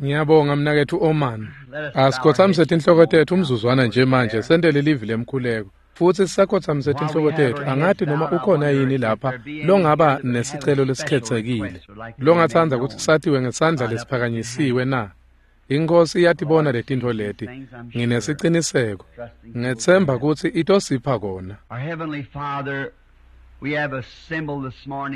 Ngiyabonga mnaketfu Oman. Asikhothamise tinhloko tetfu umzuzwana nje manje sentele livi lemkhuleko. Futsi sisakhothamise tinhloko tetfu angati noma ukhona yini lapha longaba nesicelo lesikhethekile. Longatsandza kutsi satiwe ngesandla lesiphakanyisiwe na? Inkosi iyatibona letintfo leti. Nginesiciniseko. Ngetsemba kutsi itosipha kona.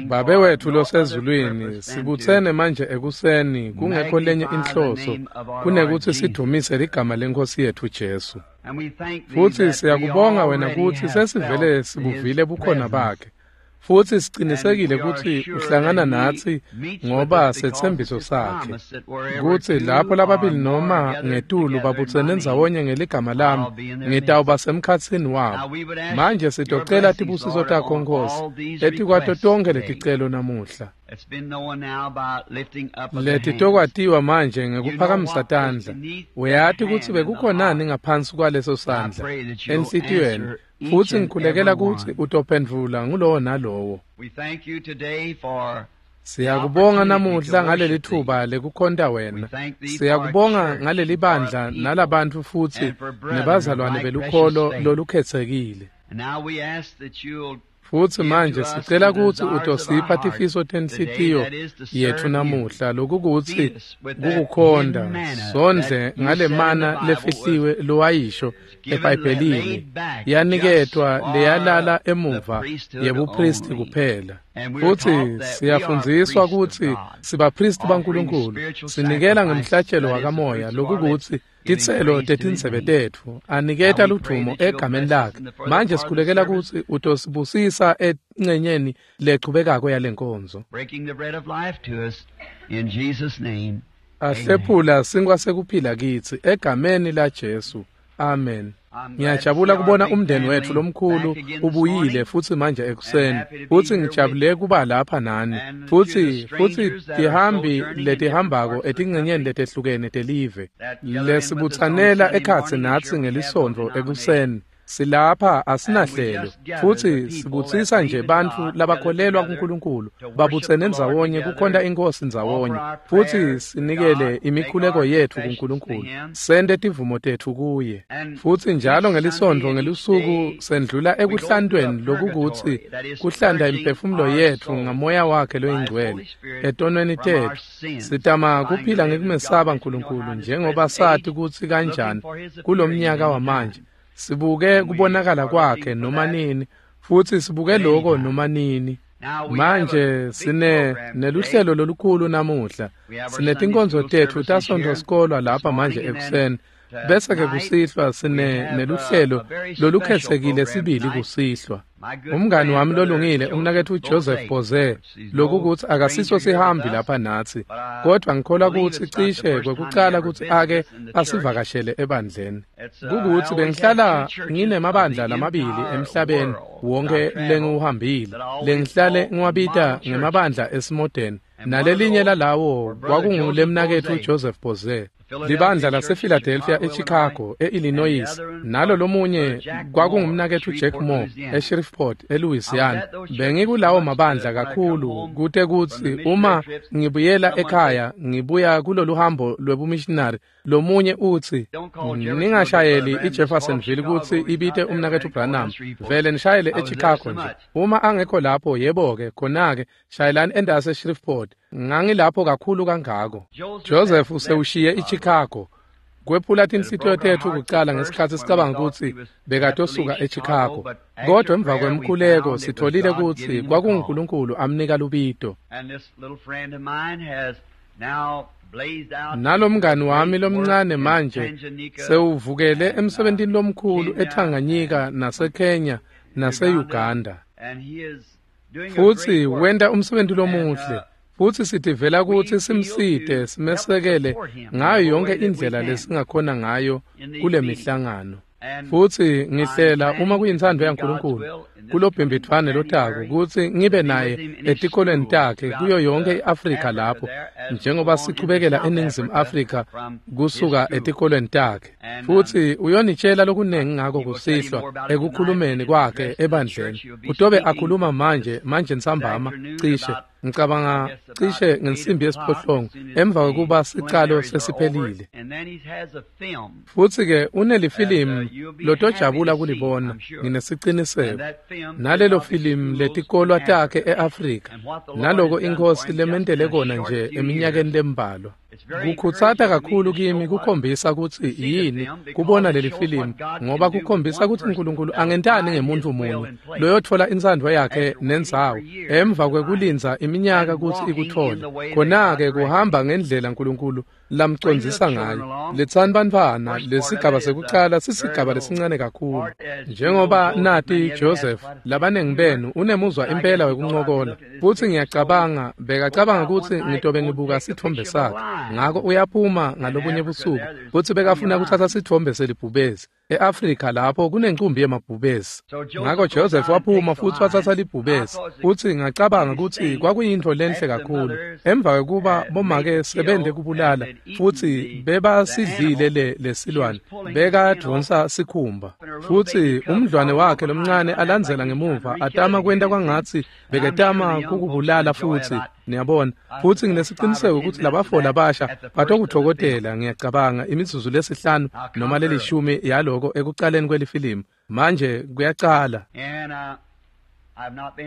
Babe wetfu losezulwini, sibutsene manje ekuseni kungekho lenye inhloso kunekutsi sidumise ligama leNkhosi yetfu Jesu. Futsi siyakubonga wena kutsi sesivele sibuvile bukhona bakhe. Futsi sicinisekile kutsi uhlangana natsi ngoba setsembiso sakhe kutsi lapho lababili noma ngetulu babutsene ndzawonye ngeligama lami ngitawuba semkhatsini wabo. Manje sitocela tibusiso takho Nkosi etikwato tonkhe leticelo namuhla. Letitokwatiwa manje ngekuphakamisa tandla. Uyati kutsi bekukhonani ngaphansi kwaleso sandla enhlitiyweni. Futsi ngikhulekela kutsi utophendvula ngulowo nalowo. Siyakubonga namuhla ngaleli thuba lekukhonta wena. Siyakubonga ngaleli bandla nalabantfu futsi nebazalwane belukholo lolukhetsekile. Futsi manje sicela kutsi utosipha tifiso tenhlitiyo yetfu namuhla lokukutsi kukukhonta sondle ngale mana lefihliwe lowayisho eBhayibhelini yaniketwa leyalala emuva yebupristi kuphela. Futsi siyafundziswa kutsi sibapristi baNkulunkulu sinikela ngemhlatshelo wakamoya lokukutsi titselo tetindzebe tetfu aniketa ludvumo egameni lakhe. Manje sikhulekela kutsi utosibusisa encenyeni lechubekako yalenkonzo. Ahlephula sinkwa sekuphila kitsi egameni la Jesu. Amen. Ngiyajabula kubona umndeni wetfu lomkhulu ubuyile futsi manje ekuseni. Futsi ngijabule kuba lapha nani. Futsi tihambi letihambako etincenyeni letehlukene telive. Lesibutsanela ekhatsi natsi ngelisontfo ekuseni. Silapha asinahlelo futsi sibutsisa nje bantfu labakholelwa kuNkulunkulu babutsene ndzawonye kukhonta inkosi ndzawonye futsi sinikele imikhuleko yetfu kuNkulunkulu sente tivumo tetfu kuye. Futsi njalo ngelisontfo ngelusuku sendlula ekuhlantweni lokukutsi kuhlanta imiphefumulo yetfu ngamoya wakhe loyingcwele etonweni tetfu. Sitama kuphila ngekumesaba Nkulunkulu njengoba sati kutsi kanjani kulomnyaka wamanje. Sibuke kubonakala kwakhe noma nini futsi sibuke lokho noma nini. Manje sine neluhlelo lolukhulu namuhla. Sinetinkonzo tetfu tasontfo sikolwa lapha manje ekuseni. Bese ke kusihlwa sine neluhlelo lolukhetsekile sibili kusihlwa. Umngani wami lolungile umnaketfu Joseph Boze lokukutsi akasiso sihambi lapha natsi kodwa ngikholwa kutsi cishe kwekucala kutsi ake asivakashele ebandleni. Kukutsi bengihlala nginemabandla lamabili emhlabeni wonke lengiwuhambile lengihlale ngiwabita ngemabandla esimodeni nalelinye lalawo kwakungulemnaketfu Joseph Boze. Libandla lasePhiladelphia eChicago eIllinois nalo lomunye kwakungumnaketfu Jack Moore eShreveport eLouisiana. Bengikulawo mabandla kakhulu kute kutsi uma ngibuyela ekhaya ngibuya kulolu hambo lwebumissionary lomunye utsi ningashayeli iJeffersonville kutsi ibite umnaketfu Branham vele nishayele eChicago nje. Uma angekho lapho yebo-ke khona-ke shayelani endase eShreveport. Ngangilapho kakhulu kangako. Joseph usewushiye iChicago. Kwephula tinhlitiyo tetfu kucala ngesikhatsi sicabanga kutsi bekatosuka eChicago. Kodwa emva kwemkhuleko sitholile kutsi kwakunguNkulunkulu amnika lubito. Nalomngani wami lomncane manje sewuvukele emsebentini lomkhulu eTanganyika naseKenya nase-Uganda. Futsi wenta umsebenzi lomuhle. Futsi sitivela kutsi simsite simesekele ngayo yonke indlela lesingakhona ngayo kule mihlangano. Futsi ngihlela uma kuyintsandvo yaNkulunkulu kulobhimbidvwane lotako kutsi ngibe naye etikolweni takhe kuyo yonke iAfrika lapho njengoba sichubekela eNingizimu Afrika kusuka etikolweni takhe. Futsi uyonitshela lokunengi ngako kusihlwa ekukhulumeni kwakhe ebandleni. Utobe akhuluma manje ntsambama cishe. Ngicabanga cishe ngensimbi yesiphohlongo emva kwekuba sicalo sesiphelile. Futsi-ke unelifilimu lotojabula kulibona, nginesiciniseko. Nalelo filimu letikolwa takhe e-Afrika, naloko iNkhosi lementele kona nje eminyakeni lembalwa. Kukhutsata kakhulu kimi kukhombisa kutsi yini kubona leli filimu, ngoba kukhombisa kutsi uNkulunkulu angentani ngemuntfu munye loyotfola intsandvo yakhe nendzawo emva kwekulindza iminyaka kutsi ikuthole. Khona-ke kuhamba ngendlela uNkulunkulu lamcondzisa ngayo. Letsani bantfwana, lesigaba sekucala sisigaba lesincane kakhulu. Njengoba nati Joseph, labanengi benu unemuzwa impela wekuncokola, futsi ngiyacabanga bekacabanga kutsi ngitobe ngibuka sitfombe sakhe. Ngako uyaphuma ngalobunye busuku futsi bekafuna kutsatsa sitfombe selibhubesi e-Afrika lapho kunencumbi yemabhubesi. Ngako Joseph waphuma futsi watsatsa libhubesi, futsi ngacabanga kutsi kwakuyintfo lenhle kakhulu. Emva kwekuba bomake sebende kubulala futsi bebasidlile lesilwane, bekadvonsa sikhumba, futsi umdlwane wakhe lomncane alandzela ngemuva atama kwenta kwangatsi beketama kukubulala futsi, niyabona. Futsi nginesiciniseko ukuthi labafo labasha batokutfokotela, ngiyacabanga, imizuzu lesihlanu noma lelishumi yaloko ekucaleni kwelifilimu. Manje kuyacala.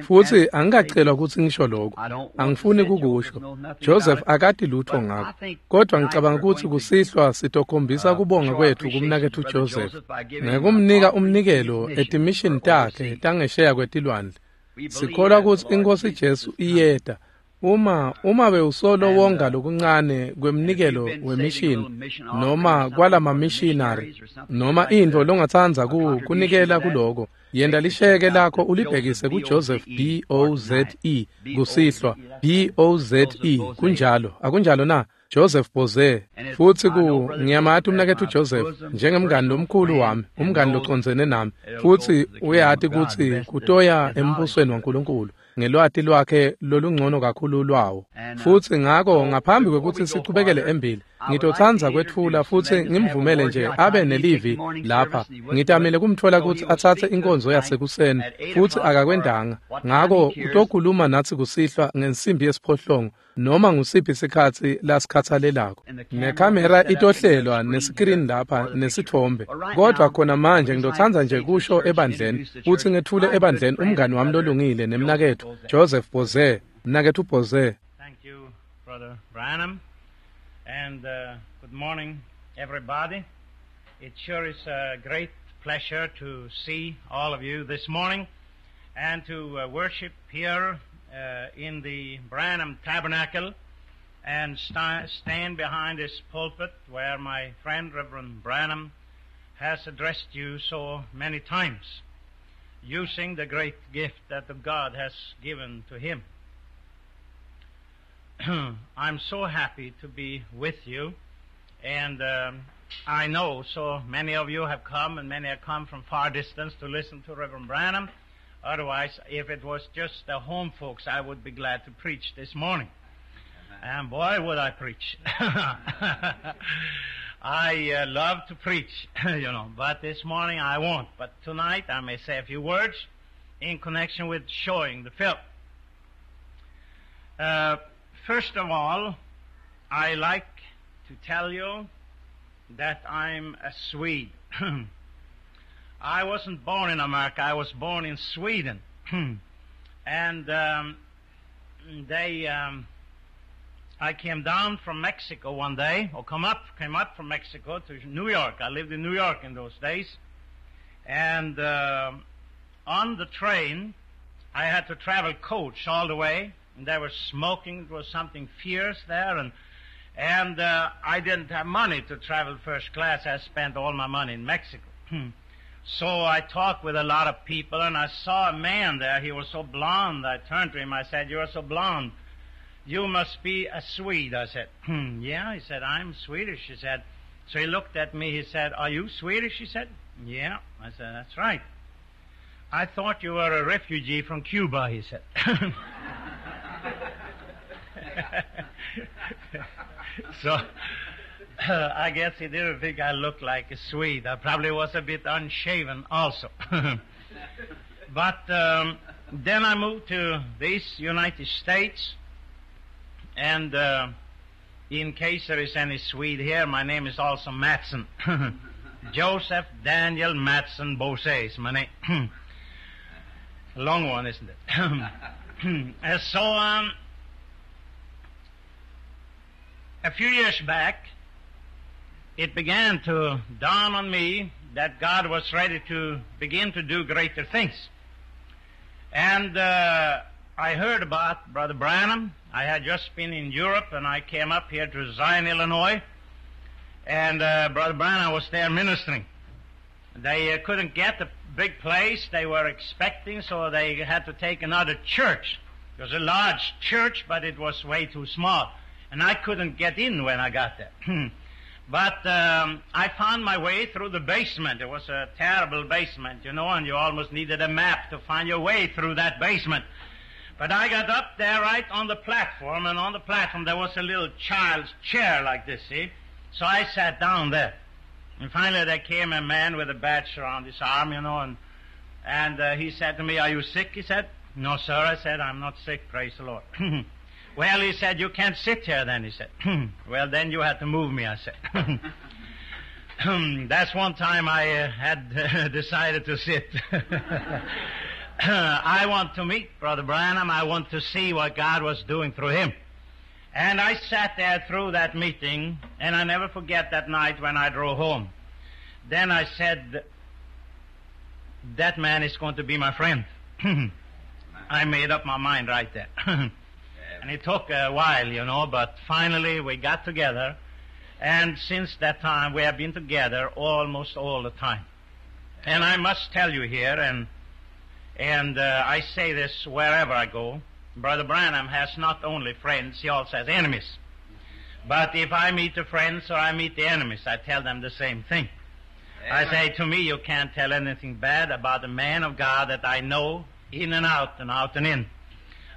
Futsi angikacelwa kutsi ngisho lokho, angifuni kukusho. Joseph akati lutho ngako, kodwa ngicabanga kutsi kusihlwa sitokhombisa kubonga kwethu kumnaketfu Joseph ngekumnika umnikelo etimishini takhe tangesheya kwetilwandle. Sikholwa kutsi iNkhosi Jesu iyeta. Uma bewusolo wonga lokuncane kwemnikelo wemishini noma kwalamamishinari noma intfo longatsandza kunikela kuloko, yenta lisheke lakho ulibhekise kuJoseph B-O-Z-E kusihlwa, B-O-Z-E, kunjalo, akunjalo na? Joseph Boze. Futsi ngiyamati umnaketfu Joseph njengemngani lomkhulu wami, umngani locondzene nami, futsi uyati kutsi kutoya embusweni waNkulunkulu ngelwati lwakhe lolungcono kakhulu lwawo. Futsi ngako ngaphambi kwekutsi sichubekele embili, ngitotsandza kwetfula futsi ngimvumele nje abe nelivi lapha. Ngitamile kumtfola kutsi atsatse inkonzo yasekuseni, futsi akakwentanga. Ngako utokhuluma natsi kusihlwa ngensimbi yesiphohlongo noma ngusiphi sikhatsi lasikhatsalelako. Nekhamera itohlelwa nesikrini lapha nesitfombe. Kodwa khona manje ngitotsandza nje kusho ebandleni futsi ngethule ebandleni umngani wami lolungile nemnaketfu Joseph Boze. Mnaketfu Boze. Thank you, Brother Branham. And good morning, everybody. It sure is a great pleasure to see all of you this morning and to worship here in the Branham Tabernacle and stand behind this pulpit where my friend Reverend Branham has addressed you so many times, using the great gift that God has given to him. I'm so happy to be with you, and I know so many of you have come, and many have come from far distance to listen to Reverend Branham. Otherwise, if it was just the home folks, I would be glad to preach this morning. And boy, would I preach. I love to preach, you know, but this morning I won't. But tonight I may say a few words in connection with showing the film. First of all, I like to tell you that I'm a Swede. I wasn't born in America. I was born in Sweden. And I came down from Mexico one day, or came up from Mexico to New York. I lived in New York in those days. And on the train, I had to travel coach all the way. And there was smoking. There was something fierce there. And I didn't have money to travel first class. I spent all my money in Mexico. So I talked with a lot of people, and I saw a man there. He was so blonde. I turned to him. I said, "You are so blonde. You must be a Swede." I said, "Yeah." He said, "I'm Swedish." He said. So he looked at me. He said, "Are you Swedish?" He said, "Yeah." I said, "That's right." "I thought you were a refugee from Cuba," he said. So I guess he didn't think I looked like a Swede. I probably was a bit unshaven also. But then I moved to these United States, And in case there is any Swede here, my name is also Mattsson. Joseph Daniel Mattsson Bosse is my name. Long one, isn't it? So, a few years back, it began to dawn on me that God was ready to begin to do greater things. And I heard about Brother Branham. I had just been in Europe, and I came up here to Zion, Illinois, and Brother Branham was there ministering. They couldn't get the big place they were expecting, so they had to take another church. It was a large church, but it was way too small, and I couldn't get in when I got there. But I found my way through the basement. It was a terrible basement, you know, and you almost needed a map to find your way through that basement. But I got up there right on the platform, and on the platform there was a little child's chair like this, see? So I sat down there. And finally there came a man with a badge around his arm, you know, and he said to me, "Are you sick?" He said. "No, sir," I said, "I'm not sick, praise the Lord." "Well," he said, "you can't sit here then," he said. "Well, then you had to move me," I said. That's one time I had decided to sit. I want to meet Brother Branham. I want to see what God was doing through him. And I sat there through that meeting, and I never forget that night when I drove home. Then I said, that man is going to be my friend. I made up my mind right there. And it took a while, you know, but finally we got together. And since that time, we have been together almost all the time. And I must tell you here, and I say this wherever I go, Brother Branham has not only friends, he also has enemies. But if I meet the friends or I meet the enemies, I tell them the same thing. Amen. I say, to me, you can't tell anything bad about a man of God that I know in and out and out and in.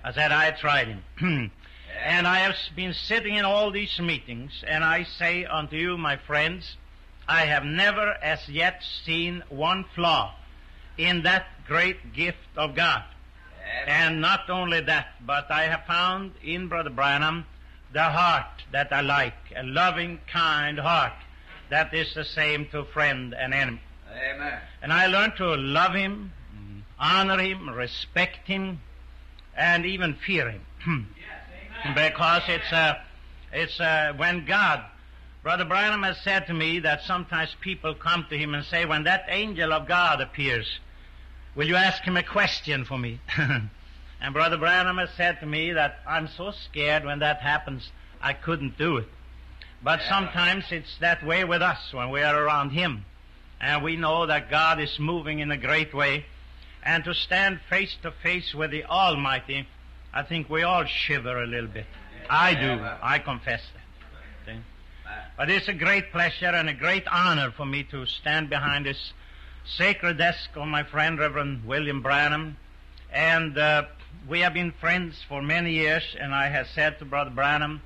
I said, I tried him. And I have been sitting in all these meetings, and I say unto you, my friends, I have never as yet seen one flaw in that great gift of God. And not only that, but I have found in Brother Branham the heart that I like, a loving, kind heart that is the same to friend and enemy. Amen. And I learned to love him, honor him, respect him, and even fear him. Yes, because it's when God, Brother Branham has said to me that sometimes people come to him and say, when that angel of God appears, will you ask him a question for me? And Brother Branham has said to me that I'm so scared when that happens, I couldn't do it. But sometimes it's that way with us when we are around him. And we know that God is moving in a great way. And to stand face to face with the Almighty, I think we all shiver a little bit. I do. I confess that. See? But it's a great pleasure and a great honor for me to stand behind this sacred desk of my friend, Reverend William Branham. And we have been friends for many years, and I have said to Brother Branham,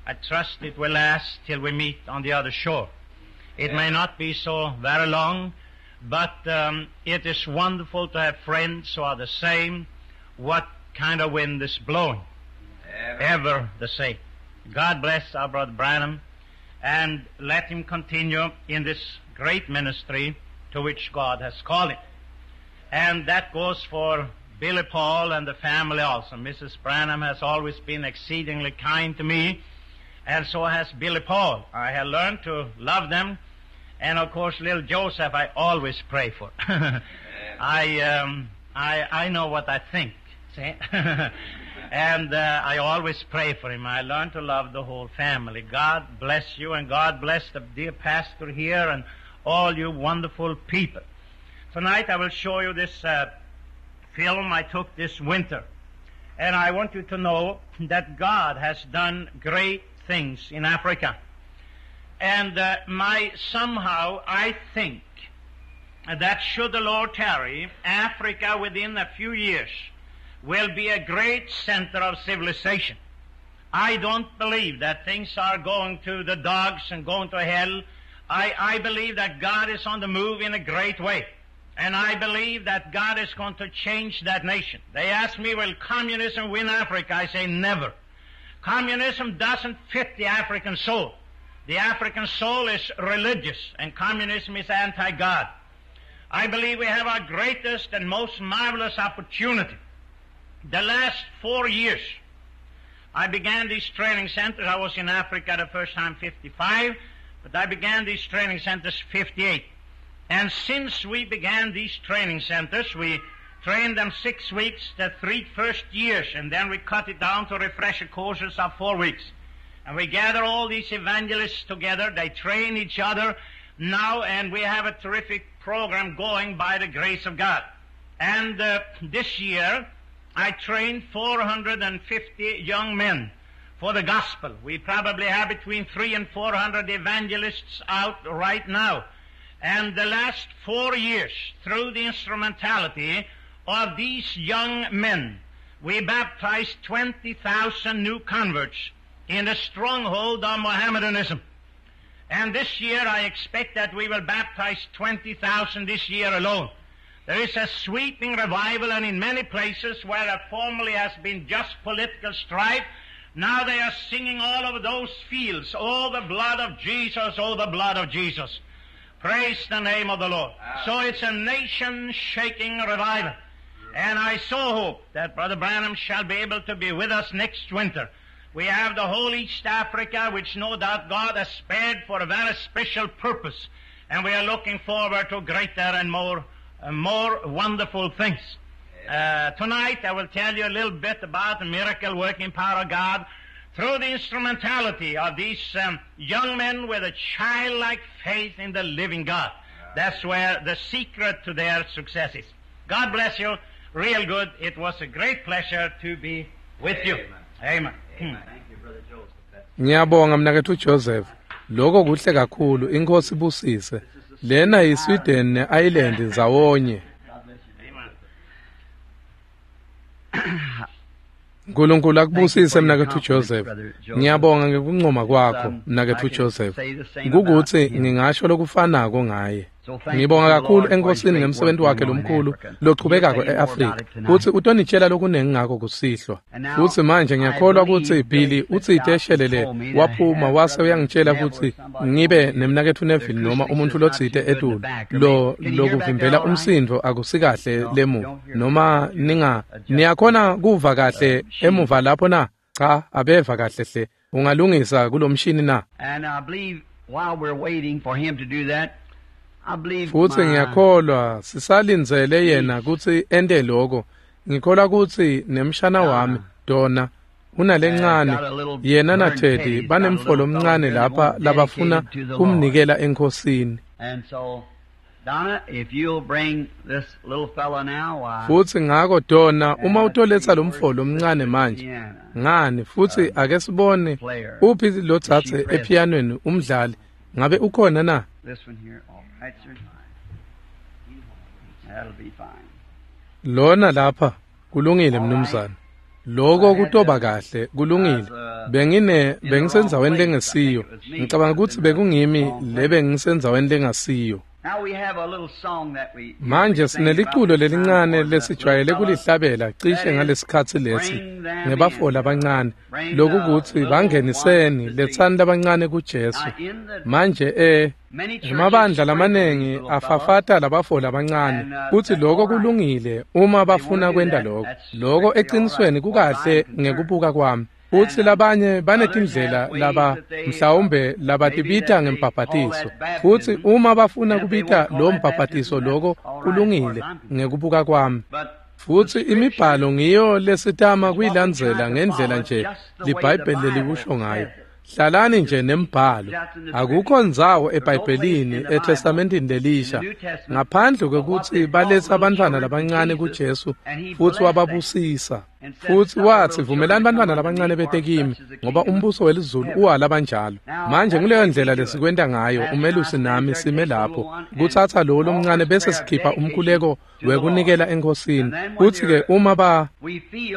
I trust it will last till we meet on the other shore. It may not be so very long, but it is wonderful to have friends who are the same, what kind of wind is blowing. Ever the same. God bless our Brother Branham, and let him continue in this great ministry to which God has called him. And that goes for Billy Paul and the family also. Mrs. Branham has always been exceedingly kind to me, and so has Billy Paul. I have learned to love them. And, of course, little Joseph I always pray for. I know what I think, see? And I always pray for him. I learned to love the whole family. God bless you, and God bless the dear pastor here and all you wonderful people. Tonight I will show you this film I took this winter. And I want you to know that God has done great things in Africa. And somehow I think that should the Lord tarry, Africa within a few years will be a great center of civilization. I don't believe that things are going to the dogs and going to hell. I believe that God is on the move in a great way. And I believe that God is going to change that nation. They ask me, will communism win Africa? I say, never. Communism doesn't fit the African soul. The African soul is religious, and communism is anti-God. I believe we have our greatest and most marvelous opportunity. The last 4 years, I began these training centers. I was in Africa the first time 55, but I began these training centers 58. And since we began these training centers, we trained them 6 weeks the 3 first years, and then we cut it down to refresher courses of 4 weeks. And we gather all these evangelists together. They train each other now, and we have a terrific program going by the grace of God. And this year, I trained 450 young men for the gospel. We probably have between 300 and 400 evangelists out right now. And the last 4 years, through the instrumentality of these young men, we baptized 20,000 new converts in the stronghold of Mohammedanism. And this year, I expect that we will baptize 20,000 this year alone. There is a sweeping revival, and in many places where there formerly has been just political strife, now they are singing all over those fields, "Oh, the blood of Jesus, oh, the blood of Jesus." Praise the name of the Lord. So it's a nation-shaking revival. And I so hope that Brother Branham shall be able to be with us next winter. We have the whole East Africa, which no doubt God has spared for a very special purpose. And we are looking forward to greater and more wonderful things. Tonight I will tell you a little bit about the miracle working power of God through the instrumentality of these young men with a childlike faith in the living God. That's where the secret to their success is. God bless you. Real good. It was a great pleasure to be with you. Amen. Amen. Thank you, Brother Joseph. Ngiyabonga mnaketfu Joseph. Lokho kuhle kakhulu, inkosi ibusise. Lena yiSweden ne-Ireland ndzawonye. uNkulunkulu akubusise mnaketfu Joseph. Ngiyabonga ngekuncoma kwakho mnaketfu Joseph. Kukuthi ngingasho lokufanako ngaye. Ngibonga kakhulu enkosini ngemsebenzi wakhe lomkhulu lochubekako eAfrika. Futhi utonitshela lokunengi ngako kusihlwa. Futhi manje ngiyakholwa ukuthi Billy utsite eshelele waphuma wase uyangitshela ukuthi ngibe nemnaketfu Neville noma umuntu lotsite etulu lo lokuvimbela umsindo akusikahle lemuva noma ninga niyakhona kuva kahle emuva lapho na cha abeva kahle hle ungalungisa kulomshini na. And I believe while we're waiting for him to do that, Futhi ngiyakholwa sisalindzele yena kutsi ente lokho. Ngikholwa kutsi nemshana wami Donna unalencane yena na Teddy banemfolo omncane lapha labafuna kumnikela enkosini. Futhi ngako Donna uma utoletsa lomfolo omncane manje ngani futhi ake sibone uphi lo tsatse epianweni umdlali ngabe ukhona na? This one here, all right, sir. That'll be fine. Lona lapha kulungile mnumzane. Lokho kutoba kahle kulungile. Bengisendzaweni lengesiyo. Ngicabanga ukuthi bekungimi lebe ngisendzaweni lengasiyo. Manje sineliculo lelincane lesijwayele kulihlabela cishe ngalesikhatsi lesi ngebafo labancane lokukuthi bangeniseni letsani labancane kuJesu. Manje emabandla lamanengi afafata labafo labancane kuthi lokho kulungile uma bafuna kwenta lokho. Lokho eqinisweni kukahle ngekubuka kwami. Futhi labanye banetindlela laba mhlawumbe labatibita ngembhabhatiso. Futhi uma bafuna kubita lo mbhabhatiso lokho kulungile ngekubuka kwami. Futhi imibhalo ngiyo lesitama kuyilandzela ngendlela nje liBhayibheli lelikusho ngayo. Hlalani nje nembhalo. Akukho ndzawo eBhayibhelini eTestamentini lelisha ngaphandle kwekuthi baletha abantwana labancane kuJesu futhi wababusisa. Futhi wathi vumelani bantwana labancane bete kimi ngoba umbuso welizulu uwalabanjalo. Manje nguleyo ndlela lesikwenta ngayo umelusi nami sime lapho kuthatha lo lomncane bese sikhipha umkhuleko wekunikela enkosini. Kuthi ke uma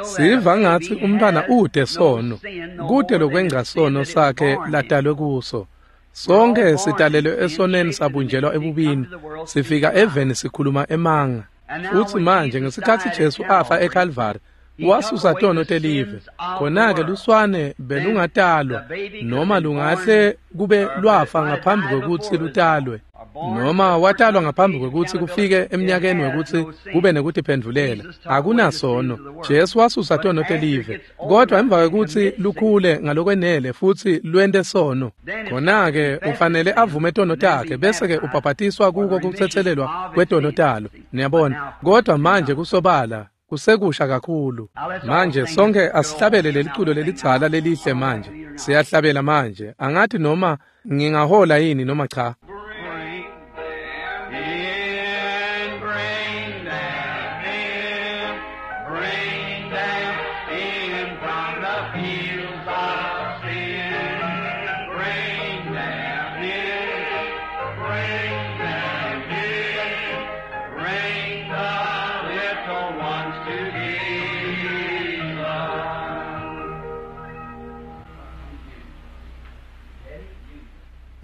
siva ngathi umntwana ude sono kude lokwengca sono sakhe ladalwe kuso. Sonke sidalelwe esoneni sabunjelwa ebubini sifika eveni sikhuluma emanga. Futhi manje ngesikhathi Jesu afa eCalvary Wasusa tono telive. Khona-ke luswane belungatalwa noma lungahle kube lwafa ngaphambi kwekutsi lutalwe, noma watalwa ngaphambi kwekutsi kufike eminyakeni wekutsi kube nekutiphendvulela. Akunasono. Jesu wasusa tono telive, kodwa emva kwekutsi lukhule ngalokwenele futsi lwente sono, khona-ke ufanele avume tono takhe bese-ke ubhabhatiswa kuko kutsetselelwa kwetono talo. Niyabona? Kodwa manje kusobala kusekusha kakhulu. Manje sonke asihlabele leliculo lelidzala lelihle manje. Siyahlabela manje. Angathi noma ngingahola yini noma cha. Bring them in, bring them in from the fields of sin. Bring them in, bring them in, bring the little ones to Jesus.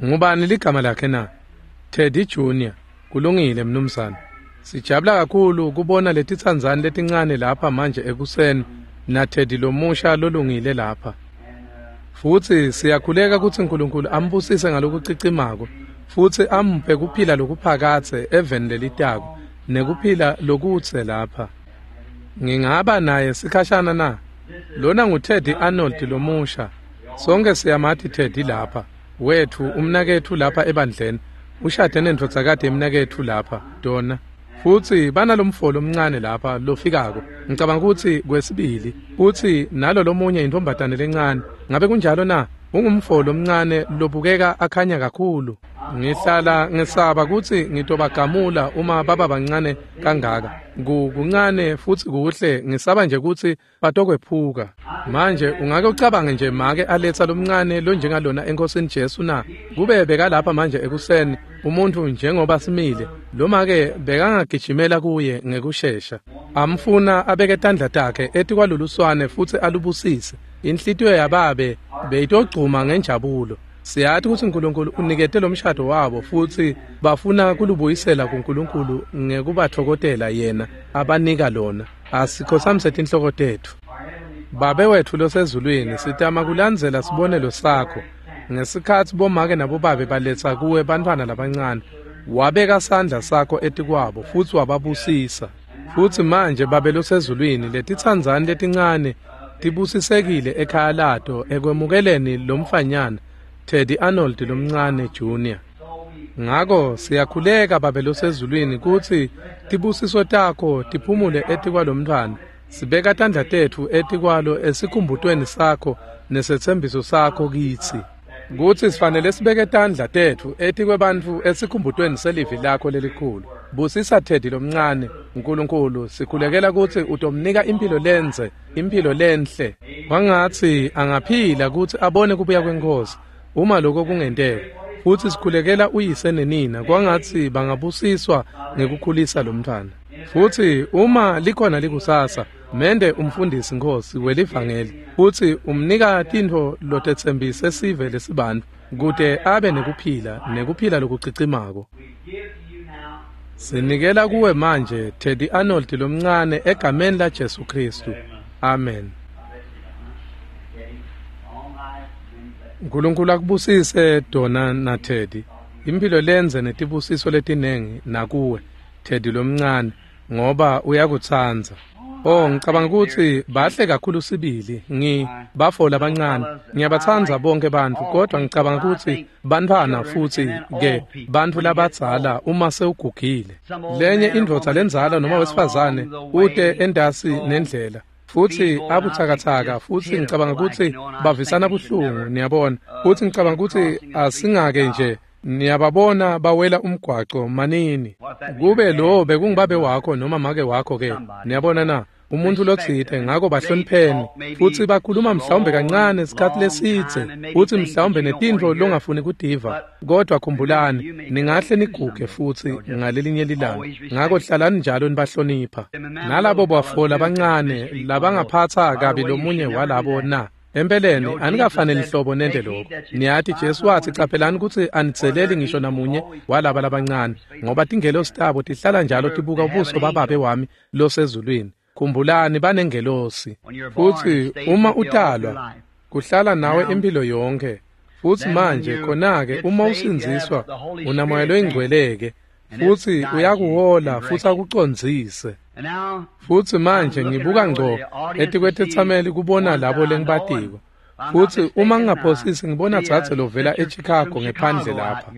Ngubani ligama lakhe na? Teddy Junior. Kulungile mnumzane. Sijabula kakhulu kubona letitsandzani letincane lapha manje ekuseni na Teddy lomusha lolungile lapha. Futsi siyakhuleka kutsi uNkulunkulu ambusise ngalokucicimako futsi amphe kuphila lokuphakadze eveni lelitako nekuphila lokutse lapha. Ngingaba naye sikhashana na? Lona nguTeddy Arnold lomusha. Sonke siyamati Teddy lapha. Wethu umnaketfu lapha ebandleni. Ushade nendvodzakati yemnaketfu lapha, Donna. Futsi banalomfo lomncane lapha lofikako. Ngicabanga kutsi kwesibili, futsi nalo lomunye intombazane lencane. Ngabe kunjalo na? Ungumfo lomncane lobukeka akhanya kakhulu. Ngihlala ngesaba kutsi ngitobagamula uma baba bancane kangaka. Kuncane futsi kuhle, ngisaba nje kutsi batokwephuka. Manje ungake ucabange nje make aletsa lomncane lonjengalona eNkosini Jesu na? Kube bekalapha manje ekuseni umuntu njengoba simile, lo make bekangagijimela kuye ngekushesha. Amfuna abeke tandla takhe etikwaloluswane futsi alubusise. Inhlitiyo yababe beyitogcuma ngenjabulo. Siyathi kutsi uNkulunkulu unikete lomshado wabo futsi bafuna kulubuyisela kuNkulunkulu ngekubathokotela yena abanika lona. Asikhothamise tinhloko tetfu. Babe wetfu losezulwini, sitama kulandzela sibonelo sakho. Ngesikhatsi bomake nabobabe baletsa kuwe bantfwana labancane, wabeka sandla sakho etikwabo futsi wababusisa. Futsi manje Babe losezulwini, letitsandzani letincane tibusisekile ekhaya lato ekwemukeleni lomfanyana Teddy Arnold lomncane Junior. Ngako siyakhuleka Babe losezulwini kutsi tibusiso takho tiphumule etikwalomntfwana. Sibeka tandla tetfu etikwalo esikhumbutweni sakho nesetsembiso sakho kitsi, kutsi sifanele sibeke tandla tetfu etikwebantfu esikhumbutweni selivi lakho lelikhulu. Busisa Teddy lomncane, Nkulunkulu, sikhulekela kutsi utomnika impilo lenze, impilo lenhle. Kwangatsi angaphila kutsi abone kubuya kweNkhosi, uma lokho kungenteka. Futsi sikhulekela uyise nenina, kwangatsi bangabusiswa ngekukhulisa lomntfwana. Futsi uma likhona likusasa, mende umfundisi Nkhosi welivangeli, futsi umnika tintfo lotetsembise sive lesibantfu, kute abe nekuphila, nekuphila lokucicimako. Sinikela kuwe manje Teddy Arnold lomncane egameni la Jesu Kristu. Amen. Nkulunkulu akubusise Donna na Teddy. Impilo lenze netibusiso letinengi nakuwe Teddy lomncane, ngoba uyakutsandza. Oh, ngicabanga kutsi bahle kakhulu sibili. Bafo labancane. Ngiyabatsandza bonke bantfu, kodwa ngicabanga kutsi bantfwana futsi ke bantfu labadzala uma sewugugile. Lenye indvodza lendzala noma wesifazane ute entasi nendlela, futsi abutsakatsaka, futsi ngicabanga kutsi bavisana buhlungu, niyabona. Futsi ngicabanga kutsi asingake nje niyababona bawela umgwaco manini. Kube lo bekungubabe wakho noma make wakho ke, niyabona na? Umuntu lotsite, ngako bahlonipheni. Futsi bakhuluma mhlawumbe kancane isikhathi lesidze, futsi mhlawumbe netintfo longafuni kutiva, kodwa khumbulani, ningahle niguge futsi ngalelinye lilanga. Ngako hlalani njalo nibahlonipha. Nalabo bafo labancane labangaphatsa kabi lomunye walabo na? Empeleni anikafaneli hlobo nente lokho. Niyati Jesu wathi, caphelani kutsi anidzeleli ngisho namunye walaba labancane, ngoba tingelosi tabo tihlala njalo tibuka ubuso bababe wami losezulwini. Khumbulani banengelosi. Futsi uma utalwa, kuhlala nawe impilo yonke. Futsi manje khona-ke uma usindziswa, unaMoya loyiNgcwele-ke, futsi uyakuhola futsi akucondzise. Futsi manje ngibuka ngco etikwetetsameli kubona labo lengibatiko. Futsi uma ngingaphosisi ngibona dzadze lovela eChicago ngephandle lapha.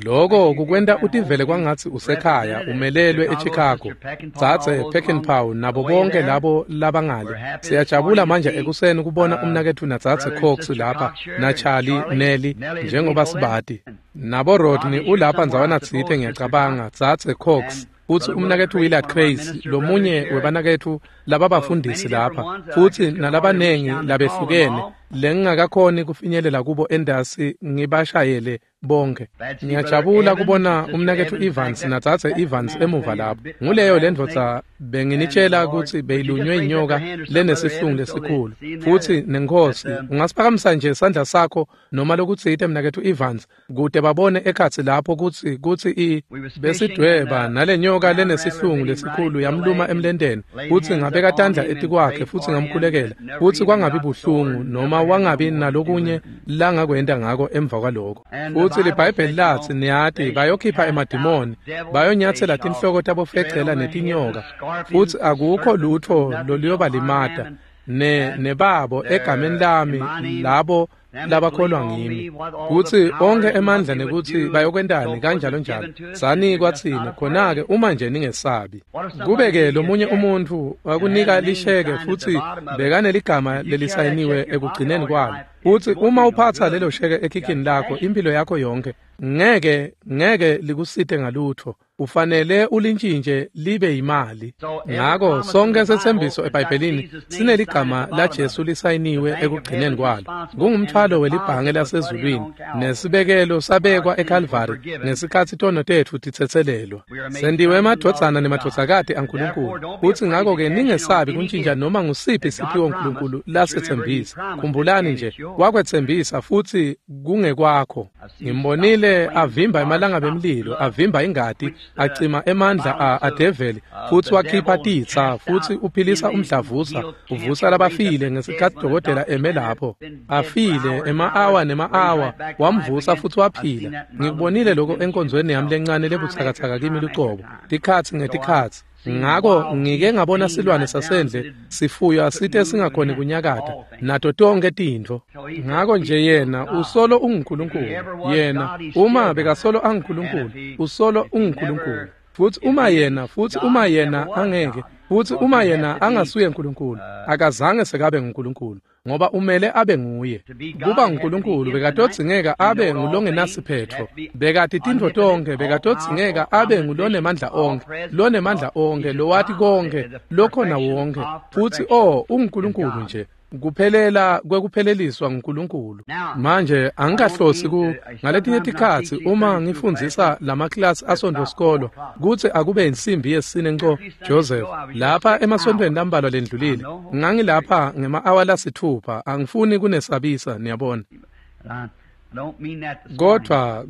Loko kukwenta utivele kwangatsi usekhaya umelelwe eChicago. Dzadze Peckinpah nabo bonke labo labangale. Siyajabula manje ekuseni kubona umnaketfu nadzadze Cox lapha na Charlie Nelly njengoba sibati. Nabo Rodney ulapha ndzawana tsite ngiyacabanga dzadze Cox. Futsi umnaketfu Willard Craze lomunye webanaketfu lababafundisi lapha futsi nalabanengi labehlukene lengingakakhoni kufinyelela kubo endasi ngibashayele bonke. Ngiyajabula kubona umnaketfu Evans nadzadze Evans emuva lapho. Nguleyo lendvodza benginitshela kutsi beyilunywe inyoka lenesihlungu lesikhulu. Futsi nenkosi ungasiphakamisa nje isandla sakho noma lokutsite mnaketfu Evans kute babone ekhatsi lapho kutsi besidweba nalenyoka lenesihlungu lesikhulu yamluma emlenteni. Futsi ngabeka tandla etikwakhe futsi ngamkhulekela futsi kwangabi buhlungu noma wangabi nalokunye langakwenta ngako emva kwaloko. Futsi liBhayibheli latsi niyati bayokhipha emadimoni, bayonyatsela tinhloko tabofecela netinyoka, futsi akukho lutho loluyobalimata nebabo egameni lami labo labakholwa ngimi. Kutsi onke emandla nekutsi bayokwentani kanjalo njalo sanikwa tsine khona-ke uma nje ningesabi. Kube-ke lomunye umuntfu wakunika lisheke futsi bekaneligama lelisayiniwe ekugcineni kwalo. Futsi uma uphatsa lelo sheke ekhikhini lakho impilo yakho yonke ngeke likusite ngalutho. Ufanele ulintshintshe libe yimali. Ngako sonke setsembiso eBhayibhelini sineligama laJesu lisayiniwe ekugcineni kwalo. Kungumthwalo welibhange lasezulwini nesibekelo sabekwa eKalvari ngesikhatsi tono tetfu titsetselelwa. Sendiwe emadvodzana nemadvodzakati aNkulunkulu. Futsi ngako-ke ningesabi kuntshintsha noma ngusiphi siphiwo uNkulunkulu lasetsembisa. Khumbulani nje wakwetsembisa futsi kungekwakho. Ngimbonile avimba emalanga bemlilo, avimba ingati, acima emandla adeveli futsi wakhipha titsa futsi uphilisa umdlavuza, uvusa labafile ngesikhatsi dokotela eme lapho afile ema-awa nema-awa, wamvusa futsi waphila. Ngikubonile lokho enkonzweni yami lencane lebutsakatsaka kimi lucobo tikhatsi ngetikhatsi. Ngako ngike ngabona silwane sasendle sifuywa site singakhoni kunyakata nato tonke tintfo. Ngako nje yena usolo unguNkulunkulu. Yena uma bekasolo anguNkulunkulu, usolo unguNkulunkulu. Futsi uma yena, futsi uma yena angeke, futsi uma yena angasuye uNkulunkulu, akazange sekabe nguNkulunkulu, ngoba umele abe nguye. Kuba nguNkulunkulu bekatodzingeka abe ngulongenasiphetfo, bekati tintfo tonke, bekatodzingeka abe ngulonemandla onke, lonemandla onke, lowati konke, lokhona wonke. Futsi unguNkulunkulu nje. Kuphelela kwekupheleliswa nguNkulunkulu. Manje angikahlosi ku ngaletinye tikhatsi uma ngifundzisa lamaklasi asontfo sikolo kutsi akube insimbi yesine nco Joseph lapha emasontfweni lambalwa lendlulile ngangilapha ngema-awa lasithupha. Angifuni kunesabisa niyabona,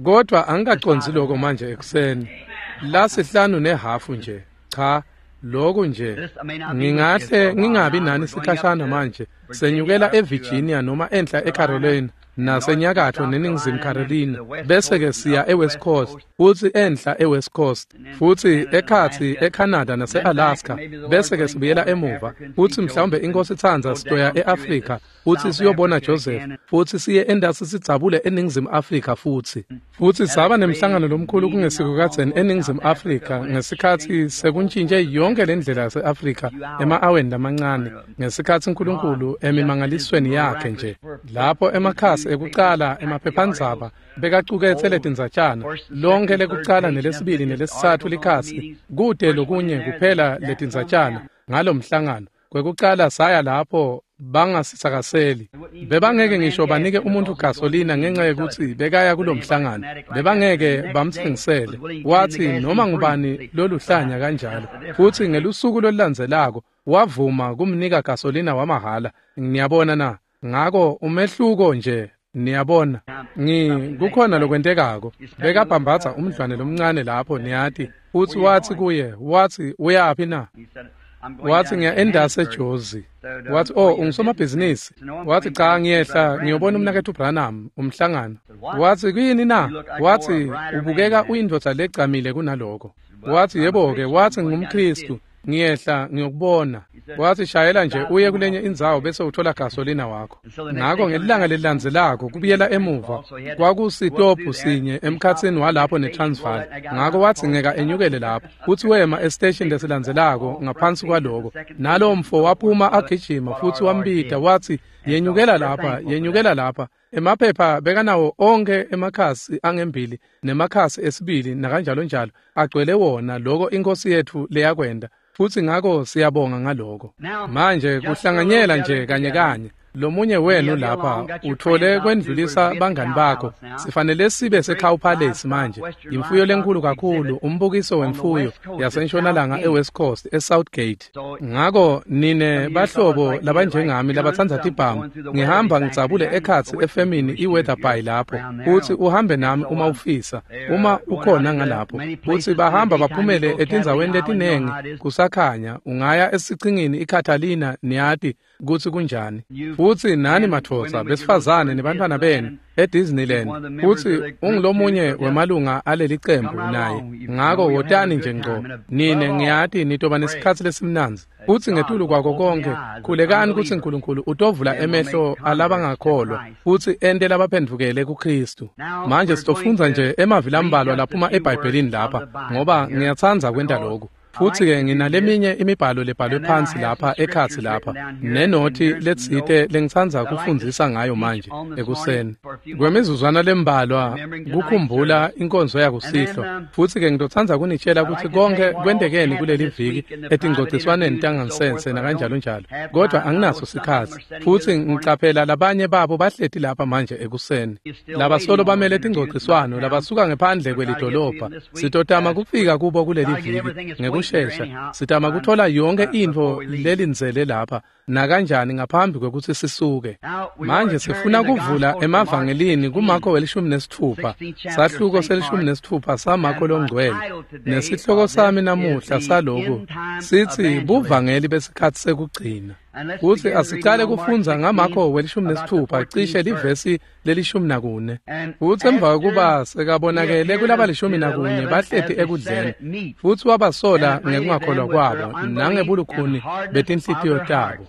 kodwa angikacondzi lokho manje ekuseni lasihlanu nehhafu nje. Cha, lokhu nje ngingahle ngingabi nani sikhashana manje. Senyukela eVirginia noma enhla eCarolina nasenyakatfo neNingizimu Carolina, bese-ke siya eWest Coast futsi enhla eWest Coast futsi ekhatsi eCanada nase-Alaska, bese-ke sibuyela emuva futsi mhlawumbe inkosi itsandza sitoya e-Afrika futsi siyobona Joseph futsi siye endasi sidzabule eNingizimu Afrika futsi. Futsi saba nemhlangano lomkhulu kungesiko kadzeni eNingizimu Afrika ngesikhatsi sekuntshintshe yonke lendlela yase-Afrika ema-aweni lamancane, ngesikhatsi uNkulunkulu emimangalisweni yakhe nje lapho emakhasi ekucala emaphephandzaba bekacuketse letindzatshana lonke lekucala nelesibili nelesitsatfu likhasi kute lokunye kuphela letindzatshana ngalomhlangano. Kwekucala saya lapho bangasitsakaseli, bebangeke ngisho banike umuntu gasolina ngenxa yekutsi bekaya kulomhlangano, bebangeke bamtsengisele. Wathi noma ngubani loluhlanya kanjalo. Futsi ngelusuku lolulandzelako wavuma kumnika gasolina wamahhala. Niyabona na? Ngako umehluko nje niyabona kukhona lokwentekako. Bekabhambatha umdlwane lomncane lapho niyati, futsi wathi kuye, wathi uyaphi na? Wathi, ngiya endase eJozi. Wathi, oh, ungusomabhizinisi. Wathi, cha, ngiyehla ngiyobona umnaketfu Branham umhlangano. Wathi, kuyini na? Wathi, ubukeka uyindvodza legcamile kunaloko. Wathi, yebo-ke. Wathi, ngingumKhristu, ngiyehla ngiyokubona. Wathi, shayela nje uye kulenye indzawo bese uthola gasolina wakho. Ngako ngelilanga lelilandzelako kubuyela emuva kwakusitophu sinye emkhatsini walapho neTransvaal. Ngako wathi ngeka enyukele lapho, futsi wema esiteshini lesilandzelako ngaphansi kwaloko. Nalowo mfo waphuma agijima futsi wambita wathi, yenyukela lapha, yenyukela lapha. Emaphepha bekanawo onke emakhasi angembili nemakhasi esibili nakanjalo njalo agcwele wona loko iNkhosi yetfu leyakwenta. Futsi ngako siyabonga ngaloko. Manje kuhlanganyela nje kanye kanye. Lomunye wenu lapha uthole kwendlulisa bangani bakho. Sifanele sibe seCow Palace manje. Imfuyo lenkulu kakhulu, umbukiso wemfuyo yaseNtshonalanga eWest Coast eSouthgate. Ngako nine bahlobo labanjengami labatsandza tibhamu, ngihamba ngidzabule ekhatsi efemini iWeatherby lapho. Uthi uhambe nami uma ufisa, uma ukhona ngalapho. Uthi bahamba baphumele etindzaweni letinengi kusakhanya, ungaya esichingini iCatalina niyati kutsi kunjani. Futsi nani madvodza besifazane nebantfwana benu eDisneyland, futsi ungulomunye wemalunga aleli cembu naye. Ngako wotani nje ngco, nine ngiyati nitoba nesikhatsi lesimnandzi. Futsi ngetulu kwako konke, khulekani kutsi Nkulunkulu utovula emehlo alabangakholwa futsi ente labaphendvukele kuKhristu. Manje sitofundza nje emavi lambalwa laphuma eBhayibhelini lapha, ngoba ngiyatsandza kwenta lokhu. Futsi-ke nginaleminye imibhalo lebhalwe phansi lapha ekhatsi lapha nenothi letsite lengitsandza kufundzisa ngayo manje ekuseni. Kwemizuzwana lembalwa kukhumbula inkonzo yakusihlwa. Futsi-ke ngitotsandza kunitshela kutsi konke kwentekeni kuleli viki etingcogciswaneni tangansense nakanjalo njalo. Kodwa anginaso sikhatsi. Futsi ngicaphela labanye babo bahleti lapha manje ekuseni. Labasolo bamele tingcogciswano labasuka ngephandle kwelidolobha. Sitotama kufika kubo kuleli viki ngekushesha. Sitama kuthola yonke intfo lelindzele lapha nakanjani ngaphambi kwekutsi sisuke. Manje sifuna kuvula emavangelini kuMarko 16, sahluko se-16 saMarko longcwele. Nesihloko sami namuhla saloku sitsi buvangeli besikhatsi sekugcina. Kutsi asicale kufundza ngaMarko 16 cishe livesi le-14. Futsi emva kwekuba sekabonakele kulaba-14 bahleti ekudleni, futsi wabasola ngekungakholwa kwabo nangebulukhuni betinhlitiyo tabo,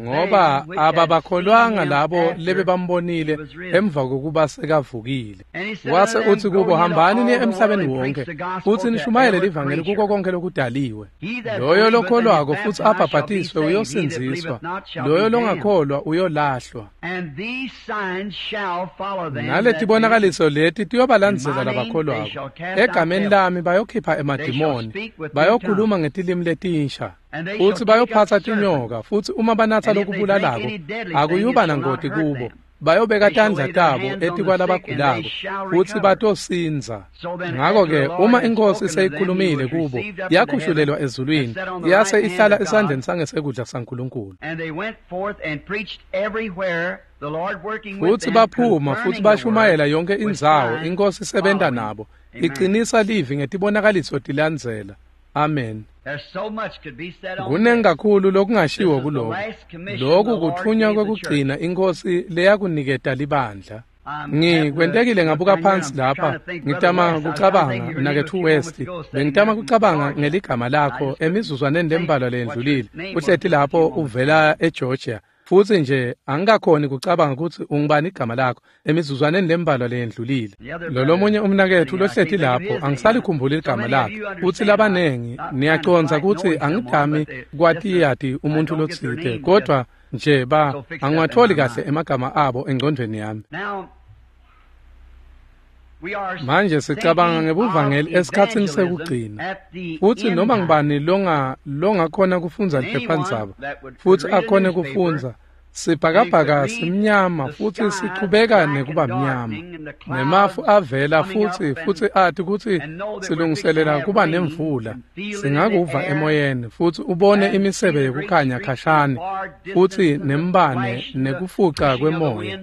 ngoba ababakholwanga labo lebebambonile emva kokuba sekavukile. Wase utsi kubo, hambani niye emhlabeni wonke futsi nishumayele livangeli kuko konke lokudaliwe. Loyo lokholwako futsi abhabhatiswe uyosindziswa, loyo longakholwa uyolahlwa. Naletibonakaliso leti tiyobalandzela labakholwako. Egameni lami bayokhipha emadimoni, bayokhuluma ngetilimi letinsha, futsi bayophatsa tinyoka, futsi uma banatsa lokubulalako akuyuba nangoti kubo. Bayobeka tandla tabo etikwalabagulako futsi batosindza. Ngako-ke uma iNkhosi seyikhulumile kubo, yakhushulelwa ezulwini, yase ihlala esandleni sangesekudla saNkulunkulu. Futsi baphuma futsi bashumayela yonke indzawo, iNkhosi isebenta nabo, icinisa livi ngetibonakaliso tilandzela. Amen. Kunengi kakhulu lokungashiwo kuloko. Loku kutfunywa kwekugcina iNkhosi leyakuniketa libandla. Ngikwentekile ngabuka phansi lapha, ngitama kucabanga mnaketfu West, bengitama kucabanga ngeligama lakho emizuzwaneni lembalwa leyendlulile. Uhleti lapho uvela eGeorgia. Futsi nje angikakhoni kucabanga kutsi ungubani igama lakho emizuzwaneni lembalwa leyendlulile. Lolomunye umnaketfu lohleti lapho angisalikhumbuli igama lakhe. Futsi labanengi niyacondza kutsi angidami kwatiyati umuntfu lotsite, kodwa nje angiwatholi kahle emagama abo engcondvweni yami. Manje sicabanga ngebuvangeli esikhatsini sekugcina. Futsi noma ngubani longakhona kufundza liphephandzaba futsi akhone kufundza, sibhakabhaka simnyama futsi sichubeka nekuba mnyama. Nemafu avela futsi ati kutsi silungiselela kuba nemvula. Singakuva emoyeni futsi ubone imisebe yekukhanya khashane futsi nembane nekufuca kwemoya.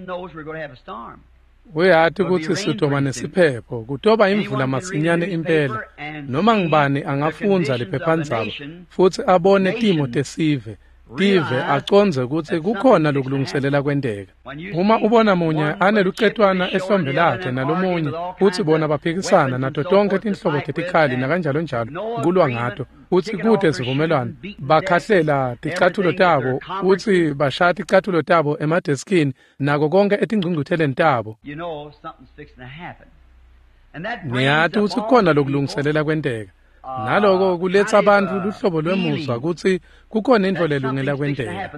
Uyati kutsi sitoba nesiphepho, kutoba imvula masinyane impela. Noma ngubani angafundza liphephandzaba futsi abone timo tesive, tive acondze kutsi kukhona lokulungiselela kwenteka. Uma ubona munye anelucetwana ehlombe lakhe nalomunye, futsi bona baphikisana nato tonkhe tinhlobo tetikhali nakanjalo njalo kulwa ngato, futsi kute sivumelwano, bakhahlela ticathulo tabo, futsi bashaya ticathulo tabo emadeskini nako konke etingcungcutheleni tabo. Niyati kutsi kukhona lokulungiselela kwenteka. Naloko kuletsa bantfu luhlobo lwemuzwa kutsi kukhona intfo lelungela kwenteka.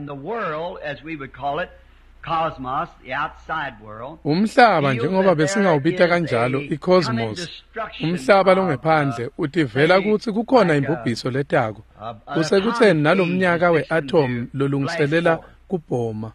Umhlaba njengoba besingawubita kanjalo i-cosmos, umhlaba longephandle utivela kutsi kukhona imbubhiso letako. Kusekutseni nalomnyaka we-atom lolungiselela kubhoma.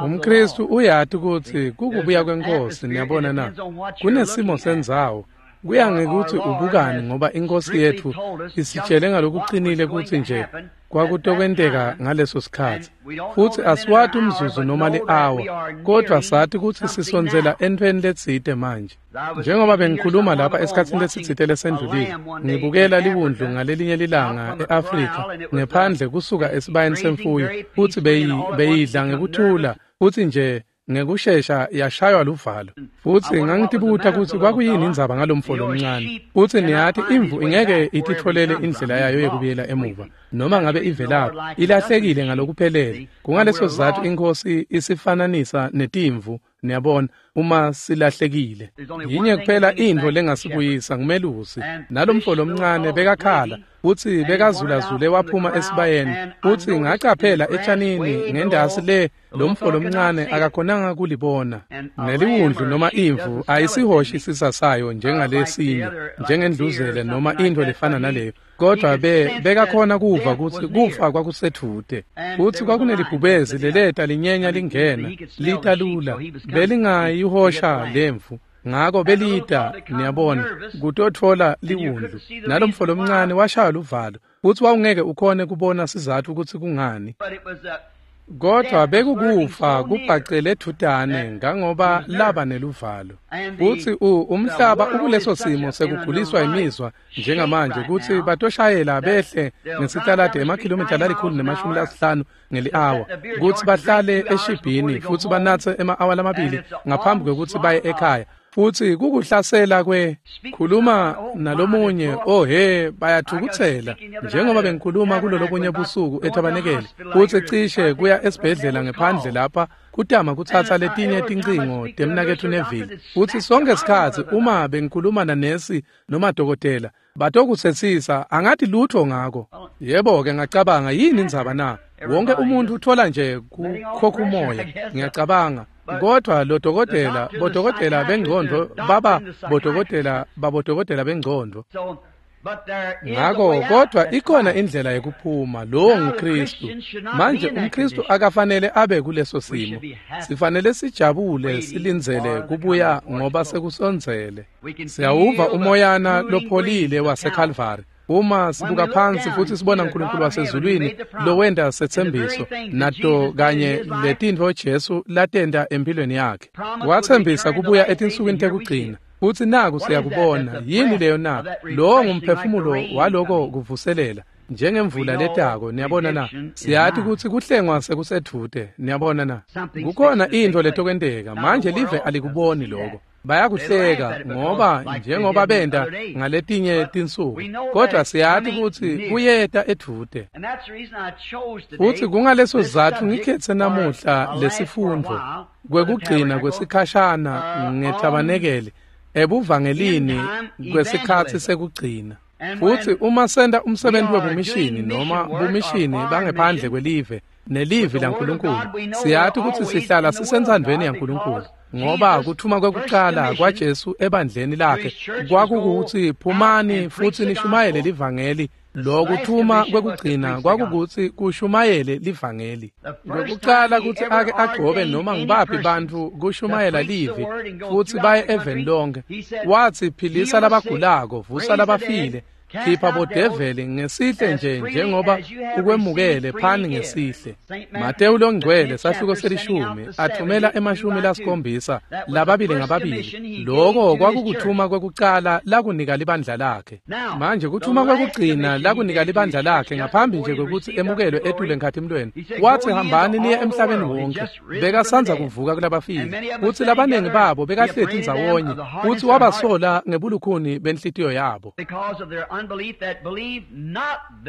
Umkristu uyati kutsi kukubuya kwenkosi, niyabona na? Kunesimo sendzawo. Kuya ngekutsi ubukani ngoba inkosi yetfu isitshele ngalokuqinile kutsi nje kwakutokwenteka ngaleso sikhatsi. Futsi asiwati umzuzu noma li-awa, kodvwa sati kutsi sisondzela entfweni letsite manje. Njengoba bengikhuluma lapha esikhatsini lesitsite lesendlulile, ngibukela liwundlu ngalelinye lilanga e-Afrika ngephandle kusuka esibayeni semfuyo, futsi beyidla ngekuthula, futsi nje ngekushesha yashaywa luvalo. Futsi ngangitibuta kutsi kwakuyini indzaba ngalomfo lomncane. Futsi niyati imvu ingeke ititfolele indlela yayo yekubuyela emuva, noma ngabe ivelaphi, ilahlekile ngalokuphelele. Kungaleso sizatfu inkosi isifananisa netimvu, niyabona, uma silahlekile. Yinye kuphela intfo lengasibuyisa ngumelusi. Nalomfo lomncane bekakhala, futsi bekazulazule waphuma esibayeni, futsi ngacaphela etshanini ngendasi le lomfo lomncane akakhonanga kulibona. Neliwundlu noma imvu ayisihoshi isisa sayo njengalesinye, njengendluzele noma intfo lefana naleyo, kodvwa bekakhona kuva kutsi kufa kwakusedvute. Futsi kwakunelibhubezi leleta linyenya lingena lita lula, belingayihosha lemvu. Ngako belita, niyabona, kutotfola liwundlu. Nalomfo lomncane washaya luvalo, futsi wawungeke ukhone kubona sizatfu kutsi kungani. Kodvwa bekukufa kubhacele edvutane ngangoba laba neluvalo. Futsi umhlaba ukuleso simo sekuguliswa imizwa njengamanje kutsi batoshayela behle ngesitaladi emakhilomitha 150 ngeli-awa, kutsi bahlale eshibhini futsi banatse ema-awa lamabili ngaphambi kwekutsi baye ekhaya. Futsi kukuhlasela kwe khuluma nalomunye, oh he, bayathukutsela. Njengoba bengikhuluma kulolobunye busuku ethabanekele, futsi cishe kuya esibhedlela ngephandle lapha kutama kutsatsa letinye tincingo temnaketfu Neville. Futsi sonke sikhatsi uma bengikhuluma nanesi noma dokotela, batokutsetsisa angati lutho ngako. Yebo-ke ngacabanga, yini indzaba na? Wonke umuntu uthola nje kukhokha umoya, ngiyacabanga. Kodvwa lo dokotela, bodokotela bengcondvo baba bodokotela babodokotela bengcondvo. Ngako kodvwa ikhona indlela yekuphuma, lowo nguKristu. Manje umKristu akafanele abe kuleso simo. Sifanele sijabule silindzele kubuya ngoba sekusondzele. Siyawuva umoyana lopholile waseKalvari. Uma sibuka phansi futsi sibona uNkulunkulu wasezulwini lowenta setsembiso nato kanye letintfo Jesu latenta empilweni yakhe. Watsembisa kubuya etinsukwini tekugcina. Futsi naku siyakubona. Yini leyo na? Lowo ngumphefumulo waloko kuvuselela njengemvula letako, niyabona na? Siyati kutsi kuhlengwa sekusedvute, niyabona na? Kukhona intfo letokwenteka. Manje live alikuboni loko. Bayakuhleka ngoba njengoba benta ngaletinye tinsuku, kodvwa siyati kutsi kuyeta edvute. Futsi kungaleso sizatfu ngikhetse namuhla lesifundvo kwekugcina kwesikhashana ngethabanekele ebuvangelini kwesikhatsi sekugcina. Futsi uma senta umsebenzi webumishini noma bumishini bangephandle kwelive nelivi laNkulunkulu, siyati kutsi sihlala sisentsandvweni yaNkulunkulu. Ngoba kuthuma kwekucala kwaJesu ebandleni lakhe kwakukutsi phumani futsi nishumayele livangeli. Lokuthuma kwekugcina kwakukutsi kushumayele livangeli. Kwekucala kutsi ake agcobe noma ngibaphi bantfu kushumayela livi futsi baye eveni lonke. Watsi philisa labagulako, vusa labafile, Khipha bodeveli ngesihle nje njengoba ukwemukele, phani ngesihle. Matewu longcwele sahluko selishumi athumela 70 lababili ngababili. Lokho kwakukuthuma kwekucala lakunika libandla lakhe. Manje kuthuma kwekugcina lakunika libandla lakhe ngaphambi nje kwekutsi emukelwe etule enkhatimlweni. Wathi hambani niye emhlabeni wonke. Bekasanza kuvuka kulabafile. Kutsi labanengi babo bekahleti ndzawonye. Kutsi wabasola ngebulukhuni benhlitiyo yabo.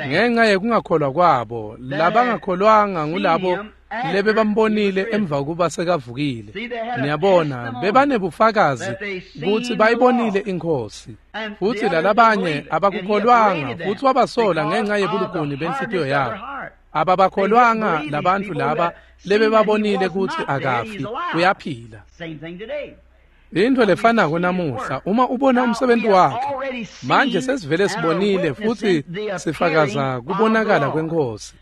Ngenxa yekungakholwa kwabo, labangakholwanga ngulabo lebebambonile emva kuba sekavukile. Niyabona, bebanebufakazi kutsi bayibonile iNkhosi. Futsi lalabanye abakukholwanga, futsi wabasola ngenxa yebulukhuni benhlitiyo yabo. Ababakholwanga labantfu laba lebebabonile kutsi akafi, uyaphila. Into lefanako namuhla, uma ubona umsebenzi wakhe. Manje sesivele sibonile futhi sifakaza kubonakala kweNkhosi.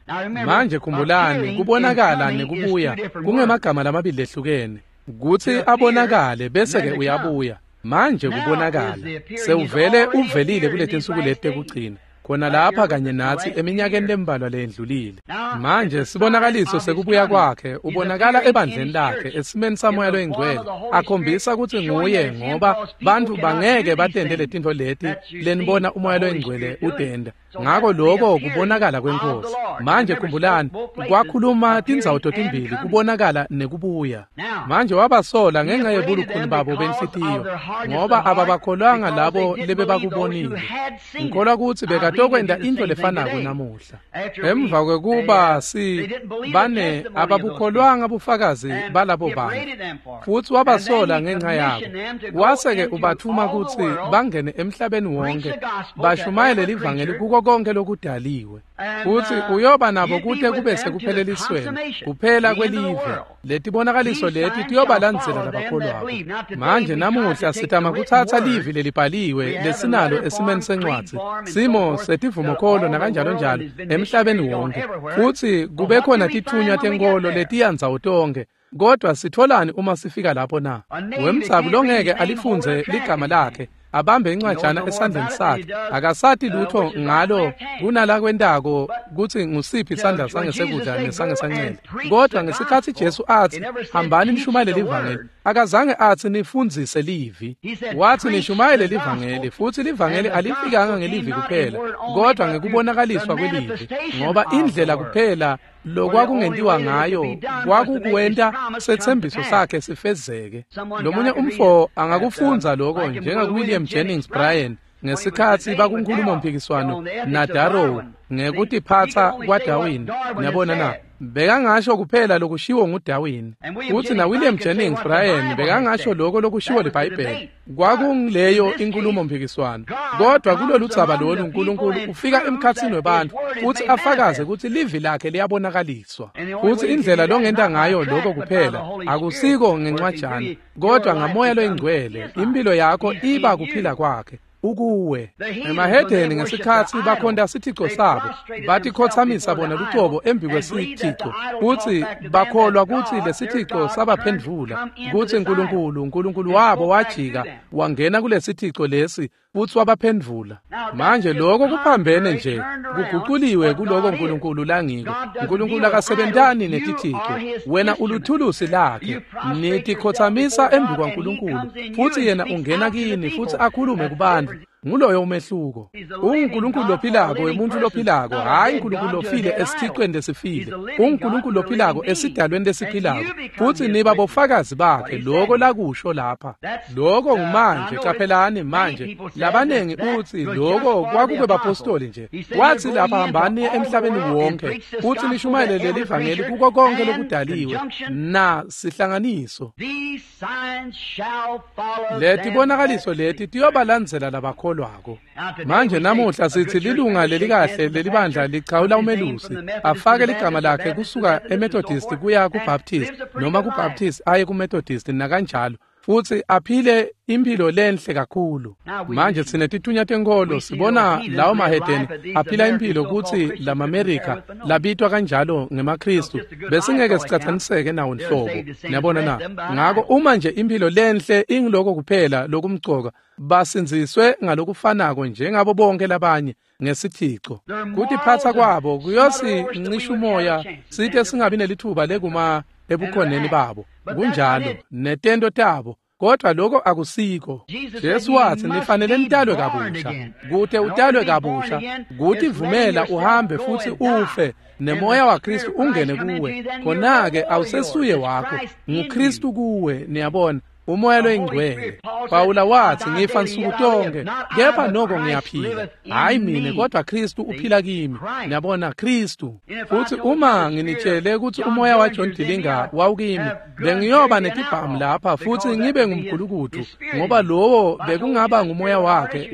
Manje khumbulani, kubonakala nekubuya kungemagama lamabili lehlukene. Kutsi abonakale bese ke uyabuya. Manje kubonakala sewuvele uvelile kuletinsuku leti tekugcina, khona lapha kanye natsi eminyakeni lembalwa leyendlulile. Manje sibonakaliso sekubuya kwakhe ubonakala ebandleni lakhe esimeni saMoya loyiNgcwele, akhombisa kutsi nguye, ngoba bantfu bangeke batente letintfo leti lenibona uMoya loyiNgcwele utenta. Ngako lokho kubonakala kweNkhosi. Manje khumbulani, kwakhuluma tindzawo totimbili, kubonakala nekubuya. Manje wabasola ngenxa yebulukhuni babo benhlitiyo, ngoba ababakholwanga labo lebebakubonile. Ngikholwa kutsi bekatokwenta into lefanako namuhla. Emva kwekuba bane ababukholwanga bufakazi balabo bantu, futsi wabasola ngenxa yabo. Wase-ke ubathuma kutsi bangene emhlabeni wonke, bashumayele livangeli kuko konke lokudaliwe. Futsi uyoba nabo kute kube sekuphelelisweni, kuphela kwelive. Letibonakaliso leti tiyobalandzela labakholwako. Manje namuhla sitama kutsatsa livi lelibhaliwe lesinalo esimeni sencwadzi, simo setivumokholo nakanjalo njalo emhlabeni wonke. Futsi kube khona tithunywa tenkolo letiya ndzawo tonkhe. Kodwa sitholani uma sifika lapho na? Wemdzabu longeke alifundze ligama lakhe, abambe incwajana esandleni sakhe, akasati lutho ngalo kunalakwentako kutsi ngusiphi isandla sangesekudla nesangesancele. Kodwa ngesikhatsi Jesu atsi hambani nishumayele livangeli, akazange atsi nifundzise livi. Wathi nishumayele livangeli, futsi livangeli alifikanga ngelivi kuphela, kodwa ngekubonakaliswa kwelivi, ngoba indlela kuphela lokwakungentiwa ngayo kwakukwenta setsembiso sakhe sifezeke. Lomunye umfo angakufundza lokho njengakuWilliam Jennings Bryan ngesikhatsi bakunkhulumo-mphikiswano naDarrow ngekutiphatsa kwaDarwin. Niyabona na? Bekangasho kuphela lokushiwo nguDarwin. Futsi naWilliam Jennings Bryan bekangasho lokho lokushiwo liBhayibheli. Kwakungileyo inkhulumo-mphikiswano. Kodwa kulolu dzaba lolu uNkulunkulu ufika emkhatsini webantfu futsi afakaze kutsi livi lakhe liyabonakaliswa. Futsi indlela longenta ngayo lokho kuphela akusiko ngencwajana, kodwa ngaMoya loyiNgcwele impilo yakho iba kuphila kwakhe ukuwe. Emahedeni ngesikhatsi bakhonta sithico sabo, batikhotsamisa bona lucobo embi kwesithico, kutsi bakholwa kutsi lesithico sabaphendvula, kutsi uNkulunkulu wabo wajika wangena kulesithico lesi futsi wabaphendvula. Manje lokho kuphambene nje, kuguculiwe kuloko uNkulunkulu langiko. uNkulunkulu akasebentani netithico, wena uluthulusi lakhe. Nitikhotsamisa embi kwaNkulunkulu, futsi yena ungena kini futsi akhulume kubantu. Nguloyo umehluko. UNkulunkulu lophilako wemuntfu lophilako, hhayi uNkulunkulu lofile esithicweni lesifile. UNkulunkulu lophilako esidalweni lesiphilako, futsi niba bofakazi bakhe lokho lakusho lapha. Lokho ngumanje, qaphelani manje. Labanengi utsi lokho kwakukwebapostoli nje. Wathi lapha hambani emhlabeni wonke futsi nishumayele leli vangeli kuko konke lokudaliwe na sihlanganiso. Letibonakaliso leti tiyobalandzela labakholwako. Manje namuhla sithi lilunga lelikahle lelibandla lichawula umelusi afake ligama lakhe kusuka eMethodist kuya kuBaptist, noma kuBaptist aye kuMethodist nakanjalo. Futsi aphile imphilo lenhle kakhulu. Manje sinetithunywa tenkholo sibona lawo mahedeni aphila imphilo kutsi lamaMerika labitwa kanjalo ngemaKristu besingeke sicatsaniseke nawo nhlobo. Niyabona na? Ngako uma nje imphilo lenhle ingiloko kuphela lokumcoka basindziswe ngalokufanako njengabo bonke labanye ngesithico. Kutiphatsa kwabo kuyosincisha umoya site singabi nelithuba lekuma ebukhoneni babo. Kunjalo netento tabo. Kodwa lokho akusiko. Jesu wathi nifanele nitalwe kabusha. Kute utalwe kabusha, kuthi vumela uhambe futhi ufe nemoya waKristu ungene kuwe. Khona-ke awusesuye wakho, nguKristu kuwe, niyabona. Umoya loyingcwele. Pawula wathi ngifa nsuku tonke, kepha noko ngiyaphila. Hayi mina kodwa Kristu uphila kimi. Niyabona Kristu. Futhi uma nginitshele ukuthi umoya wa John Dillinger wawukimi, bengiyoba netibhamu lapha futhi ngibe ngumgulukudu ngoba lowo bekungaba ngumoya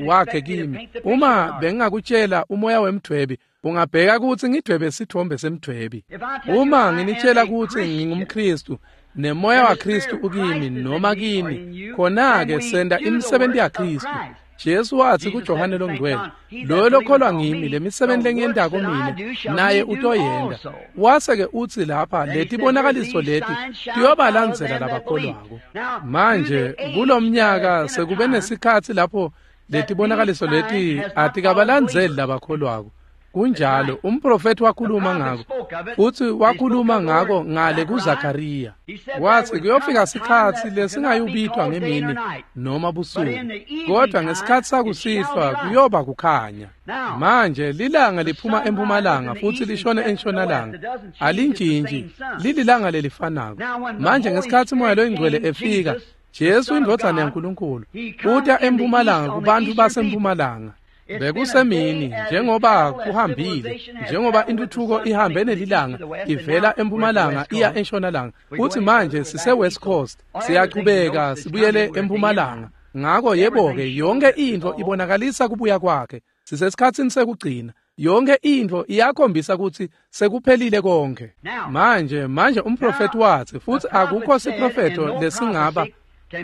wakhe kimi. Uma bengingakutshela umoya wemdwebi, ungabheka ukuthi ngidwebe sithombe semdwebi. Uma nginitshela ukuthi ngingumKristu nemoya waKristu ukimi noma kini, khona-ke senda imisebenzi yaKristu. Jesu wathi kuJohane longcwele, loyo lokholwa ngimi lemisebenzi lengiyentako mine naye utoyenda. Wase-ke uthi lapha letibonakaliso leti tiyobalandzela labakholwako. Manje kulomnyaka sekube nesikhatsi lapho letibonakaliso leti atikabalandzeli labakholwako. Kunjalo umprofeti wakhuluma ngako futhi wakhuluma ngako ngale kuZakariya. Wathi kuyofika sikhatsi lesingayubitwa ngemini noma busuku, kodwa ngesikhatsi sakusihlwa kuyoba kukhanya. Manje lilanga liphuma empumalanga futhi lishone entshonalanga, alintshintshi, lililanga lelifanako. Manje ngesikhatsi umoya loyingcwele efika, Jesu indvodzana yaNkulunkulu uta empumalanga kubantu basempumalanga. Bekusemini njengoba kuhambile, njengoba intuthuko ihambe nelilanga ivela empumalanga iya entshonalanga. Futhi manje sise West Coast, siyachubeka sibuyele empumalanga. Ngako yebo-ke yonke intfo ibonakalisa kubuya kwakhe. Sisesikhatsini sekugcina. Yonke intfo iyakhombisa ukuthi sekuphelile konke. Manje umprofeti wathi futhi akukho siprofeto lesingaba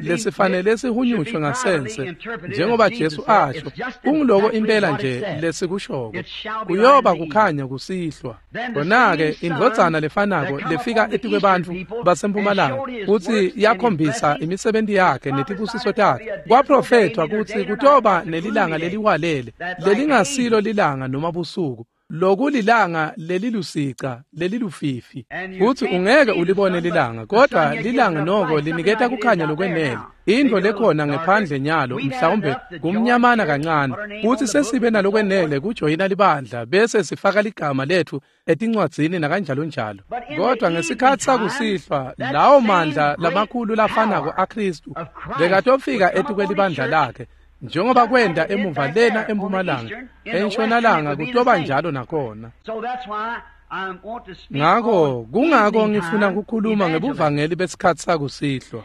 lesifanele sihunyushwe ngasense njengoba Jesu asho, kungiloko impela nje lesikushoko, kuyoba kukhanya kusihlwa. Khona-ke indvodzana lefanako lefika etikwebantfu basempumalanga kutsi yakhombisa imisebenzi yakhe netibusiso takhe, kwaprofethwa kutsi kutoba nelilanga leliwalele lelingasilo lilanga noma busuku, lokulilanga lelilusica lelilufifi. Futhi ungeke ulibone lilanga, kodwa lilanga noko liniketa kukhanya lokwenele. Intfo lekhona ngephandle nyalo mhlawumbe kumnyamana kancane, futhi sesibe nalokwenele kujoyina libandla bese sifaka ligama lethu etincwadzini nakanjalo njalo. Kodwa ngesikhatsi sakusihlwa lawo mandla lamakhulu lafanako aKristu bekatofika etikwelibandla lakhe, njengoba kwenda emuva lena empumalanga, entshonalanga kutoba njalo nakhona. Ngako kungako ngifuna ukukhuluma ngebuvangeli besikhatsi sakusihlwa.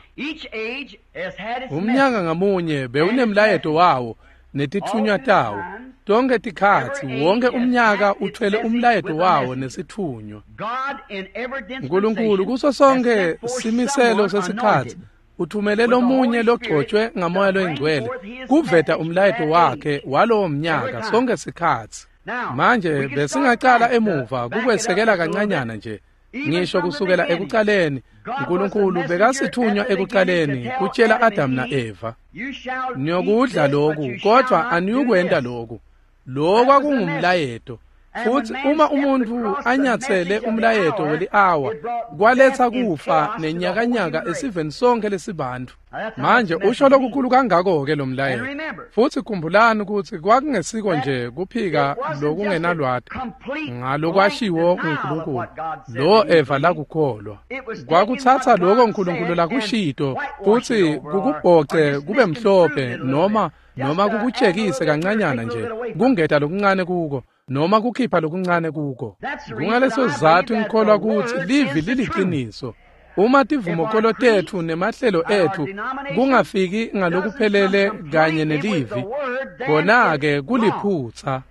Umnyaka ngamunye bewunemlayeto wawo netithunywa tawo. Tonke tikhatsi wonke umnyaka uthwele umlayeto wawo nesithunywa. Nkulunkulu kuso sonke simiselo sesikhatsi uthumele lomunye logcotshwe ngamoya loyingcwele kuveta umlayeto wakhe walowo mnyaka sonke sikhatsi. Manje besingacala emuva kukwesekela kancanyana nje, ngisho kusukela ekucaleni. uNkulunkulu bekasithunywa ekucaleni kutshela Adam na-Eva, niyokudla lokhu kodwa aniyukwenta lokhu. Lokhu kwakungumlayeto. Futhi uma umuntu anyathele umlayeto weli-awa, kwaletha kufa nenyakanyaka esiveni sonke lesibantu. Manje usho lokukhulu kangako-ke lo mlayeto. Futhi khumbulani ukuthi kwakungesiko nje kuphika lokungenalwati ngalokwashiwo nguNkulunkulu lo Eva lakukholwa. Kwakuthatha lokho uNkulunkulu lakushito futhi kukubhoce kube mhlophe noma kukutshekise kancanyana nje, kungeta lokuncane kuko noma kukhipha lokuncane kuko. Kungaleso sizathu ngikholwa ukuthi livi liliqiniso. Uma tivumokolo tethu nemahlelo ethu kungafiki ngalokuphelele kanye nelivi, khona-ke kuliphutsa.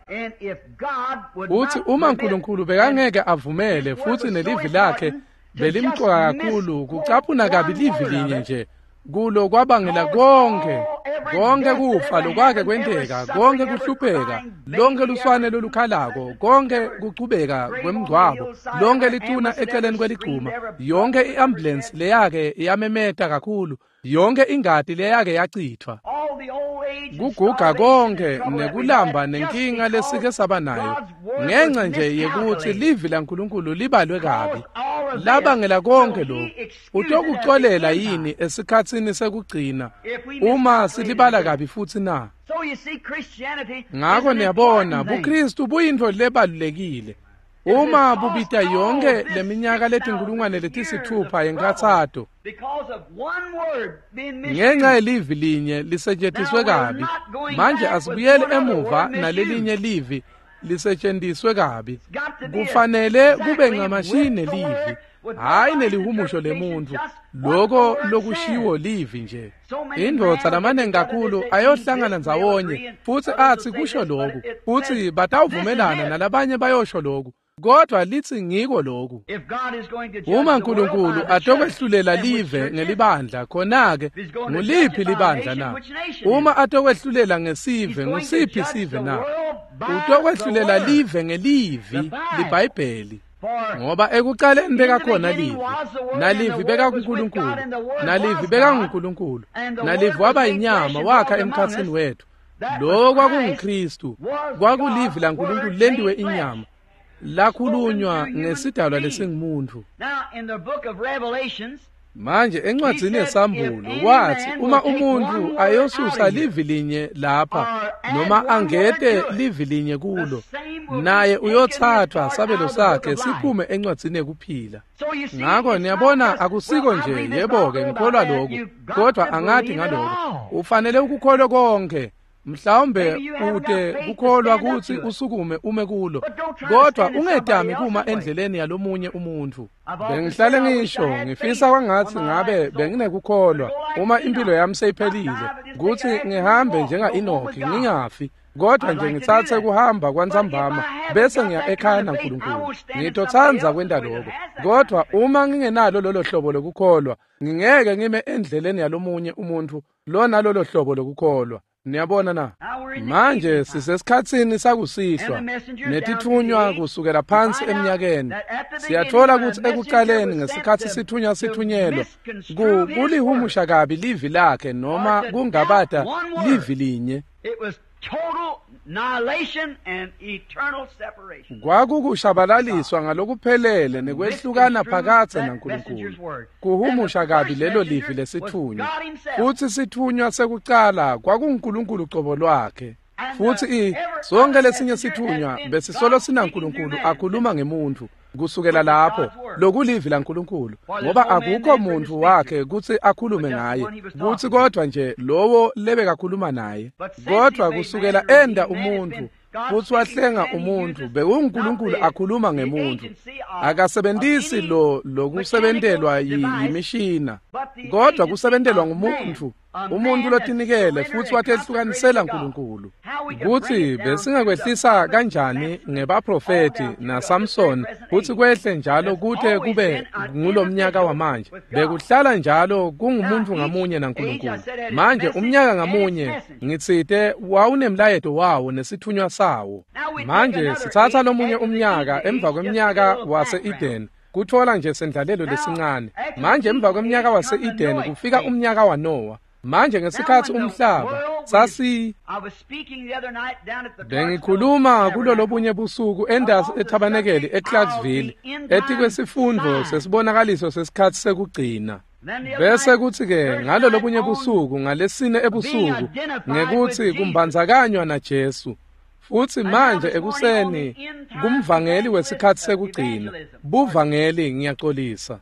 Uthi uma uNkulunkulu bekangeke avumele futhi nelivi lakhe belimcoka kakhulu kucaphuna kabi livi linye nje, Kulo kwabangela konke konke kufa lokwake kwenteka, konke kuhlupheka, lonke luswane lolukhalako, konke kuchubeka kwemngcwabo, lonke lithuna eceleni kweligcuma, yonke i-ambulensi leyake yamemeta kakhulu, yonke ingati leyake yachithwa, kuguga konke nekulamba nenkinga lesike saba nayo ngenxa nje yekuthi livi laNkulunkulu libalwe kabi. Labangela konke lokhu. Utokuxolela yini esikhatsini sekugcina uma silibala kabi futhi na? Ngakho niyabona, buKristu buyintfo lebalulekile. Uma bubita yonke leminyaka letinkulungwane letisithupha yenkathato ngenxa yelivi linye lisetshenziswe kabi, manje asibuyele emuva nalelinye livi lisetshenziswe kabi. Kufanele kube ncamashi nelivi, hhayi nelihumusho lemuntu, loko lokushiwo livi nje. Indvodza lamaningi kakhulu ayohlangana ndzawonye futsi athi kusho loku, futsi batawuvumelana nalabanye bayosho loku, kodwa lithi ngiko loku. Uma uNkulunkulu atokwehlulela live ngelibandla, khona-ke nguliphi libandla na? Uma atokwehlulela ngesive, ngusiphi sive na? Utokwehlulela live ngelivi, liBhayibheli. Ngoba ekuqaleni bekakhona livi, nalivi bekakuNkulunkulu, nalivi bekanguNkulunkulu, nalivi waba yinyama wakha emkhatsini wethu. Lo kwakunguKristu, kwakulivi laNkulunkulu lentiwe inyama, lakhulunywa ngesidalwa lesingumuntu. Manje encwadzini yeSambulo wathi uma umuntu ayosusa livi linye lapha noma angete livi linye kulo, naye uyothathwa sabelo sakhe siphume encwadzini yekuphila. Ngakho niyabona, akusiko nje yebo-ke ngikholwa lokhu, kodwa angathi ngaloko. Ufanele ukukholwe konke. Mhlawumbe ute kukholwa kutsi usukume ume kulo, kodwa ungetami kuma endleleni yalomunye umuntu. Bengihlale ngisho ngifisa kwangathi ngabe benginekukholwa uma impilo yami seyiphelile kutsi ngihambe njenga-Enoki ngingafi, kodwa nje ngitsatse kuhamba kwantsambama bese ngiya ekhaya naNkulunkulu. Ngitotsandza kwenta lokho, kodwa uma ngingenalo lolo hlobo lokukholwa, ngingeke ngime endleleni yalomunye umuntu lona lolo hlobo lokukholwa. Niyabona na? Manje sisesikhatsini sakusihlwa netithunywa kusukela phansi eminyakeni. Siyathola kutsi ekuqaleni ngesikhatsi sithunywa sithunyelwa kulihumusha kabi livi lakhe noma kungabata livi linye. Kwakukushabalaliswa ngalokuphelele nekwehlukana phakathe naNkulunkulu. Kuhumusha kabi lelo livi lesithunywa. Futsi sithunywa sekucala kwakunguNkulunkulu cobo lwakhe. Futsi sonke lesinye sithunywa besisolo sinaNkulunkulu akhuluma ngemuntu kusukela lapho lokulivi laNkulunkulu, ngoba akukho muntu wakhe kutsi akhulume ngaye, kutsi kodwa nje lowo lebekakhuluma naye. Kodwa kusukela enda umuntu futsi wahlenga umuntu, bekunguNkulunkulu akhuluma ngemuntu. Akasebentisi lo lokusebentelwa yimishina, kodwa kusebentelwa ngumuntu, umuntu lotinikele futsi watehlukanisela uNkulunkulu. Kutsi besingakwehlisa kanjani ngebaprofeti naSamson futsi kwehle njalo kute kube ngulomnyaka wamanje. Bekuhlala njalo kungumuntu ngamunye naNkulunkulu. Manje umnyaka ngamunye ngitsite wawunemlayeto wawo nesithunywa sawo. Manje sitsatsa lomunye umnyaka emva kwemnyaka wase-Eden, kuthola nje sendlalelo lesincane. Manje emva kwemnyaka wase-Eden kufika umnyaka waNowa. Manje ngesikhatsi umhlaba sasi bengikhuluma kulolobunye busuku endasi ethabanekeli eClarksville etikwesifundvo sesibonakaliso sesikhatsi sekugcina. Bese kuthi-ke ngalolobunye busuku ngalesine ebusuku ngekutsi kumbandzakanywa naJesu. Futsi manje ekuseni kumvangeli wesikhatsi sekugcina, buvangeli ngiyaxolisa.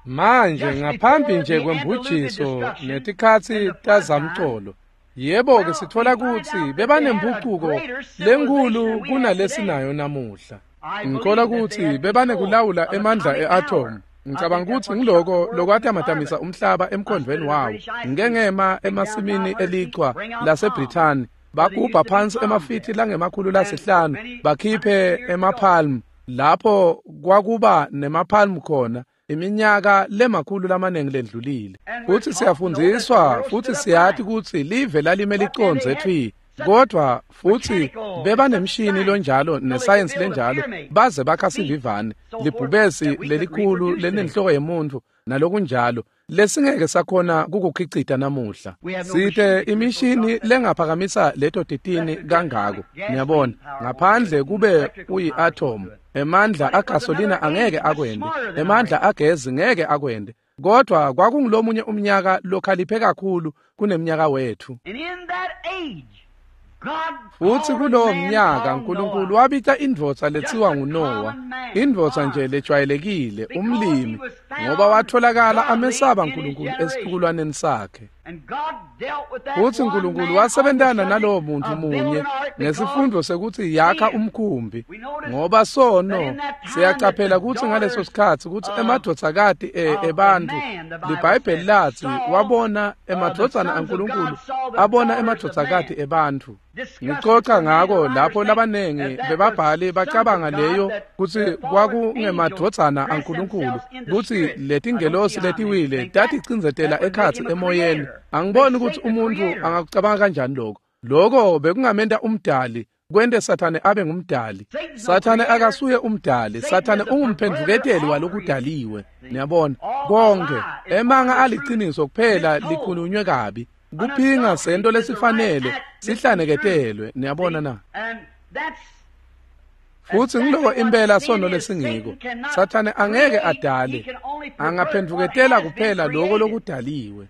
Manje ngaphambi nje kwembujiso netikhatsi tazamcolo, yebo-ke sithola kutsi bebanempucuko lenkhulu kunalesinayo namuhla. Ngikholwa kutsi bebanekulawula emandla e-atom. Ngicabanga kutsi ngiloko lokwatamatamisa umhlaba emkhondvweni wawo. Ngike ngema emasimini elichwa laseBrithani, bagubha phansi emafithi langemakhulu lasihlanu, bakhiphe emapalm lapho kwakuba nemapalm khona Iminyaka lemakhulu lamanengi lendlulile. Futsi siyafundziswa futsi siyati kutsi live lalime licondze twi. Kodwa futsi bebanemshini lonjalo nesayensi lenjalo baze bakha sivivane libhubesi lelikhulu lenenhloko yemuntfu nalokunjalo lesingeke sakhona kukukhicita namuhla. Site imishini lengaphakamisa leto titini kangako, niyabona, ngaphandle kube uyi-atom. Emandla agasolina angeke akwende, emandla agezi ngeke akwende. Kodwa kwakungulomunye umnyaka lokhaliphe kakhulu kuneminyaka wethu. Futsi kulowo mnyaka uNkulunkulu wabita indvodza letsiwa nguNowa, indvodza nje lejwayelekile, umlimi, ngoba watholakala amesaba uNkulunkulu esitukulwaneni sakhe. Futsi uNkulunkulu wasebentana nalowo muntu munye ngesifundo sekutsi yakha umkhumbi, ngoba sono siyacaphela kutsi ngaleso sikhatsi kutsi emadvodzakati ebantfu, liBhayibheli latsi wabona emadvodzana aNkulunkulu abona emadvodzakati ebantfu. Ngicoca ngako lapho labanengi bebabhali bacabanga leyo kutsi kwakungemadvodzana aNkulunkulu, kutsi letingelosi letiwile taticindzetela ekhatsi emoyeni. Angiboni kutsi umuntu angakucabanga kanjani lokho. Lokho bekungamenta umdali, kwente Sathane abe ngumdali. Sathane akasuye umdali, Sathane ungumphendvuketeli walokudaliwe. Niyabona, konke emanga aliciniso kuphela likhulunywe kabi. Kuphinga sento lesifanele sihlaneketelwe, niyabona na? Futsi ngiloko impela sono lesingiko. Sathane angeke adale, angaphendvuketela kuphela lokho lokudaliwe.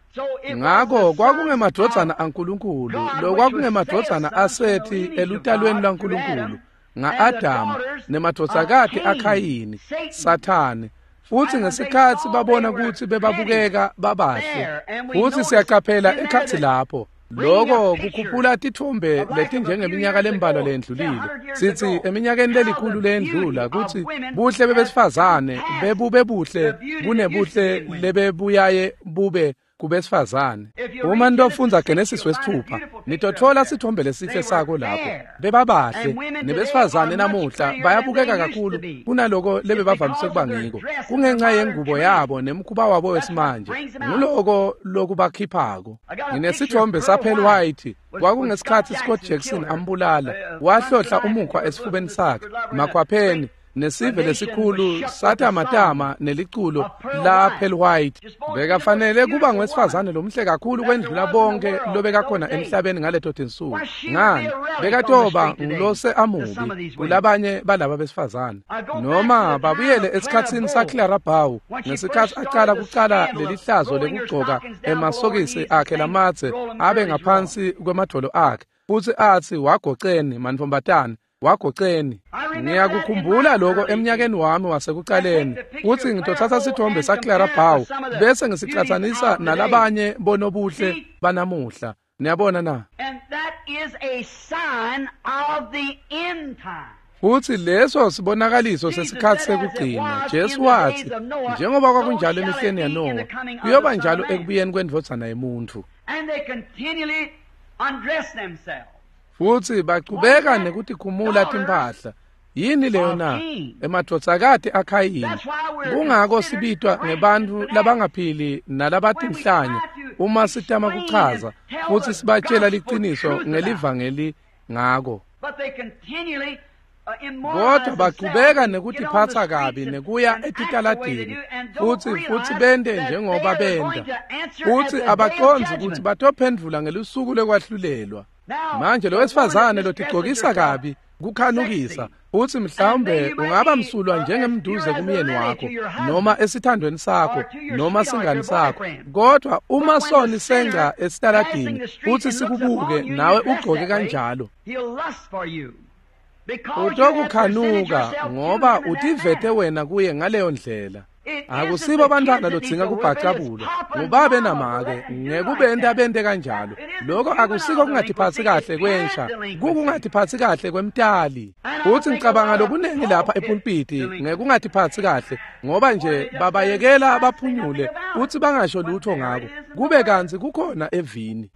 Ngako kwakungemadvodzana aNkulunkulu, lokwakungemadvodzana aSethi elutalweni lwaNkulunkulu, nga-Adamu nemadvodzakati aKhayini, Sathane. Futsi ngesikhatsi babona kutsi bebabukeka babahle, futsi siyacaphela ekhatsi lapho. Lokho kukhuphula titfombe letinjengeminyaka lembalwa lendlulile. Sitsi eminyakeni lelikhulu lendlula kutsi buhle bebesifazane bebube buhle kunebuhle lebebuyaye bube kubesifazane. Uma nitofundza Genesis 6, nitotfola sithombe lesihle sako lapho. Bebabahle nebesifazane namuhla bayabukeka kakhulu kunaloko lebebavamise kuba ngiko. Kungenxa yengubo yabo nemkhuba wabo wesimanje. Nguloko lokubakhiphako. Nginesithombe saPearl White. Kwakungesikhatsi Scott Jackson ambulala, wahlohla umukhwa esifubeni sakhe, makhwapheni. Nesive lesikhulu satamatama neliculo la Pearl White. Bekafanele kuba ngwesifazane lomhle kakhulu kwendlula bonke lobekakhona emhlabeni ngaleto tinsuku. Ngani? Bekatoba ngulose amubi kulabanye balaba besifazane. Noma babuyele esikhatsini saClara Bow ngesikhatsi acala kucala lelihlazo lekugcoka emasokisi akhe lamadze abe ngaphansi kwemadvolo akhe, futsi atsi wagoceni mantfombatane, wagoceni. Ngiyakukhumbula lokho eminyakeni wami wasekucaleni, kutsi ngitothatha sithombe saClara Bow bese ngisicatsanisa nalabanye bonobuhle banamuhla. Niyabona na? Futsi leso sibonakaliso sesikhatsi sekugcina. Jesu watsi, njengoba kwakunjalo emihleni yaNowa, kuyoba njalo ekubuyeni kwendvodzana yemuntfu. Futsi bachubeka nekutikhumula timphahla. Yini leyo na? Emadvodzakati aKhayini. Kungako sibitwa ngebantfu labangaphili nalabatinhlanya uma sitama kuchaza futsi sibatshela liciniso ngelivangeli ngako. Kodwa bachubeka nekutiphatsa kabi nekuya etitaladini futsi bente njengoba benta. Futsi abacondzi kutsi batophendvula ngelusuku lekwahlulelwa. Manje lo wesifazane lotigcokisa kabi kukhanukisa, futsi mhlawumbe ungaba msulwa njengemduze kumyeni wakho noma esithandweni sakho noma singani sakho, kodwa uma soni senca esitaladini futsi sikubuke nawe ugcoke kanjalo, utokukhanuka ngoba utivete wena kuye ngaleyo ndlela. Akusibo bantwana lodzinga kubhacabulwa, ngubabe namake ngekubenta bente kanjalo. Lokho akusiko kungatiphatsi kahle kwensha, kukungatiphatsi kahle kwemtali. Futsi ngicabanga lokunengi lapha epulpiti ngekungatiphatsi kahle, ngoba nje babayekela baphunyule futsi bangasho lutho ngako, kube kantsi kukhona evini.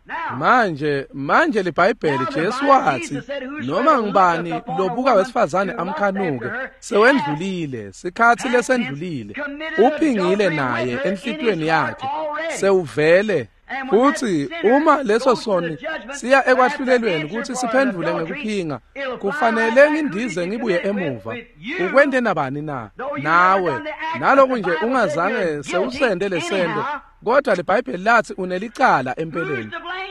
Manje liBhayibheli Jesu watsi, noma ngubani lobuka wesifazane amkhanuke, sewendlulile, sikhatsi lesendlulile. uphingile naye enhlitiyweni yakhe sewuvele. Futsi uma leso soni siya ekwahlulelweni kutsi siphendvule ngekuphinga, kufanele ngindize ngibuye emuva. Ukwente nabani na? Nawe. Naloku nje ungazange sewusende lesento, kodwa liBhayibheli latsi unelicala empeleni.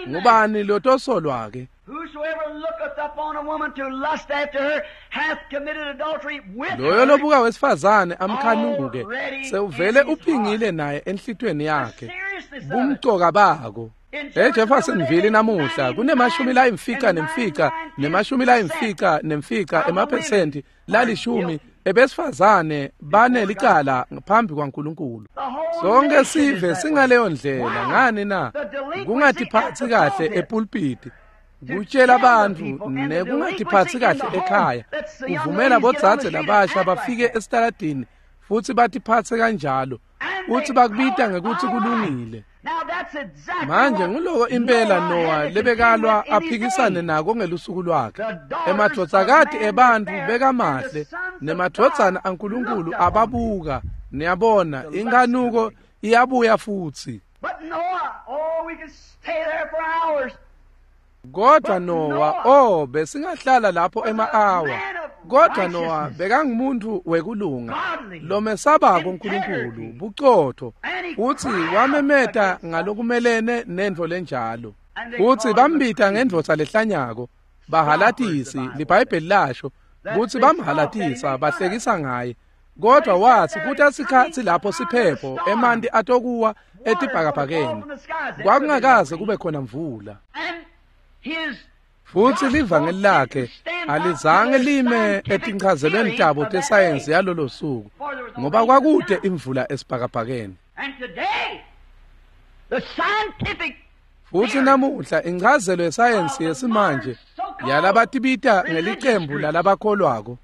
Ngubani lotosolwa-ke? Loyo lobuka wesifazane amkhanuke sewuvele uphingile naye enhlitiyweni yakhe. Bumcoka bako. EJeffersonville namuhla kunema-95 nema-95 emaphesenti lalishumi ebesifazane banelicala phambi kwaNkulunkulu. Sonke sive singaleyo ndlela. Ngani na? Kungatiphatsi kahle epulpiti, kutshela bantfu nekungatiphatsi kahle ekhaya, kuvumela bodzadze labasha bafike esitaladini futsi batiphatse kanjalo, futsi bakubita ngekutsi kulungile. Manje nguloko impela Noah lebekalwa aphikisane nako ngelusuku lwakhe. Emadvodzakati ebantfu bekamahle nemadvodzana aNkulunkulu ababuka. Niyabona, inkanuko iyabuya futsi. Kodwa Noah, besingahlala lapho ema-awa. Kodwa Noah bekangumuntu wekulunga lomesabako uNkulunkulu, bucotho, futsi wamemeta ngalokumelene nentfo lenjalo. Futsi bambita ngendvodza lehlanyako, bahalatisi, liBhayibheli lasho kutsi bamhalatisa, bahlekisa ngaye. Kodwa watsi kutasikhatsi lapho siphepho emanti atokuwa etibhakabhakeni, kwakungakaze kube khona mvula. Futsi livangeli lakhe alizange lime etinchazelweni tabo tesayensi yalolo suku, ngoba kwakude imvula esibhakabhakeni. Futsi namuhla inchazelo yesayensi yesimanje yalabatibita ngelicembu lalabakholwako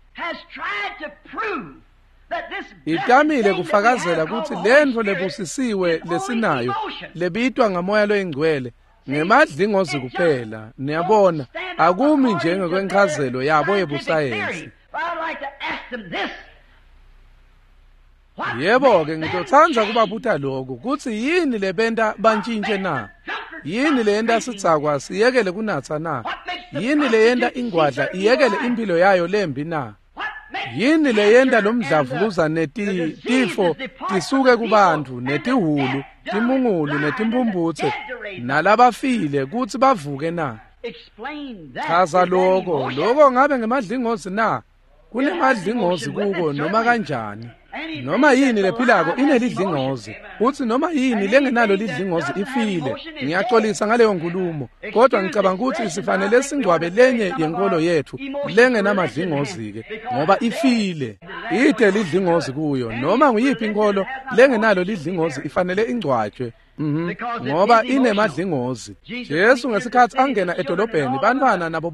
itamile kufakazela kutsi lentfo lebusisiwe lesinayo lebitwa ngamoya loyingcwele ngemadlingozi kuphela. Niyabona, akumi njengekwenchazelo yabo yebusayensi. Yebo-ke, ngitotsandza kubabuta lokhu, kutsi yini lebenta bantshintshe na? Yini leyenta sidzakwa siyekele kunatsa na? Yini leyenta ingwadla iyekele impilo yayo lembi na? Yini leyenta lomdlavuza netifo tisuke kubantfu, netihulu, timungulu, netimphumputse, nalabafile kutsi bavuke na? Chaza loko. Loko ngabe ngemadlingozi na? Kunemadlingozi kuko noma kanjani. Noma yini lephilako inelidlingozi, futsi noma yini lengenalo lidlingozi ifile. Ngiyaxolisa ngaleyo nkulumo, kodwa ngicabanga ukuthi sifanele singcwabe lenye yenkolo yethu lengenamadlingozi-ke, ngoba ifile. Ide lidlingozi kuyo. Noma nguyiphi inkolo lengenalo lidlingozi ifanele ingcwatshwe. Ngoba inemadlingozi. Jesu ngesikhatsi angena edolobheni, bantfwana nabo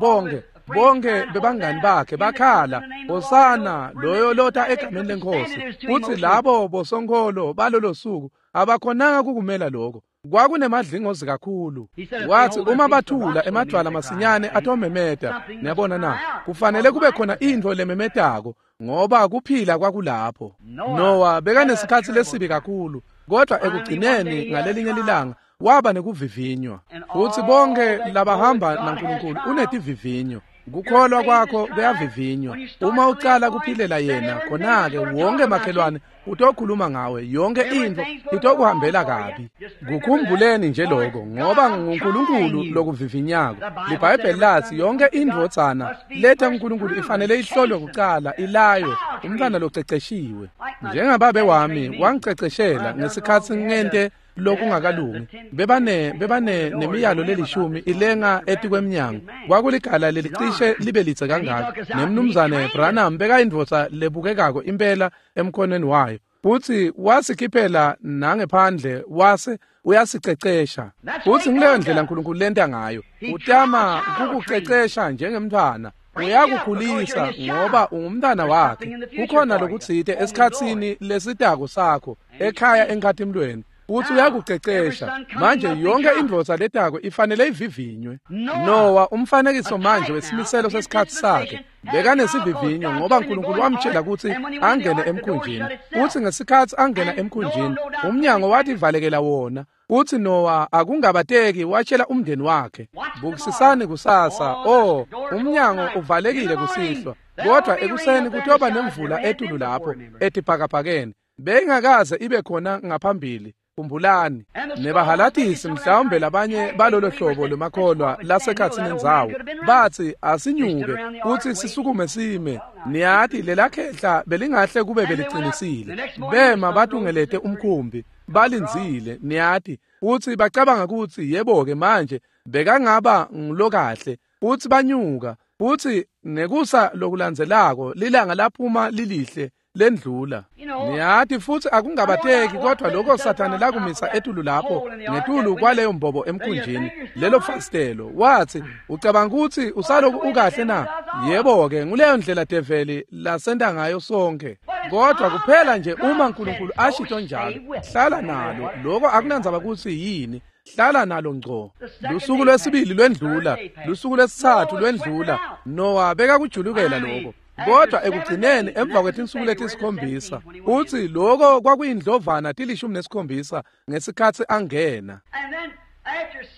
bonke bebangani bakhe bakhala, "Hosana, loyo lota egameni lenkosi." Futsi labo bosonkholo balolo suku abakhonanga kukumela lokho. Kwakunemadlingozi kakhulu. Wathi uma bathula emadvwala masinyane atomemeta. Niyabona na? Kufanele kube khona intfo lememetako, ngoba kuphila kwakulapho. Noah bekanesikhatsi lesibi kakhulu, kodwa ekugcineni ngalelinye lilanga waba nekuvivinywa. Futsi bonke labahamba naNkulunkulu unetivivinyo. Kukholwa kwakho kuyavivinywa. Uma ucala kuphilela yena, khona-ke wonke makhelwane utokhuluma ngawe, yonke intfo itokuhambela kabi. Kukhumbuleni nje lokho, ngoba nguNkulunkulu lokuvivinyako. LiBhayibheli latsi yonke indvodzana letha uNkulunkulu ifanele ihlolwe kucala, ilaywe, umntfwana loceceshiwe. Njengababe wami wangiceceshela ngesikhatsi ngente lokungakalungi. Bebane nemiyalo lelishumi ilenga etikwemnyango. Kwakuligala lelicishe libe litse kangaka. Nemnumzane Branham bekayindvodza lebukekako impela emkhonweni wayo. Futsi wasikhiphela nangephandle wase uyasicecesha. Futsi ngileyo ndlela uNkulunkulu lenta ngayo. Utama kukucecesha njengemntfwana. Uyakukhulisa ngoba ungumntwana wakhe. Kukhona lokutsite esikhatsini lesitako sakho ekhaya enkhatimlweni. Futsi uyakucecesha. Manje yonke indvodza letako ifanele ivivinywe. Noah, umfanekiso manje wesimiselo sesikhatsi sakhe, bekanesivivinyo ngoba uNkulunkulu wamtshela kutsi angene emkhunjini. Futsi ngesikhatsi angena emkhunjini, umnyango wativalekela wona. Futsi Noah akungabateki watshela umndeni wakhe, bukisisani kusasa, oh, umnyango uvalekile kusihlwa, kodwa ekuseni kutoba nemvula etulu lapho etibhakabhakeni. Beyingakaze ibe khona ngaphambili. Khumbulani, nebahalatisi mhlawumbe labanye balolo hlobo lwemakholwa lasekhatsini endzawo batsi asinyuke kutsi sisukume sime. Niyati lelakhehla belingahle kube belicinisile. Bema batungelete umkhumbi balindzile, niyati, futsi bacabanga kutsi yebo-ke manje bekangaba ngulokahle. Futsi banyuka, futsi nekusa lokulandzelako lilanga laphuma lilihle lendlula. Niyati, futsi akungabateki kodwa lokho Sathane lakumisa etulu lapho ngetulu kwaleyo mbobo emkhunjini, lelo fastelo, watsi, ucabanga kutsi usaloku ukahle na? Yebo-ke, nguleyo ndlela develi lasenta ngayo sonke. Kodwa kuphela nje uma uNkulunkulu ashito njalo, hlala nalo. Lokho akunandzaba kutsi yini, hlala nalo ngco. Lusuku lwesibili lwendlula, lusuku lwesitsatfu lwendlula. Noah bekakujulukela lokho. Kodwa ekugcineni emva kwetinsuku letisikhombisa, utsi lokho kwakuyindlovana 17 ngesikhatsi angena.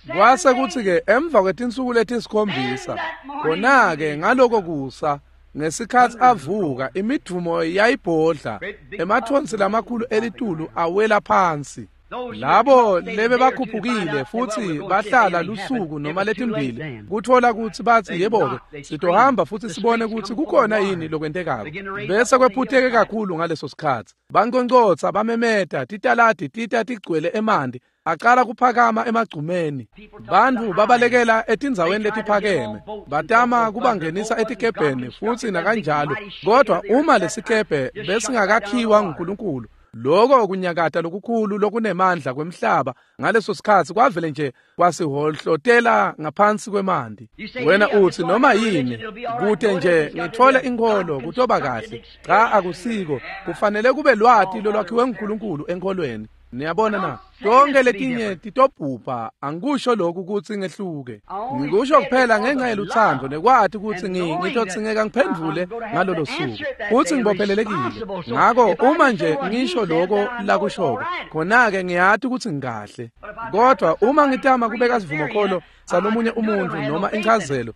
Kwase kutsi-ke emva kwetinsuku letisikhombisa, khona-ke ngaloko kusa, ngesikhatsi avuka, imidvumo yayibhodla, emathonsi lamakhulu elitulu awela phansi. Labo lebe bakhuphukile futsi bahlala lusuku noma letimbili kuthola kutsi batsi yebo-ke sitohamba futsi sibone kutsi kukhona yini lokwentekako. Bese kwephutheke kakhulu ngaleso sikhatsi. Banconcotsa, bamemeta, titaladi tita tigcwele emanti, aqala kuphakama emagcumeni. Bantfu babalekela etindzaweni letiphakeme, batama kubangenisa etikebheni futsi nakanjalo. Kodwa uma lesikebhe besingakakhiwa nguNkulunkulu, lokho kunyakata lokukhulu lokunemandla kwemhlaba ngaleso sikhatsi kwavele nje kwasihohlotela ngaphansi kwemanti. Wena utsi noma yini, kute nje ngithole inkholo kutoba kahle. Cha, akusiko. Kufanele kube lwati lolwakhiwe nguNkulunkulu enkholweni. Niyabona na? Tonke letinye titobhubha. Angikusho lokhu kutsi ngehluke. Ngikusho kuphela ngenxa yeluthando nekwati kutsi ngitotsingeka ngiphendvule ngalolo suku. Futsi ngibophelelekile. Ngako uma nje ngisho lokho lakushoko, khona-ke ngiyati kutsi ngikahle. Kodwa uma ngitama kubeka sivumokholo salomunye umuntu noma inchazelo,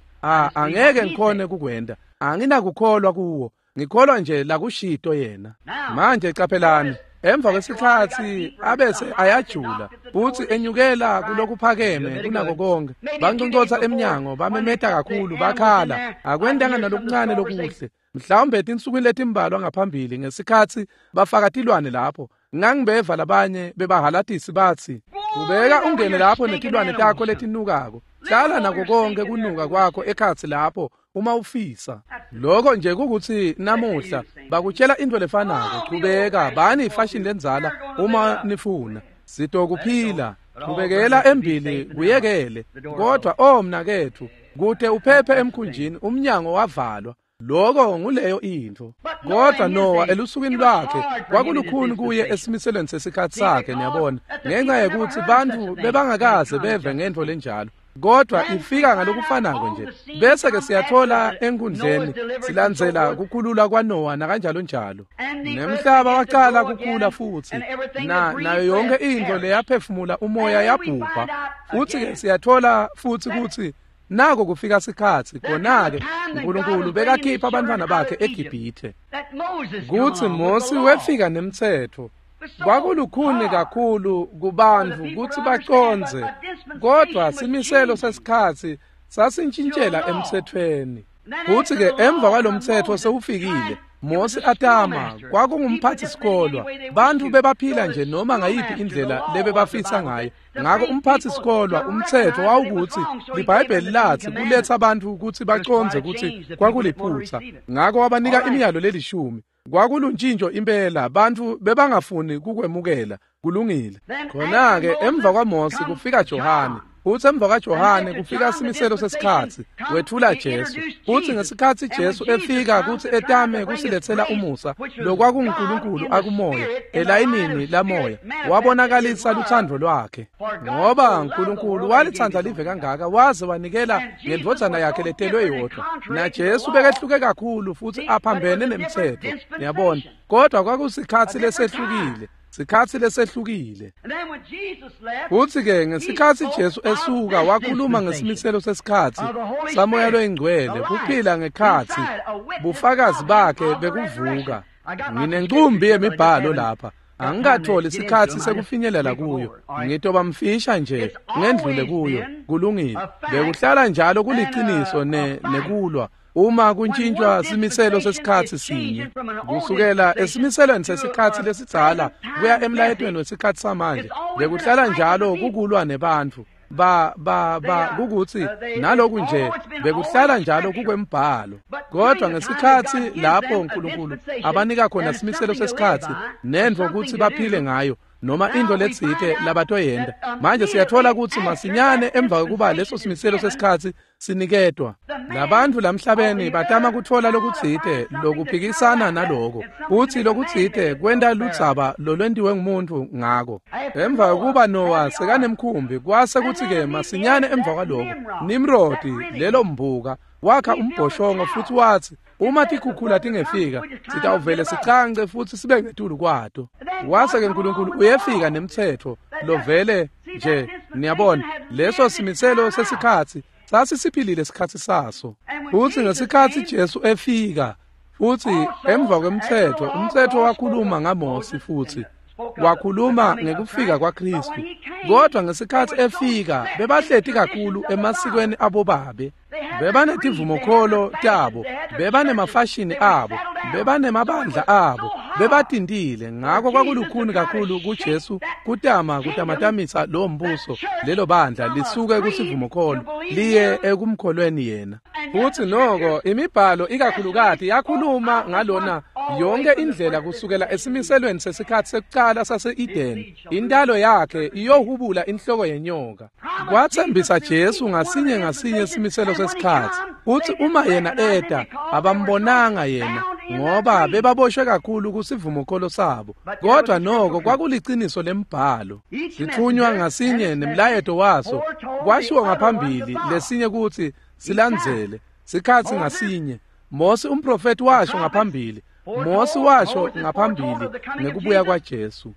angeke ngikhone kukwenta. Anginakukholwa kuwo. Ngikholwa nje lakushito yena. Manje caphelani, emva kwesikhatsi abese ayajula futsi enyukela kulokuphakeme kunako konke. Banconcotsa emnyango, bamemeta kakhulu, bakhala. Akwentanga nalokuncane lokuhle. Mhlawumbe etinsukwini letimbalwa ngaphambili ngesikhatsi bafaka tilwane lapho, ngangibeva labanye bebahalatisi batsi, ubeka ungene lapho netilwane takho letinukako. Hlala nako konke kunuka kwakho ekhatsi lapho uma ufisa. Lokho nje kukuthi namuhla bakutshela into lefanako. Chubeka, bani ifashion lendzala uma nifuna. Sitokuphila, chubekela embili kuyekele. Kodwa oh mnaketfu, kute uphephe emkhunjini umnyango wavalwa. Lokho nguleyo intfo. Kodwa Noah elusukwini lwakhe kwakulukhuni kuye esimiselweni sesikhatsi sakhe, niyabona, ngenxa yekutsi bantfu bebangakaze beve ngentfo lenjalo. Kodwa ifika ngalokufanako nje. Bese ke siyathola enkundleni silandzela kukhulula kwaNoah nakanjalo njalo. Nemhlaba waqala kukhula futsi nayo yonke intfo leyaphefumula umoya yabhubha. Futsi ke siyathola futsi kutsi nako kufika sikhatsi khona-ke uNkulunkulu bekakhipha abantwana bakhe eGibhithe. Kutsi Mosi wefika nemtsetfo. Kwakulukhuni kakhulu kubantfu kutsi bacondze, kodwa simiselo sesikhatsi sasintshintshela emtsetfweni. Kutsi-ke emva kwalomtsetfo sewufikile, Mosi atama kwakungumphatsi sikolwa. Bantfu bebaphila nje noma ngayiphi indlela lebebafisa ngayo. Ngako umphatsi sikolwa umtsetfo wawukutsi liBhayibheli latsi kuletsa bantfu kutsi bacondze kutsi kwakuliphutsa. Ngako wabanika imiyalo lelishumi. Kwakuluntshintsho impela, bantfu bebangafuni kukwemukela. Kulungile. Khona-ke emva kwaMosi kufika Johane. Futsi emva kwaJohane kufika simiselo sesikhatsi, wetfula Jesu. Futsi ngesikhatsi Jesu efika kutsi etame kusiletsela umusa, lokwakunguNkulunkulu akumoya, elayinini lamoya, wabonakalisa lutsandvo lwakhe. Ngoba uNkulunkulu walitsandza live kangaka, waze wanikela ngendvodzana yakhe letelwe yodvwa. NaJesu bekehluke kakhulu futsi aphambene nemtsetfo. Niyabona, kodwa kwakusikhatsi lesehlukile. Sikhatsi lesehlukile. Futsi-ke ngesikhatsi Jesu esuka wakhuluma ngesimiselo sesikhatsi saMoya loyiNgcwele, kuphila ngekhatsi, bufakazi bakhe bekuvuka. Nginencumbi yemibhalo lapha. Angikatholi sikhatsi sekufinyelela kuyo. Ngitoba mfisha nje ngendlule kuyo. Kulungile. Bekuhlala njalo kuliciniso nekulwa. Uma kuntshintshwa simiselo sesikhatsi sinye, kusukela esimiselweni sesikhatsi lesidzala kuya emlayetweni wesikhatsi samanje, bekuhlala njalo kukulwa nebantfu. Ba kukutsi naloku nje bekuhlala njalo kukwembhalo. Kodwa ngesikhatsi lapho uNkulunkulu abanika khona simiselo sesikhatsi nentfo kutsi baphile ngayo, noma into letsite labatoyenta, manje siyatfola kutsi masinyane emva kwekuba leso simiselo sesikhatsi siniketwa, labantfu lamhlabeni batama kutfola lokutsite lokuphikisana naloko, kutsi lokutsite kwenta ludzaba lolwentiwe ngumuntu ngako. Emva kwekuba Noah sekanemkhumbi, kwase kutsi-ke masinyane emva kwaloko Nimrodi, lelo mbuka, wakha umbhoshongo futsi watsi, uma tikhukhula tingefika, sitawuvele sicance futsi sibe ngetulu kwato. Wase-ke uNkulunkulu uyefika nemtsetfo lovele nje. Niyabona, leso simiselo sesikhatsi sasisiphilile sikhatsi saso. Futsi ngesikhatsi Jesu efika, futsi emva kwemtsetfo, umtsetfo wakhuluma ngaMosi futsi wakhuluma ngekufika kwaKristu. Kodwa ngesikhatsi efika, bebahleti kakhulu emasikweni abobabe. Bebanetivumokholo tabo, bebanemafashini abo, bebanemabandla abo, bebatintile. Ngako kwakulukhuni kakhulu kuJesu kutama kutamatamisa lowo mbuso, lelo bandla, lisuke kusivumokholo liye ekumkholweni yena. Futsi noko imibhalo ikakhulukati yakhuluma ngalona yonke indlela kusukela esimiselweni sesikhatsi sekucala sase-Edeni, intalo yakhe iyohubula inhloko yenyoka. Kwatsembisa Jesu ngasinye ngasinye simiselo sesikhatsi. Futsi uma yena eta, abambonanga yena, ngoba bebaboshwe kakhulu kusivumokholo sabo. Kodwa noko kwakuliciniso lembhalo. Sitfunywa ngasinye nemlayeto waso kwashiwo ngaphambili lesinye kutsi silandzele. Sikhatsi ngasinye, Mose umprofeti washo ngaphambili. Mose washo ngaphambili ngekubuya kwaJesu.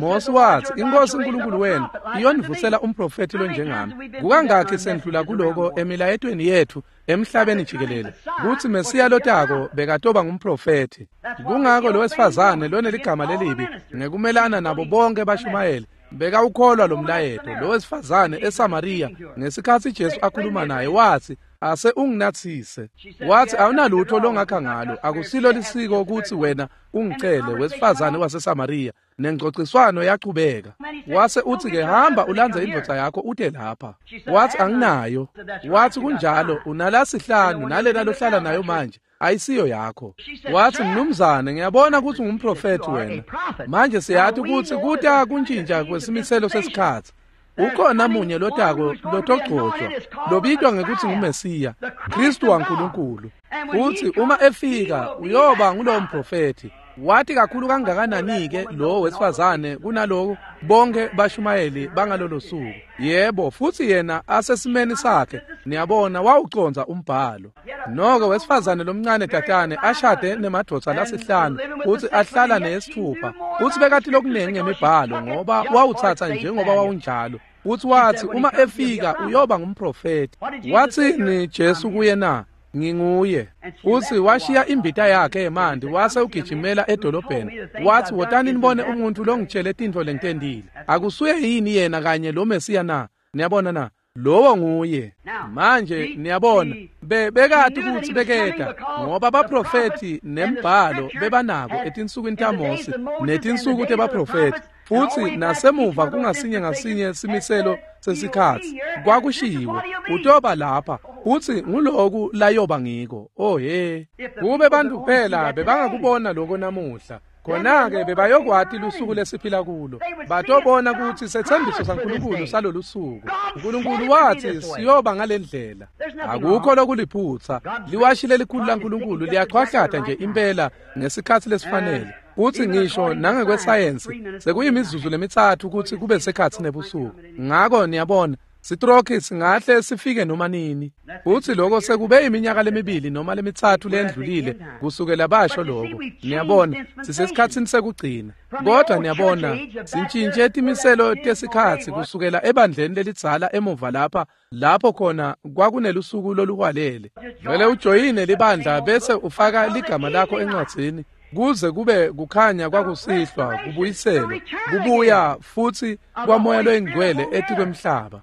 Mose watsi, iNkosi uNkulunkulu wenu iyonivusela umprofeti lonjengami. Kukangakhi sendlula kuloko emilayetweni yethu emhlabeni jikelele, kutsi Mesiya lotako bekatoba ngumprofeti. Kungako lo wesifazane loneligama lelibi ngekumelana nabo bonke bashumayeli bekawukholwa lo mlayeto. Lo wesifazane eSamariya, ngesikhatsi Jesu akhuluma naye, watsi, ase unginatsise. Watsi, awunalutho longakha ngalo, akusilo lisiko kutsi wena ungicele, wesifazane waseSamariya. Nengcociswano yachubeka. Wase utsi-ke, hamba ulandze indvodza yakho ute lapha. Watsi, anginayo. Watsi, kunjalo, unalasihlanu, nalena lohlala nayo manje ayisiyo yakho. Watsi, mnumzane, ngiyabona kutsi ungumprofethi wena. Manje siyati kutsi kuta kuntshintsha kwesimiselo sesikhatsi. Ukhona munye lotako lotogcotshwa, lobitwa ngekutsi nguMesiya, Kristu waNkulunkulu. Futsi uma efika, uyoba ngulowo mprofethi. Wathi kakhulu kangakanani-ke lo wesifazane kunaloko bonke bashumayeli bangalolo suku. Yebo, futsi yena asesimeni sakhe, niyabona, wawucondza umbhalo. Noko wesifazane lomncane tatane ashade nemadvodza lasihlanu futsi ahlala neyesithupha, futsi bekati lokunengi ngemibhalo ngoba wawutsatsa njengoba wawunjalo. Futsi watsi, uma efika uyoba ngumprofeti. Watsini Jesu kuye na? Nginguye. Futsi washiya imbita yakhe yemanti wase ugijimela edolobheni. Watsi, wotani nibone umuntu longitshele tintfo lengitentile. Akusuye yini yena kanye lo Mesiya na? Niyabona na? Lowo nguye. Manje niyabona, bekati kutsi beketa, ngoba baprofethi nembhalo bebanako etinsukwini taMose netinsuku tebaprofethi. Futsi nasemuva kungasinye ngasinye simiselo sesikhatsi kwakushiwo, utoba lapha, futsi nguloku layoba ngiko. Oh he, kube bantu kuphela bebangakubona loko namuhla. Khona-ke bebayokwati lusuku lesiphila kulo. Batobona kutsi setsembiso saNkulunkulu salolu suku. Nkulunkulu watsi siyoba ngale ndlela. Akukho lokuliphutsa. Liwashi lelikhulu laNkulunkulu liyachwahlata nje impela ngesikhatsi lesifanele. Utsi ngisho nangekwesayensi sekuyimizuzu lemithathu kutsi kube sekhatsi nebusuku. Ngako niyabona, sitrokhi singahle sifike noma nini. Utsi lokho sekube iminyaka lemibili noma lemithathu lendlulile kusukela basho lokho. Niyabona, sisesikhatsini sekugcina. Kodwa niyabona, sintshintshe timiselo tesikhatsi kusukela ebandleni lelidzala emuva lapha, lapho khona kwakunelusuku loluhwalele. Vele ujoyine libandla bese ufaka ligama lakho encwadzini, kuze kube kukhanya kwakusihlwa kubuyiselwe, kubuya futsi kwaMoya loyiNgcwele etikwemhlaba.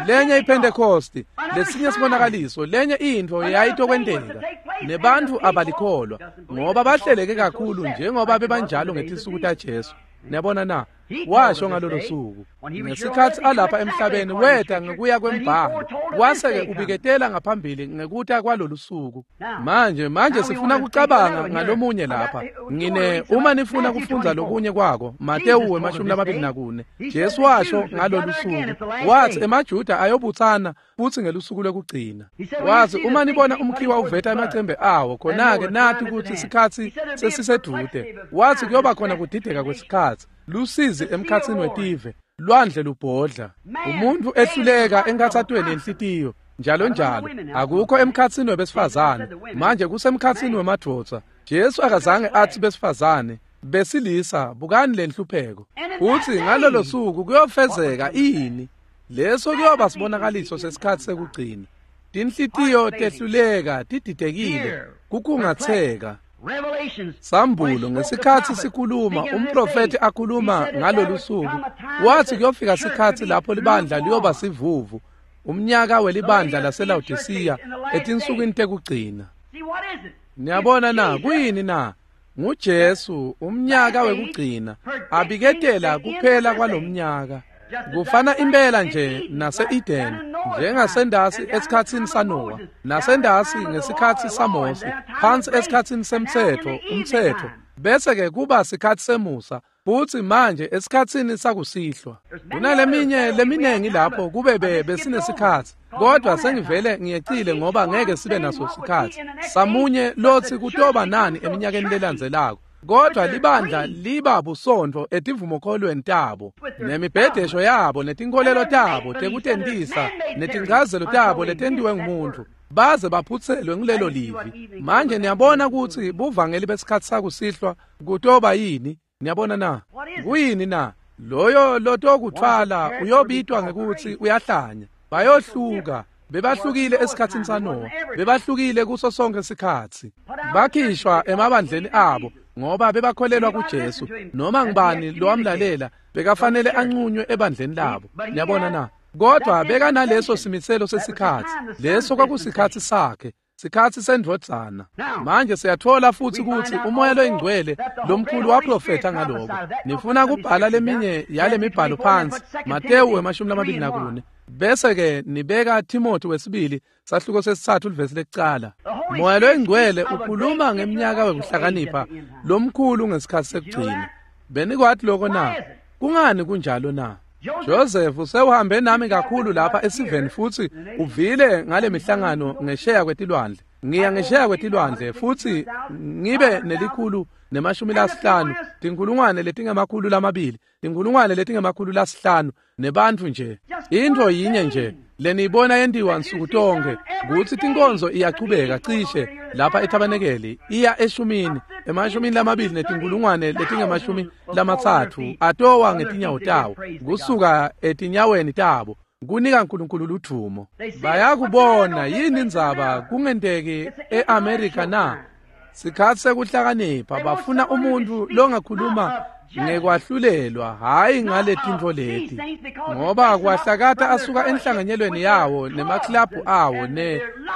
Lenye iPhentekosti, lesinye sibonakaliso, lenye intfo yayitokwenteka. Nebantfu abalikholwa ngoba bahleleke kakhulu njengoba bebanjalo ngetinsuku taJesu. Niyabona na? Washo ngalolo suku. Ngesikhatsi alapha emhlabeni weta ngekuya kwembhalo, wase-ke ubiketela ngaphambili ngekuta kwalolu suku. Manje sifuna kucabanga ngalomunye lapha. Ngine uma nifuna kufundza lokunye kwako, Matewu 24. Jesu washo ngalolu suku. Watsi emaJuda ayobutsana futsi ngelusuku lwekugcina. Watsi uma nibona umkhiwa uveta emacembe awo, khona-ke nati kutsi sikhatsi sesisedude. Watsi kuyoba khona kudideka kwesikhatsi, lusizi emkhatsini wetive, lwandle lubhodla, umuntu ehluleka enkhatsatweni yenhlitiyo, njalo njalo. Akukho emkhatsini webesifazane, manje kusemkhatsini wemadvodza. Jesu akazange atsi besifazane, besilisa, bukani lenhlupheko. Utsi ngalolo suku kuyofezeka ini? Leso kuyoba sibonakaliso sesikhatsi sekugcina. Tinhlitiyo tehluleka, tididekile, kukungatseka. Sambulo ngesikhatsi sikhuluma, umprofethi akhuluma ngalolu suku, wathi kuyofika sikhatsi lapho libandla liyoba sivuvu, umnyaka welibandla laseLawodisiya etinsukwini tekugcina. Niyabona na? Kuyini na? NguJesu, umnyaka wekugcina, abiketela kuphela kwalomnyaka. Kufana impela nje nase-Eden, njengasendasi esikhatsini saNowa, nasendasi ngesikhatsi saMose, phansi esikhatsini semtsetfo, umtsetfo, bese-ke kuba sikhatsi semusa, futsi manje esikhatsini sakusihlwa. Kunaleminye leminengi lapho kube besinesikhatsi, kodwa sengivele ngiyecile ngoba ngeke sibe naso sikhatsi. Samunye lotsi kutoba nani eminyakeni lelandzelako. Kodwa libandla liba busontfo etivumokholweni tabo, nemibhedesho yabo, netinkholelo tabo tekutentisa, netinchazelo tabo letentiwe ngumuntu, baze baphutselwe ngulelo livi. Manje niyabona kutsi buvangeli besikhatsi sakusihlwa kutoba yini? Niyabona na? Kuyini na? Loyo lotokuthwala uyobitwa ngekutsi uyahlanya. Bayohluka. Bebahlukile esikhatsini saNowa, bebahlukile kuso sonke sikhatsi. Bakhishwa emabandleni abo ngoba bebakholelwa kuJesu. Noma ngubani lowamlalela bekafanele anqunywe ebandleni labo. Niyabona na? Kodwa bekanaleso simiselo sesikhatsi. Leso kwakusikhatsi sakhe, sikhatsi sendvodzana. Manje siyathola futsi kutsi uMoya loyiNgcwele lomkhulu waprofetha ngaloko. Nifuna kubhala leminye yale mibhalo phansi, Matewu 24. Bese-ke nibeka Timothy wesibili sahluko 3 livesi lekucala. Moya loyiNgcwele ukhuluma ngeminyaka wekuhlakanipha lomkhulu ngesikhatsi sekugcina. Benikwati lokho na? Kungani kunjalo na? Joseph sewuhambe nami kakhulu lapha esiveni futsi uvile ngale mihlangano ngesheya kwetilwandle. Ngiya ngesheya kwetilwandle futsi ngibe 150, 200,000, 500,000 nebantfu nje. Intfo yinye nje leniyibona yentiwa nsuku tonke kutsi tinkonzo iyachubeka cishe lapha ethabanekeli iya eshumini, 20,000 30 atowa ngetinyawo tawo kusuka etinyaweni tabo kunika uNkulunkulu ludvumo. Bayakubona yini indzaba kungenteki eAmerica na? Sikhatsi sekuhlakanipha, bafuna umuntu longakhuluma ngekwahlulelwa, hayi ngaletintfo leti, ngoba kwahlakata asuka enhlanganyelweni yawo nemaklabhu awo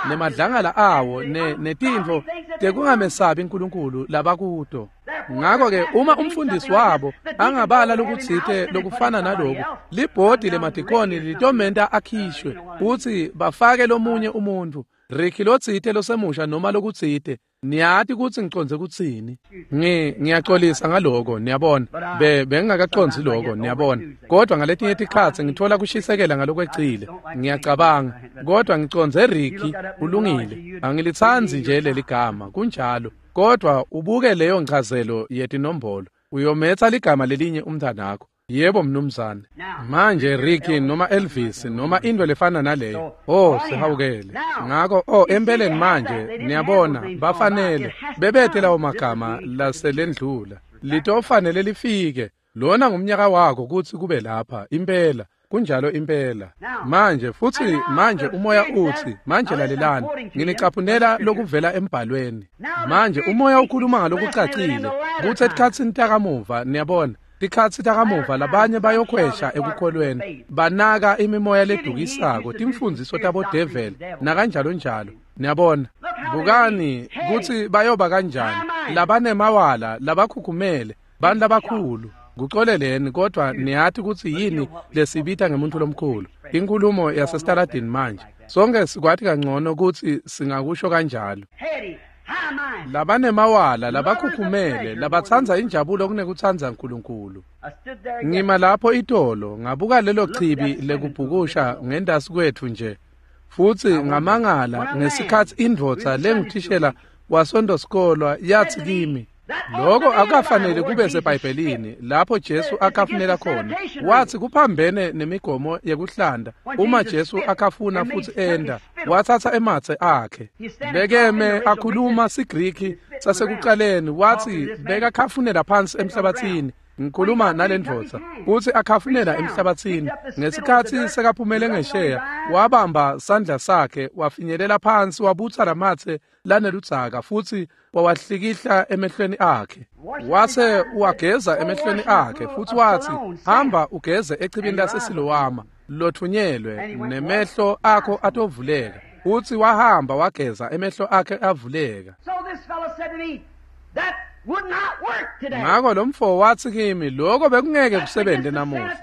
nemadlangala awo netintfo tekungamesabi uNkulunkulu labakuto. Ngakho-ke uma umfundisi wabo angabala lokutsite lokufana naloku, libhodi lemadikoni litomenta akhishwe kutsi bafake lomunye umuntu. Ricky lotsite losemusha noma lokutsite. Niyati kutsi ngicondze kutsini. Ngiyaxolisa ngaloko, niyabona. Bengingakacondzi lokho, niyabona. Kodwa ngaletinye tikhatsi ngithola kushisekela ngalokwecile. Ngiyacabanga, kodwa ngicondze Ricky ulungile. Angilitsandzi nje leli gama, kunjalo. Kodwa ubuke leyo nchazelo yetinombolo. Uyometsa ligama lelinye umntwanakho. Yebo mnumzane. Manje Ricky noma Elvis noma into lefana naleyo. Oh, sihawukele. Ngako empeleni manje niyabona bafanele bebethe lawo magama laselendlula. Litofanele lifike. Lona ngumnyaka wakho kutsi kube lapha impela. Kunjalo impela. Manje futhi manje umoya uthi, manje lalelani, nginicaphunela lokuvela embhalweni. Manje umoya ukhuluma ngalokucacile kutsi etikhatsini takamuva, niyabona, tikhatsi takamuva labanye bayokhwesha ekukholweni, banaka imimoya ledukisako, timfundziso tabodeveli nakanjalo njalo. Niyabona, bukani kutsi bayoba kanjani labanemawala, labakhukhumele, bantu labakhulu. Kuxoleleni, kodwa niyati kutsi yini lesibita ngemuntu lomkhulu. Inkulumo yasestaladini manje. Sonke sikwati kangcono kutsi singakusho kanjalo. Labanemawala, labakhukhumele, labatsandza injabulo kunekutsandza uNkulunkulu. Ngima lapho itolo, ngabuka lelo chibi lekubhukusha ngendasi kwethu nje. Futsi ngamangala ngesikhatsi indvodza lenguthishela wasondosikolwa yathi kimi, lokho akukafanele kube seBhayibhelini lapho Jesu akafunela khona. Wathi kuphambene nemigomo yekuhlanda. Uma Jesu akafuna futhi enda, wathatha ematse akhe. Bekeme akhuluma siGriki sasekuqaleni, wathi bekakhafunela phansi emhlabathini. Ngikhuluma nalendvodza kutsi akhafunela emhlabathini. Ngesikhatsi sekaphumele ngesheya, wabamba sandla sakhe wafinyelela phansi, wabutsa lamatse laneludzaka futsi wawahlikihla emehlweni akhe. Wase uwageza emehlweni akhe futsi watsi, hamba ugeze echibini laseSilowama lothunyelwe, nemehlo akho atovuleka. Futsi wahamba wageza, emehlo akhe avuleka. Ngako lo mfo wathi kimi, lokho bekungeke kusebenze namuhla.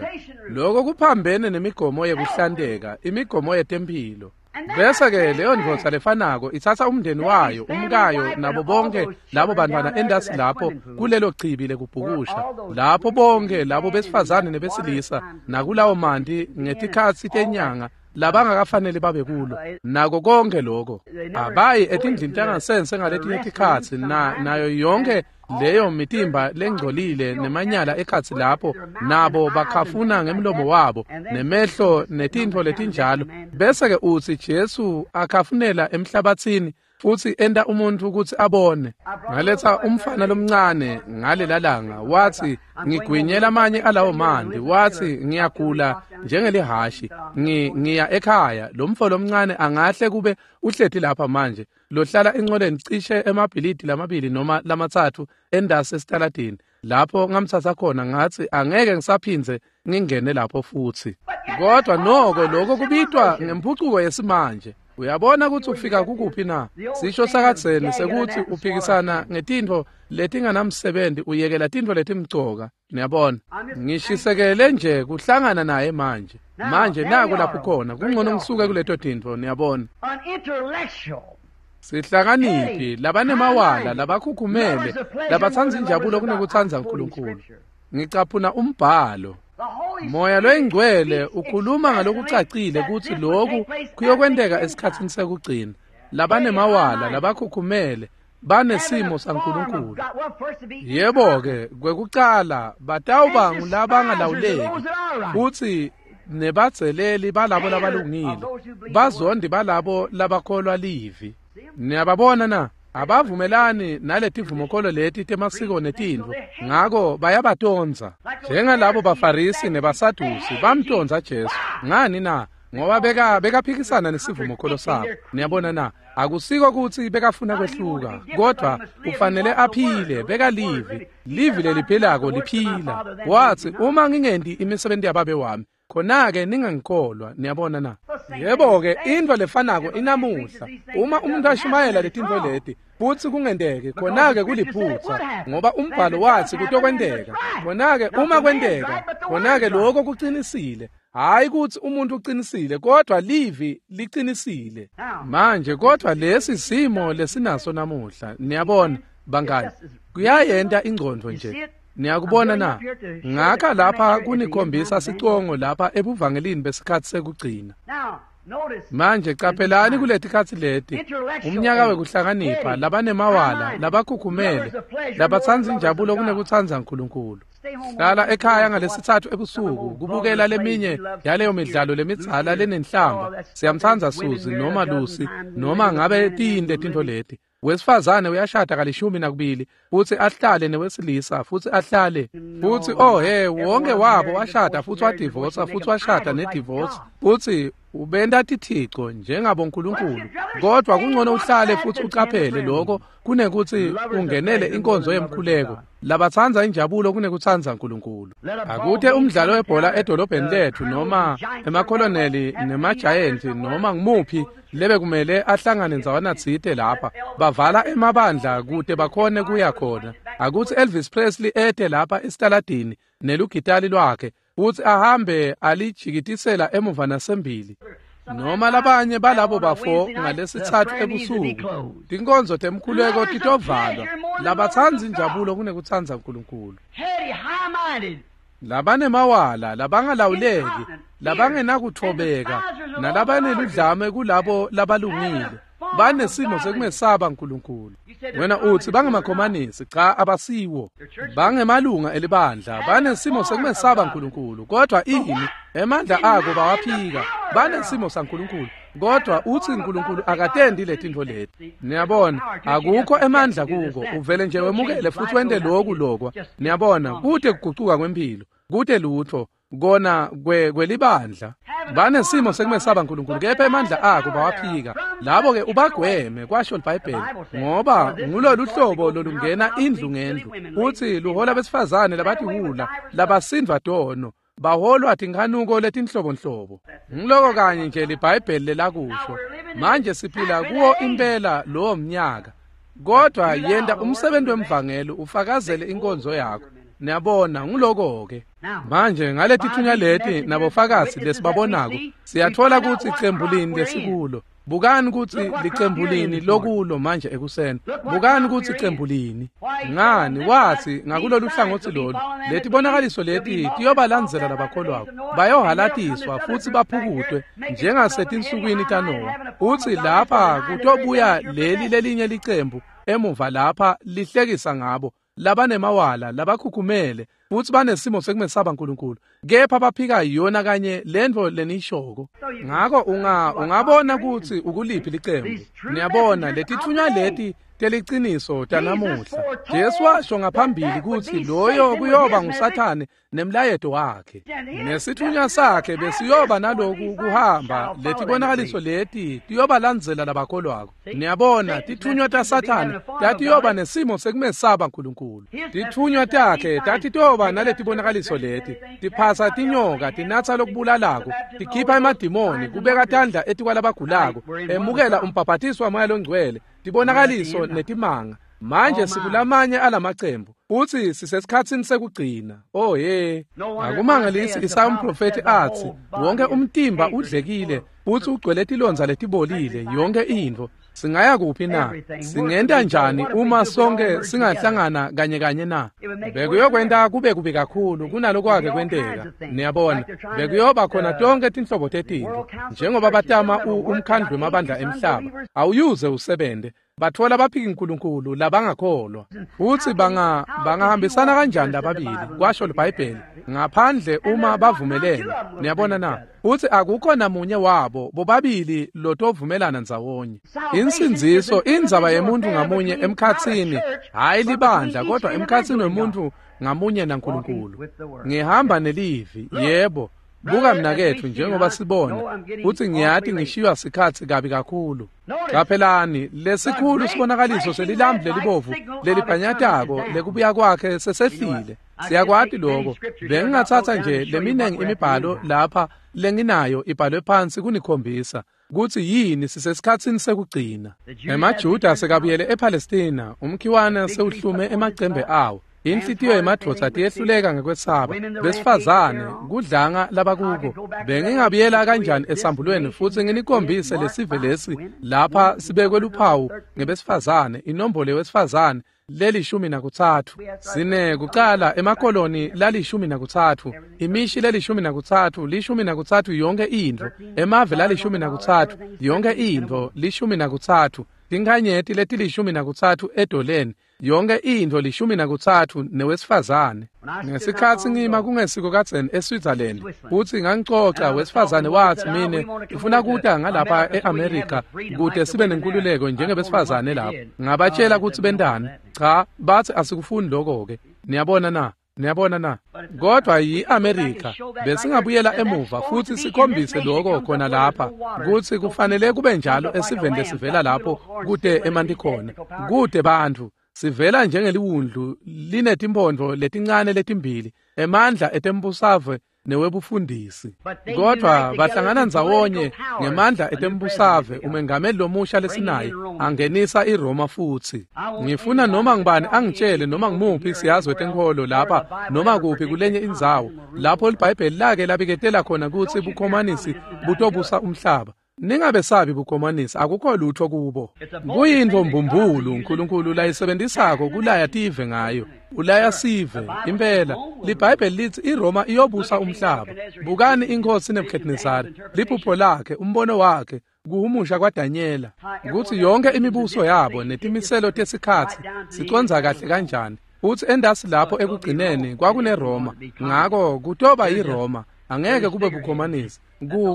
Lokho kuphambene nemigomo yekuhlanteka, imigomo yetemphilo. Bese-ke leyo ndvodza lefanako itsatsa umndeni wayo, umkayo, nabo bonke labo bantwana endasi lapho kulelo chibi lekubhukusha, lapho bonke labo besifazane nebesilisa nakulawo manti ngetikhatsi tenyanga labangakafanele babe kulo, nako konke lokho. Abayi etindlini tangasense ngaletinye tikhatsi, nayo yonke leyo mitimba lengcolile nemanyala ekhatsi lapho, nabo bakhafuna ngemlomo wabo nemehlo netintfo letinjalo. Bese-ke utsi Jesu akhafunela emhlabathini futsi enta umuntfu kutsi abone. Ngaletsa umfana lomncane ngalela langa, wathi ngigwinyela amanye alawo manti, wathi ngiyagula njengelihashi, ngiya ekhaya. Lo mfo lomncane angahle kube uhleti lapha manje, lohlala enqoleni cishe emabhilidi lamabili noma lamatsatfu endasi esitaladini. Lapho ngamthatha khona, ngathi angeke ngisaphindze ngingene lapho futsi. Kodwa noko lokho kubitwa ngemphucuko yesimanje. Uyabona kutsi ufika kukuphi na? Sisho sakadzeni sekuthi uphikisana ngetintfo letinganamsebenzi, uyekela tintfo letimcoka. Niyabona, ngishisekele nje kuhlangana naye manje. Manje naku lapho khona, kungcono ngisuke kuleto tintfo, niyabona. Sihlakaniphi, labanemawala, labakhukhumele, labatsandza injabulo kunekutsandza uNkulunkulu. Ngicaphuna umbhalo. Moya loyingcwele ukhuluma ngalokucacile kutsi lokhu kuyokwenteka esikhatsini sekugcina. Labanemawala, labakhukhumele, banesimo saNkulunkulu. Yebo-ke, kwekucala batawuba ngulabangalawuleki futsi nebadzeleli balabo labalungile, bazondi balabo labakholwa livi. Niyababona na? Abavumelani naletivumokholo leti temasiko netintfo, ngako bayabatondza. Njengalabo baFarisi nebaSadusi bamtondza Jesu. Ngani na? Ngoba bekaphikisana nesivumokholo sabo. Niyabona na? Akusiko kutsi bekafuna kwehluka, kodwa ufanele aphile, bekalivi. Livi leliphilako liphila. Wathi, uma ngingenti imisebenzi yababe wami, khona-ke ningangikholwa. Niyabona na? Yebo-ke, intfo lefanako inamuhla. Uma umuntu ashumayela letintfo leti futsi kungenteki, khona-ke kuliphutsa, ngoba umbhalo watsi kutokwenteka. Khona-ke uma kwenteka, khona-ke lokho kucinisile. Hhayi kutsi umuntu ucinisile, kodwa livi licinisile. Manje kodwa lesi simo lesinaso namuhla, niyabona bangani, kuyayenta ingcondvo nje. Niyakubona na? Ngakha lapha kunikhombisa sicongo lapha ebuvangelini besikhatsi sekugcina. Manje caphelani kuletikhatsi leti, umnyaka wekuhlakanipha, labanemawala, labakhukhumele, labatsandza injabulo kunekutsandza Nkulunkulu. Hlala ekhaya ngalesitsatfu ebusuku kubukela leminye yaleyo midlalo lemidzala lenenhlamba. Siyamtsandza Suzi noma Lucy noma ngabe tiyini letintfo leti. Wesifazane uyashada 12 futsi ahlale newesilisa futsi ahlale futsi oh he, wonke wabo washada futsi wadivosa futsi washada nedivorce futsi ubenta tithico njengabo Nkulunkulu. Kodwa kungcono uhlale futsi ucaphele lokho kunekuthi ungenele inkonzo yemkhuleko. Labatsandza injabulo kunekutsandza Nkulunkulu. Akuthe umdlalo webhola edolobheni lethu noma emakoloneli nemajayenti noma ngumuphi lebe kumele ahlangane ndzawana tsite lapha, bavala emabandla kute bakhone kuya khona. Akuthi Elvis Presley ete lapha esitaladini nelugitali lwakhe futsi ahambe alijikitisela emuva nasembili, noma labanye balabo bafo ngalesitsatfu ebusuku. Tinkonzo temkhuleko titovalwa. Labatsandza injabulo kunekutsandza Nkulunkulu. Labanemawala, labangalawuleki, labangenakutfobeka, nalabaneludlame kulabo labalungile, banesimo sekumesaba Nkulunkulu. Wena utsi bangemakhomanisi. Cha, abasiwo. Bangemalunga elibandla, banesimo sekumesaba Nkulunkulu. Kodwa ini? Emandla ako bawaphika. Banesimo saNkulunkulu, kodwa utsi Nkulunkulu akatendi letintfo leti. Niyabona, akukho emandla kuko. Uvele nje wemukele futsi wente loku lokwa. Niyabona, kute kugucuka kwemphilo, kute lutfo kona kwelibandla. Banesimo sekumesaba Nkulunkulu, kepha emandla ako bawaphika. Labo-ke ubagweme, kwasho liBhayibheli, ngoba ngulolu hlobo lolungena indlu ngendlu futsi luhola besifazane labatiwula, labasindvwa tono, baholwa tinkhanuko letinhlobonhlobo. Ngiloko kanye nje liBhayibheli lelakusho. Manje siphila kuwo impela lowo mnyaka. Kodwa yenta umsebenzi wemvangeli ufakazele inkonzo yakho. Niyabona, nguloko-ke. Manje ngaletithunywa leti nabofakazi lesibabonako, siyatfola kutsi icembu lini lesikulo. Bukani kutsi licembu lini lokulo manje ekuseni. Bukani kutsi icembu lini. Ngani watsi ngakulolu hlangotsi lolu, letibonakaliso leti tiyobalandzela labakholwako. Bayohalatiswa futsi baphukutwe njengasetinsukwini taNowa. Utsi lapha kutobuya leli lelinye licembu emuva lapha lihlekisa ngabo, labanemawala, labakhukhumele, futsi banesimo sekumesaba Nkulunkulu, kepha baphika yona kanye lentfo lenishoko. Ngako ungabona kutsi ukuliphi licembu. Niyabona, letitfunywa leti teliciniso tanamuhla. Jesu washo ngaphambili kutsi loyo kuyoba nguSathane nemlayeto wakhe. Nesitfunywa sakhe besiyoba naloku kuhamba, letibonakaliso leti tiyobalandzela labakholwako. Niyabona, titfunywa taSathane tatiyoba nesimo sekumesaba Nkulunkulu. Titfunywa takhe tatitoba naletibonakaliso leti, tiphasa tinyoka, tinatsa lokubulalako, tikhipha emadimoni, kubeka tandla etikwalabagulako, emukela umbhabhatiso waMoya loNgcwele, tibonakaliso netimanga. Manje sikulamanye alamacembu futsi sisesikhatsini sekugcina. Oh he, akumangalisi Isaya umprofethi atsi wonke umtimba udlekile futsi ugcwele tilondza letibolile, yonke intfo. Singaya kuphi na? Singenta njani uma sonke singahlangana kanye kanye na? Bekuyokwenta kube kubi kakhulu kunalokwake kwenteka. Niyabona, bekuyoba khona tonke tinhlobo tetintfo. Njengoba batama umkhandlu wemabandla emhlaba, awuyuze usebente. Batfola baphiki Nkulunkulu labangakholwa. Futsi bangahambisana kanjani lababili, kwasho liBhayibheli, ngaphandle uma bavumelene. Niyabona na? Futsi akukho namunye wabo bobabili lotovumelana ndzawonye. Insindziso indzaba yemuntu ngamunye emkhatsini, hhayi libandla, kodwa emkhatsini wemuntu ngamunye naNkulunkulu. Ngihamba nelivi, yebo. Buka mnaketfu, njengoba sibona kutsi ngiyati ngishiywa sikhatsi kabi kakhulu. Qaphelani, lesikhulu sibonakaliso selilambu lelibovu lelibhanyatako lekubuya kwakhe sesehlile. Siyakwati lokho. Bengingatsatsa nje leminingi imibhalo lapha lenginayo ibhalwe phansi kunikhombisa kutsi yini sisesikhatsini sekugcina. EmaJuda sekabuyele ePalestina, umkhiwane sewuhlume emacembe awo. Inhlitiyo yemadvodza tiyehluleka ngekwesaba, besifazane kudlanga labakuko. Bengingabuyela kanjani esambulweni futsi nginikhombise lesive lesi lapha sibekwe luphawu ngebesifazane, inombolo yewesifazane leli-13. Sine kucala emakoloni lali-13, imishi leli-13, 13 yonke intfo, emave lali-13 yonke intfo, 13, tinkhanyeti leti-13 edoleni, yonke intfo 13 newesifazane. Ngesikhatsi ngima kungesiko kadzeni eSwitzerland, futsi ngangicoca wesifazane watsi mine ngifuna kuta ngalapha eAmerica kute sibe nenkululeko njengebesifazane lapho. Ngabatshela kutsi bentani. Cha, batsi asikufuni lokho-ke. Niyabona na? Niyabona na? Kodwa yi-Amerika. Besingabuyela emuva futsi sikhombise lokho khona lapha kutsi kufanele kube njalo esiveni lesivela lapho kute emanti khona, kute bantfu. Sivela njengeliwundlu linetimphondvo letincane letimbili, emandla etembusave newebufundisi. Kodwa bahlangana ndzawonye ngemandla etembusave, umengameli lomusha lesinaye angenisa iRoma futsi. Ngifuna noma ngibani angitshele noma ngimuphi siyazi wetenkholo lapha noma kuphi kulenye indzawo lapho liBhayibheli lake labiketela khona kutsi bukhomanisi butobusa umhlaba. Ningabesabi bukhomanisi, akukho lutho kubo. Kuyintfo mbumbulu uNkulunkulu layisebentisako kulaya tive ngayo. Ulaya sive impela. LiBhayibheli litsi iRoma iyobusa umhlaba. Bukani inkosi Nebuchadnezzar, liphupho lakhe, umbono wakhe, kuhumusha kwaDanyela, kutsi yonke imibuso yabo netimiselo tesikhatsi sicondza kahle kanjani. Utsi endasi lapho ekugcineni kwakuneRoma, ngako kutoba yiRoma, angeke kube bukhomanisi.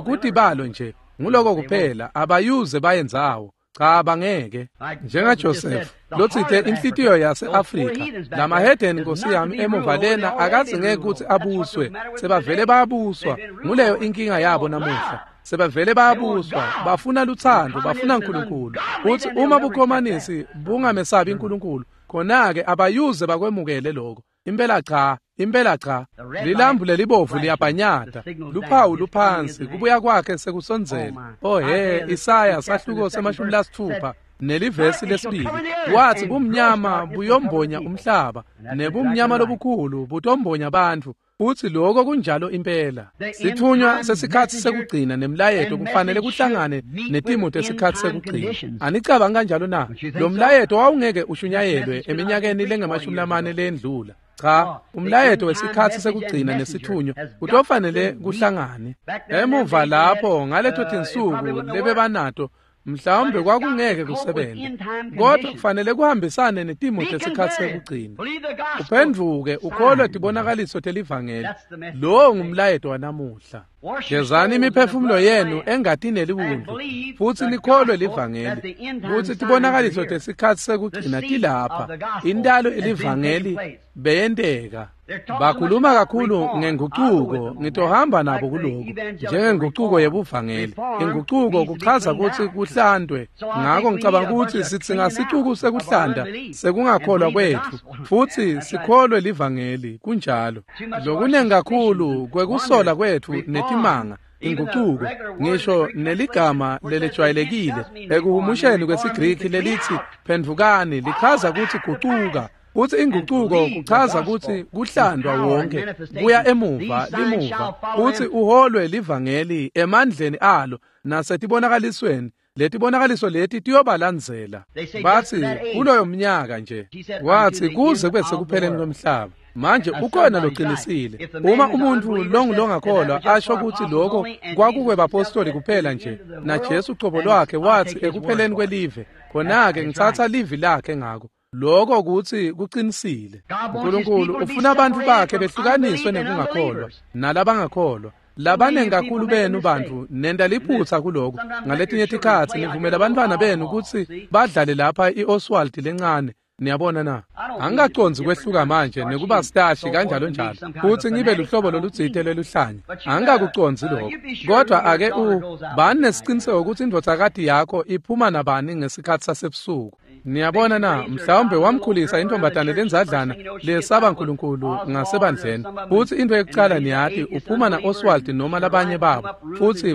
Kutibalo nje. Nguloko kuphela, abayuze bayendzawo. Cha, bangeke. NjengaJoseph lotsite inhlitiyo yase-Afrika, lamahedeni nkosi yami emuva lena akazingeke kutsi abuswe, sebavele bayabuswa. Nguleyo inkinga yabo namuhla. Sebavele bayabuswa, bafuna luthando, bafuna uNkulunkulu. Utsi uma bukhomanisi bungamesabi uNkulunkulu, khona-ke abayuze bakwemukele lokho. Impela cha, impela cha. Lilambu lelibovu liyabhanyata, luphawu luphansi, kubuya kwakhe sekusondzela. Oh he, Isaya sahluko se-60 nelivesi lesibili watsi bumnyama buyombonya umhlaba, nebumnyama lobukhulu butombonya bantfu. Utsi lokho kunjalo impela. Sithunywa sesikhatsi sekugcina nemlayeto kufanele kuhlangane netimo tesikhatsi sekugcina. Anicabangi kanjalo na? Lo mlayeto wawungeke ushunyayelwe eminyakeni lengama-40 lendlula. Cha, umlayeto wesikhatsi sekugcina nesithunywa kutofanele kuhlangane. Emuva lapho ngaleto tinsuku lebebanato mhlawumbe kwakungeke kusebenze, kodwa kufanele kuhambisane netimo tesikhatsi sekugcina. Uphendvuke ukholwe tibonakaliso telivangeli. Lowo ngumlayeto wanamuhla. Gezani imiphefumulo yenu engatini yeliwundlu futsi nikholwe livangeli kutsi tibonakaliso tesikhatsi sekugcina tilapha. Intalo elivangeli beyenteka. Bakhuluma kakhulu ngengucuko, ngitohamba nabo kuloku njengengucuko yebuvangeli. Ingucuko kuchaza kutsi kuhlandwe. Ngako ngicabanga kutsi sidzinga sicuku sekuhlanda sekungakholwa kwetfu futsi sikholwe livangeli. Kunjalo. Lokunengi kakhulu kwekusola kwetfu netimanga ingucuko, ngisho neligama lelejwayelekile ekuhumusheni kwesiGriki lelithi phendvukani lichaza kutsi gucuka. Kutsi ingucuko kuchaza kutsi kuhlandwa wonke kuya emuva limuva, kutsi uholwe livangeli emandleni alo nasetibonakalisweni. Letibonakaliso leti tiyobalandzela. Batsi kuloyo mnyaka nje, watsi kuze kube sekupheleni kwemhlaba. Manje ukhona loqinisile. Uma umuntu longakholwa asho kutsi lokho kwakukwebapostoli kuphela nje, naJesu cobo lwakhe watsi ekupheleni kwelive, khona-ke ngitsatsa livi lakhe ngako. Lokho kutsi kuqinisile. uNkulunkulu ufuna abantu bakhe behlukaniswe nekungakholwa nalabangakholwa. Labanengi kakhulu benu bantfu nenta liphutsa kuloko. Ngaletinye tikhatsi nivumela abantwana benu kutsi badlale lapha iOswald lencane. Niyabona na? Angikacondzi kwehluka manje nekuba stashi kanjalo njalo futhi ngibe luhlobo lolutsite lweluhlanya. Angikakucondzi lokho. Kodwa ake bani nesiciniseko ukuthi indvodzakati yakho iphuma nabani ngesikhathi sasebusuku. Niyabona na? Mhlawumbe wamkhulisa intombazane lenzadlana lesaba uNkulunkulu ngasebandleni. Futhi into yokuqala niyati uphuma na Oswald noma labanye babo. Futhi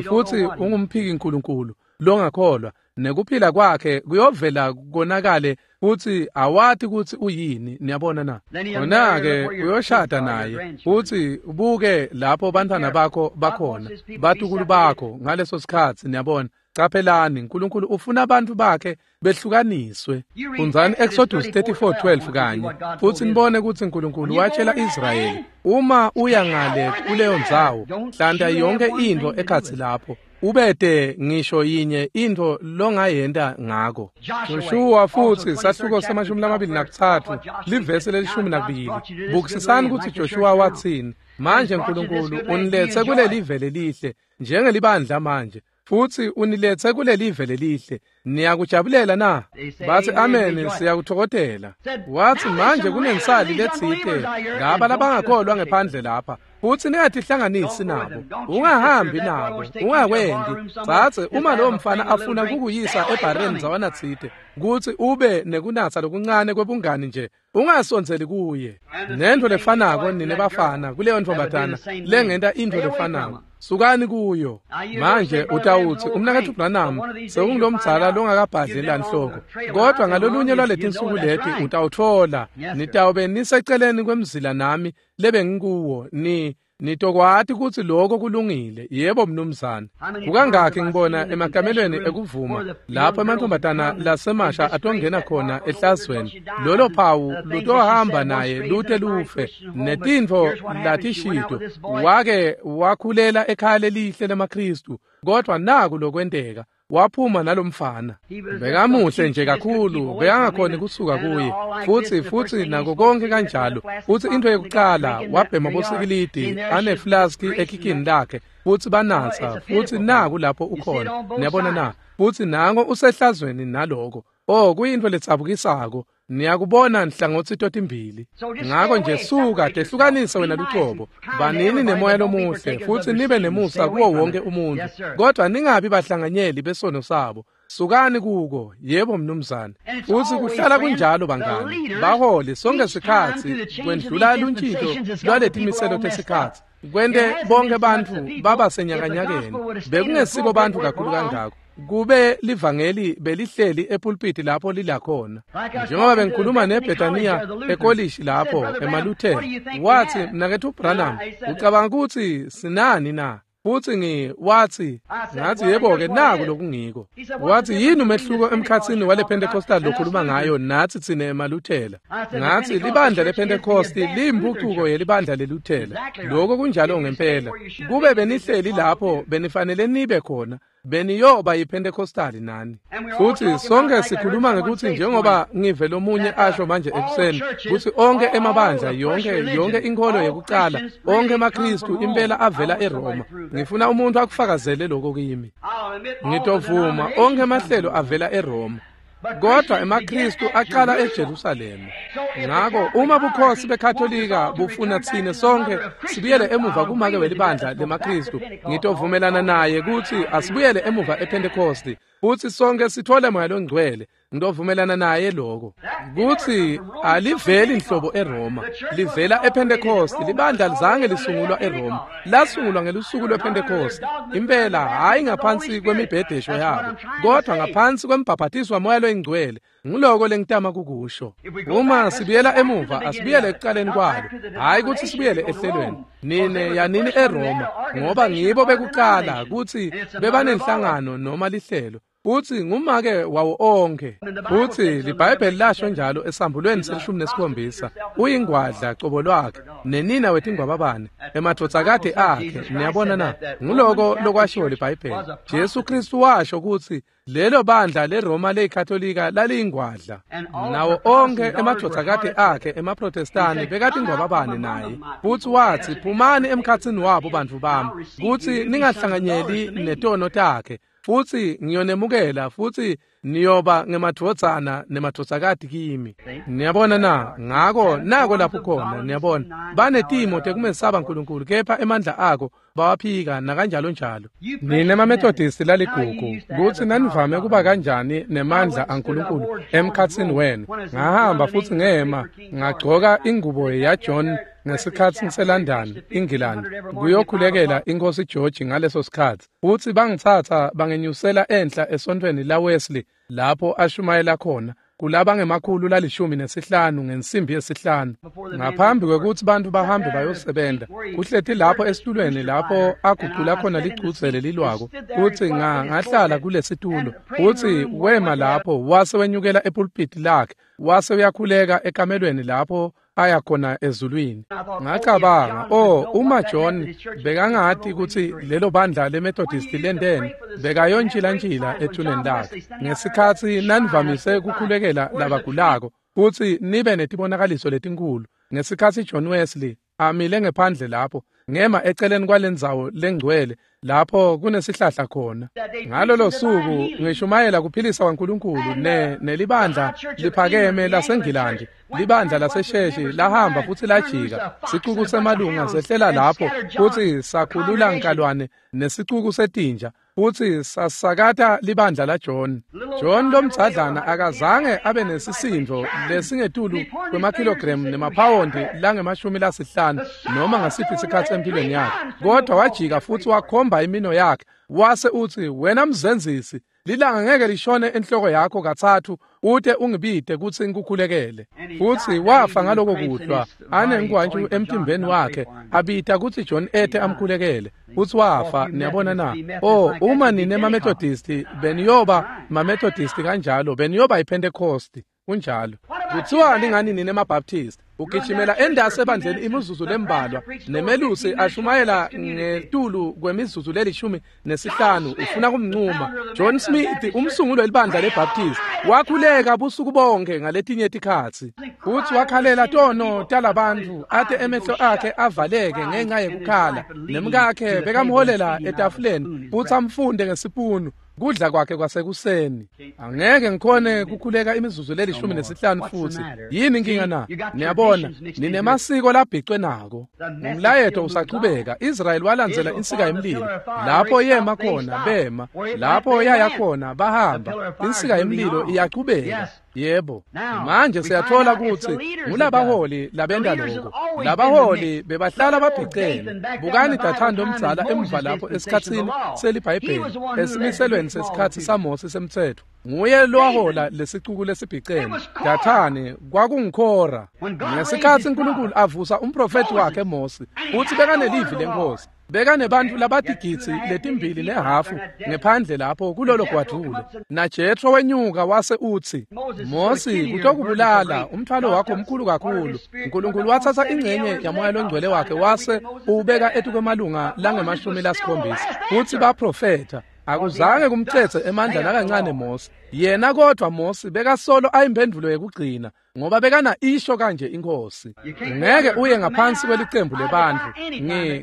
ungumphiki uNkulunkulu longakholwa. Nekuphila kwakhe kuyovela konakale futhi awati ukuthi uyini. Niyabona na? Khona-ke uyoshada naye futhi ubuke lapho bantwana bakho bakhona, batukulu bakho ngaleso sikhathi. Niyabona? Caphelani, uNkulunkulu ufuna abantu bakhe behlukaniswe. Fundzani Exodus 34:12 kanye futhi nibone ukuthi uNkulunkulu watshela Israyeli, uma uya ngale kuleyo ndzawo, hlanta yonke into ekhatsi lapho, ubete ngisho yinye into longayenta ngako. Joshua futhi sahluko sama-23 livesi leli-12. Bukisisani ukuthi Joshua wathini. Manje uNkulunkulu unilethe kuleli vele lihle njengelibandla manje, futhi unilethe kuleli vele lihle. Niyakujabulela na? Bathi amen, siyakuthokozela. Wathi manje kunensali letsite laba labangakholwa ngephandle lapha, futhi ningatihlanganisi nabo, ungahambi nabo, ungakwendi. Tsatse uma lowo mfana afuna kukuyisa ebhareni zawanatsite kuthi ube nekunatsa lokuncane kwebungani nje, ungasondzeli kuye. Nento lefanako nine bafana kuleyo ntombazana lengenta into lefanako, sukani kuyo. Manje utawuthi umnaketfu Branham sewungulomdzala longakabhadli lanhloko, kodwa ngalolunye lwaletinsuku leti utawutfola nitawube niseceleni kwemzila nami lebengikuwo, nitokwati ukuthi lokho kulungile. Yebo mnumzane. Kukangakhi ngibona emakamelweni ekuvuma lapho amantombazana lasemasha atongena khona ehlazweni, lolo phawu lutohamba naye lute lufe netintfo latishito. Wake wakhulela ekhaya lelihle lemaKristu, kodwa naku lokwenteka, waphuma nalomfana. Bekamuhle nje kakhulu, bekangakhoni kusuka kuye. Futhi nako konke kanjalo. Futhi into yokuqala wabhema bosikilidi aneflaski ekikini lakhe, futhi banatsa, futhi naku lapho ukhona. Niyabona na? Futhi nango usehlazweni naloko. Oh, kuyinto letsabukisako. Niyakubona nhlangothi totimbili. Ngako nje suka, tehlukanise wena lucobo. Banini nemoya lomuhle futhi nibe nemusa kuwo wonke umuntu, kodwa ningabi bahlanganyeli besono sabo. Sukani kuko. Yebo mnumzane. Futhi kuhlala kunjalo bangani. Baholi sonke sikhatsi kwendlula luntjintjo lwaletimiselo tesikhatsi, kwente bonke bantfu baba senyakanyakeni. Bekungesibo bantfu kakhulu kangako kube livangeli belihleli epulpiti lapho lilakhona. Njengoba bengikhuluma neBethania ekolishi lapho emaLuthela, wathi mnaketfu Branham, ucabanga ukuthi sinani na? Futhi wathi, ngathi yebo-ke naku lokungiko. Wathi yini umehluko emkhatsini wale Pentecostal lokhuluma ngayo nathi tsine emaLuthela? Ngathi libandla lePentecost liyimpucuko yelibandla leLuthela. Lokho kunjalo ngempela. Kube benihleli lapho benifanele nibe khona, beniyoba yiPentecostal nani. Futhi sonke sikhuluma ngekuthi njengoba ngive lomunye asho manje ekuseni ukuthi onke emabandla, yonke inkolo yekuqala, onke emaKristu impela avela eRoma. Ngifuna umuntu akufakazele lokho kimi. Ngitovuma onke amahlelo avela eRoma, kodwa emaKristu aqala eJerusalema. Ngako uma bukhosi beKatolika bufuna tsine sonke sibuyele emuva kumake welibandla lemaKristu, ngitovumelana naye ukuthi asibuyele emuva ePentecost futhi sonke sithole moya longcwele. Ngitovumelana naye lokho kuthi aliveli inhlobo eRoma, livela ePentecost. Libandla lizange lisungulwa eRoma, lasungulwa ngelusuku lwePentecost impela, hayi ngaphansi kwemibhedesho yabo, kodwa ngaphansi kwembhabhatiswa moya loyingcwele. Nguloko lengitama kukusho. Uma sibuyela emuva, asibuyele ekuqaleni kwalo, hayi ukuthi sibuyele ehlelweni. Nine yanini eRoma, ngoba ngibo bekuqala kuthi bebanenhlangano noma lihlelo, futhi ngumake wawo onke. Futhi liBhayibheli lasho njalo esambulweni se-17, uyingwadla cobo lwakhe nenina wetingwababane emadvodzakade akhe. Niyabona na? Nguloko lokwashiwo liBhayibheli. Jesu Kristu washo ukuthi lelo bandla leRoma leyiKatolika laliyingwadla, nawo onke emadvodzakade akhe emaProtestani bekatingwababane naye. Futhi wathi, phumani emkhatsini wabo bantfu bami, kuthi ningahlanganyeli netono takhe, Futsi ngiyonemukela futsi niyoba ngemadvodzana nemadvodzakati kimi. Niyabona na? Ngako nako lapho khona, niyabona. Banetimo tekumesaba uNkulunkulu kepha emandla ako bawaphika nakanjalo njalo. Nine maMethodist laligugu kutsi nanivame kuba kanjani nemandla aNkulunkulu emkhatsini wenu. Ngahamba futsi ngema ngagcoka ingubo yaJohn ngesikhatsi ngiseLondon, England, kuyokhulekela inkosi George ngaleso sikhatsi. Futsi bangitsatsa bangenyusela enhla esontfweni la Wesley lapho ashumayela khona kulaba ngemakhulu 15 ngensimbi yesihlanu ngaphambi kwekutsi bantfu bahambe bayosebenza. Kuhleti lapho esitulweni lapho agucula khona licudze lelilwako, futsi ngahlala kulesitulo, futsi wema lapho wase wenyukela epulpiti lakhe wase uyakhuleka ekamelweni lapho aya khona ezulwini. Ngacabanga, oh, uma John bekangati kutsi lelo bandla leMethodist lenteni, bekayontshilantshila ethuneni lakhe. Ngesikhatsi nanivamise kukhulekela labagulako futsi nibe netibonakaliso letinkulu, ngesikhatsi John Wesley amile ngephandle lapho, ngema eceleni kwalendzawo lengcwele lapho kunesihlahla khona ngalolo suku ngishumayela kuphilisa kwaNkulunkulu, nelibandla liphakeme laseNgilandi, libandla lasesheshi lahamba futsi lajika. Sicuku semalunga sehlela lapho futsi sakhulula nkalwane nesicuku setinja futsi sasakata libandla laJohn. John lomdzadlana akazange abe nesisindvo lesingetulu kwemakhilogremu nemaphawondi langama-50 noma ngasiphi isikhatsi empilweni yakhe, kodwa wajika futsi wakhomba imino yakhe wase utsi, "Wena mzenzisi, lilanga ngeke lishone enhloko yakho katsatfu ute ungibite kutsi ngikukhulekele." Futsi wafa ngaloko kuhlwa anengwantju emtimbeni wakhe, abita kutsi John ete amkhulekele, futsi wafa. Niyabona na? Oh, uma nine maMethodist beniyoba maMethodist kanjalo, beniyoba iPentecost. Kunjalo. Kuthiwani ngani nine maBaptist? Ugijimela endasi ebandleni imizuzu lembalwa, nemelusi ashumayela ngetulu kwemizuzu le-15, ufuna kumncuma. John Smith, umsunguli welibandla leBaptist, wakhuleka busuku bonke ngaletinye tikhatsi, futsi wakhalela tono talabantfu ate emehlo akhe avaleke ngenxa yekukhala. Nemkakhe bekamholela etafuleni futsi amfunde ngesipunu kudla kwakhe kwasekuseni. Angeke ngikhone kukhuleka imizuzu le-15 futhi. Yini inkinga na? Niyabona, ninemasiko labhicwe nako. Umlayeto usachubeka. Israel walandzela insika yemlilo. Lapho yema khona bema, lapho yaya khona bahamba. Insika yemlilo iyachubeka. Yebo. Manje siyathola kutsi ngulabaholi labenta lokho. Labaholi bebahlala babhicene. Bukani Dathani omdzala emva lapho esikhatsini seliBhayibheli, esimiselweni sesikhatsi saMose semtsetfo. Nguye lowahola lesicuku lesibhicene. Dathani kwakunguKhora. Ngesikhatsi uNkulunkulu avusa umprofethi wakhe Mose, utsi bekanelivi lenkosi, bekanebantfu labatigidzi 2.5 ngephandle lapho kulolo gwadvule, naJethro wenyuka wase utsi, "Mosi, kutokubulala, umthwalo wakho mkhulu kakhulu." UNkulunkulu wathatha ingcenye yaMoya loNgcwele wakhe wase uwubeka etukwemalunga langama-70 futsi baprofetha. Akuzange kumthethe emandla nakancane Mose yena, kodwa Mose bekasolo ayimphendvulo yekugcina ngoba bekana isho kanje inkosi. Ngeke uye ngaphansi kwelicembu lebantfu.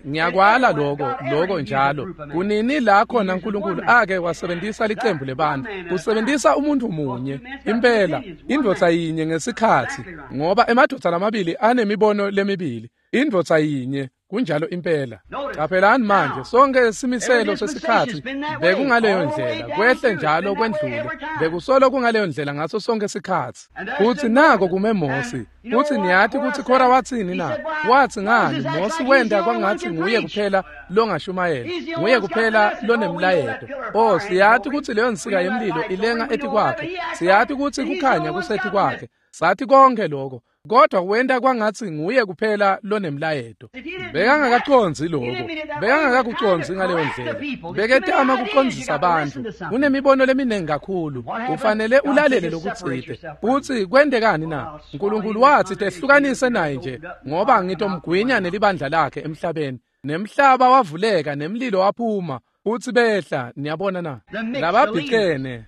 Ngiyakwala lokho njalo. Kunini la khona uNkulunkulu ake wasebenzisa licembu lebantfu? Usebenzisa umuntu munye impela, indvodza yinye ngesikhatsi, ngoba emadvodza lamabili anemibono lemibili. Indvodza yinye. Kunjalo impela. Qaphelani manje, sonke simiselo sesikhatsi bekungaleyo ndlela, kwehle njalo kwendlule, bekusolo kungaleyo ndlela ngaso sonke sikhatsi. Futsi nako kume Mosi. Futsi niyati kutsi Khora watsini na? Watsi, "Ngani, Mosi wenta kwangatsi nguye kuphela longashumayela, nguye kuphela lonemlayeto. Oh, siyati kutsi leyo nsika yemlilo ilenga etikwakhe, siyati kutsi kukhanya kusetikwakhe, sathi konke lokho, kodwa wenta kwangatsi nguye kuphela lonemlayeto." Bekangakacondzi lokho, bekangakakucondzi ngaleyo ndlela. Beketama kucondzisa bantfu. Kunemibono leminingi kakhulu, ufanele ulalele lokutsite. Futsi kwentekani na? UNkulunkulu watsi, "Tehlukanise naye nje, ngoba ngitomgwinya nelibandla lakhe emhlabeni." Nemhlaba wavuleka nemlilo waphuma. Futsi behla, niyabona na? Lababhicene,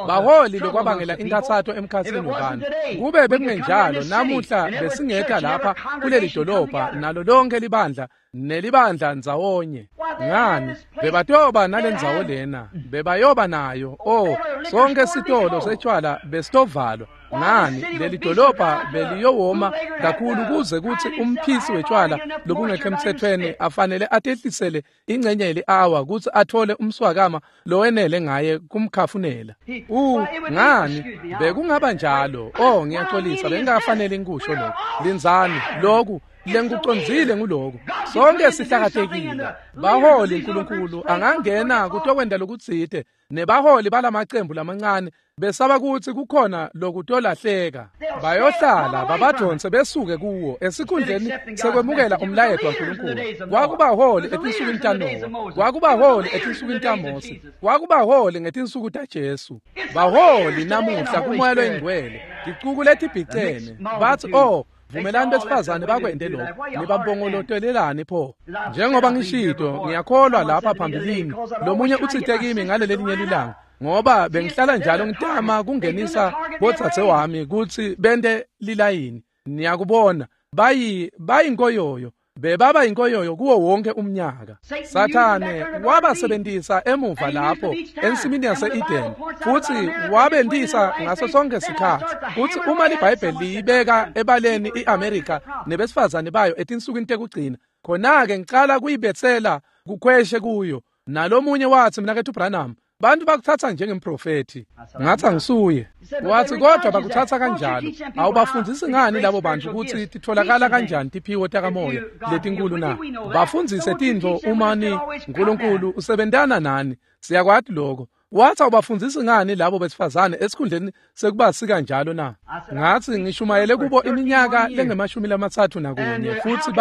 baholi lokwabangela inkathato emkhatsini webantfu. Kube bekungenjalo, namuhla besingekha lapha kuleli dolobha nalo lonke libandla nelibandla ndzawonye. Ngani? Bebatoba nalendzawo lena, bebayoba nayo. Oh, sonke sitolo setshwala besitovalwa. Ngani? Leli dolobha beliyowoma kakhulu kuze kutsi umphisi wetshwala lobungekho emtsetfweni afanele atehlisele ingcenye yeli-awa kutsi athole umswakama lowenele ngaye kumkhafunela. Ngani? Bekungaba njalo. Oh, ngiyaxolisa, bengingafanele ngikusho lokhu. Lindzani, loku lengikucondzile nguloku. Sonke sihlakatekile. Baholi uNkulunkulu angangena kutokwenta lokutsite nebaholi balamacembu lamancane besaba kutsi kukhona lokutolahleka. Bayohlala babadonse besuke kuwo esikhundleni sekwemukela umlayeto waNkulunkulu. Kwakubaholi etinsukwini taNowa, kwakubaholi etinsukwini taMose, kwakubaholi ngetinsuku taJesu. Baholi namuhla kuMoya loyiNgcwele, ticuku letibhicene bathi, oh, vumelani besifazane bakwente lokho, nibampongolotelelani pho? Njengoba ngishito, ngiyakholwa lapha phambilini lomunye utsite kimi ngalelelinye lilanga, ngoba bengihlala njalo ngitama kungenisa bodzadze wami kutsi bente lilayini. Niyakubona, bayinkoyoyo, bebaba yinkoyoyo kuwo wonke umnyaka. Sathane wabasebentisa emuva lapho ensimini yase-Eden, futsi wabentisa ngaso sonke sikhatsi. Futsi uma liBhayibheli liyibeka ebaleni i-Amerika nebesifazane bayo etinsukwini tekugcina, khona-ke ngicala kuyibetsela kukhweshe kuyo. Nalomunye watsi, Mnaketfu Branham, bantu bakuthatha njengemprofethi. Ngathi angisuye. Wathi, kodwa bakuthatha kanjalo. Awubafundzisi ngani labo bantu kutsi titholakala kanjani tiphiwo takamoya letinkulu na? Bafundzise tintfo uma ni uNkulunkulu usebentana nani. Siyakwati lokho. Wathi, awubafundzisi ngani labo besifazane esikhundleni sekubasika njalo na? Ngathi ngishumayele kubo iminyaka lengu-31, futsi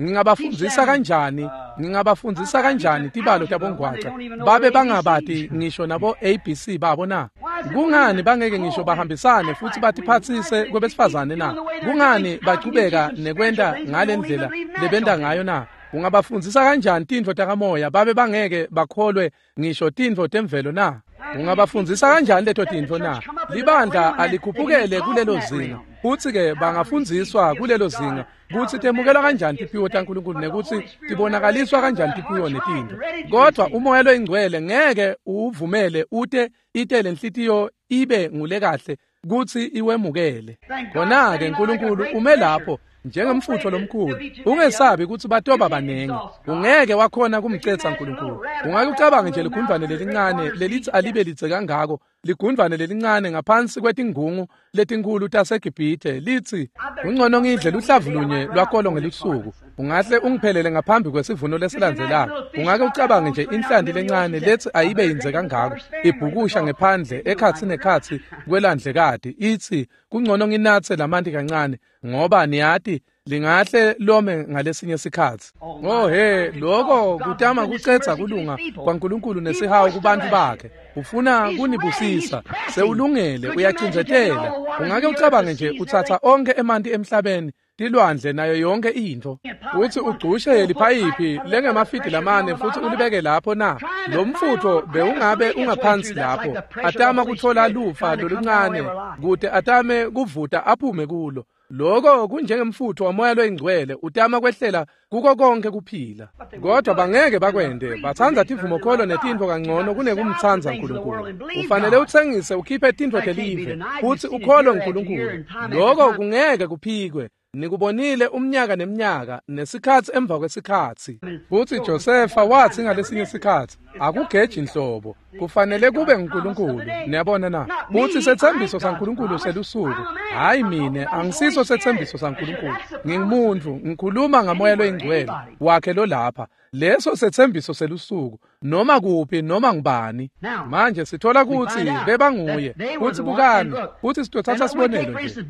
ngingabafundzisa kanjani? Ngingabafundzisa kanjani tibalo tabongwaca babe bangabati ngisho nabo ABC babo na? Kungani bangeke ngisho bahambisane futhi batiphatsise kwebesifazane na? Kungani bachubeka nekwenta ngalendlela lebenta ngayo na? Ungabafundzisa kanjani tintfo takamoya babe bangeke bakholwe ngisho tintfo temvelo na? Ungabafundzisa kanjani leto tintfo na? Libandla alikhuphukele kulelo zinga, futsi-ke bangafundziswa kulelo zinga kutsi temukelwa kanjani tiphiwo taNkulunkulu nekutsi tibonakaliswa kanjani tiphiwo netintfo. Kodwa uMoya loyiNgcwele ngeke uwuvumele ute itele inhlitiyo ibe ngulekahle kutsi iwemukele. Khona-ke uNkulunkulu ume lapho njengemfutho lomkhulu. Ungesabi kutsi batoba banengi. Ungeke wakhona kumcetsa uNkulunkulu. Ungake ucabange nje ligundvwane lelincane lelithi alibe lidze kangako, ligundvwane lelincane ngaphansi kwetingungu letinkhulu taseGibhithe litsi, kungcono ngidle luhlavu lunye lwakolo ngelusuku, ungahle ungiphelele ngaphambi kwesivuno lesilandzelako. Ungake ucabange nje inhlanti lencane lethi ayibe yindze kangako, ibhukusha ngephandle ekhatsi nekhatsi kwelandlekati, itsi kungcono nginatse lamanti kancane, ngoba niyati lingahle lome ngalesinye sikhatsi. Oh he, lokho kutama kucetsa kulunga kwaNkulunkulu nesihawu kubantu bakhe. Ufuna kunibusisa, sewulungele, uyacindzetela. Ungake ucabange nje utsatsa onke emanti emhlabeni, tilwandle nayo yonke intfo, uthi ugcushe liphayiphi lengemafidi lamane futsi ulibeke lapho na? Lo mfutfo bewungabe ungaphansi lapho, atama kutfola lufa loluncane kute atame kuvuta aphume kulo. Lokho kunjengemfutfo waMoya loyiNgcwele utama kwehlela kuko konke kuphila. Kodwa bangeke bakwente, batsandza tivumokholo netintfo kangcono kunekumtsandza uNkulunkulu. Ufanele utsengise ukhiphe tintfo telive futsi ukholwe uNkulunkulu. Lokho kungeke kuphikwe. Nikubonile umnyaka neminyaka nesikhatsi emva kwesikhatsi. Futsi Josefa watsi ngalesinye sikhatsi, akugeji inhlobo, kufanele kube nguNkulunkulu. Niyabona na? Futsi setsembiso saNkulunkulu selusuku. Hayi mine, angisiso setsembiso saNkulunkulu. Ngingumuntu, ngikhuluma ngaMoya loyiNgcwele wakhe lolapha. Leso setsembiso selusuku, noma kuphi noma ngubani. Manje sithola kutsi bebanguye. Futsi bukani, futsi sitothatha sibonelo nje.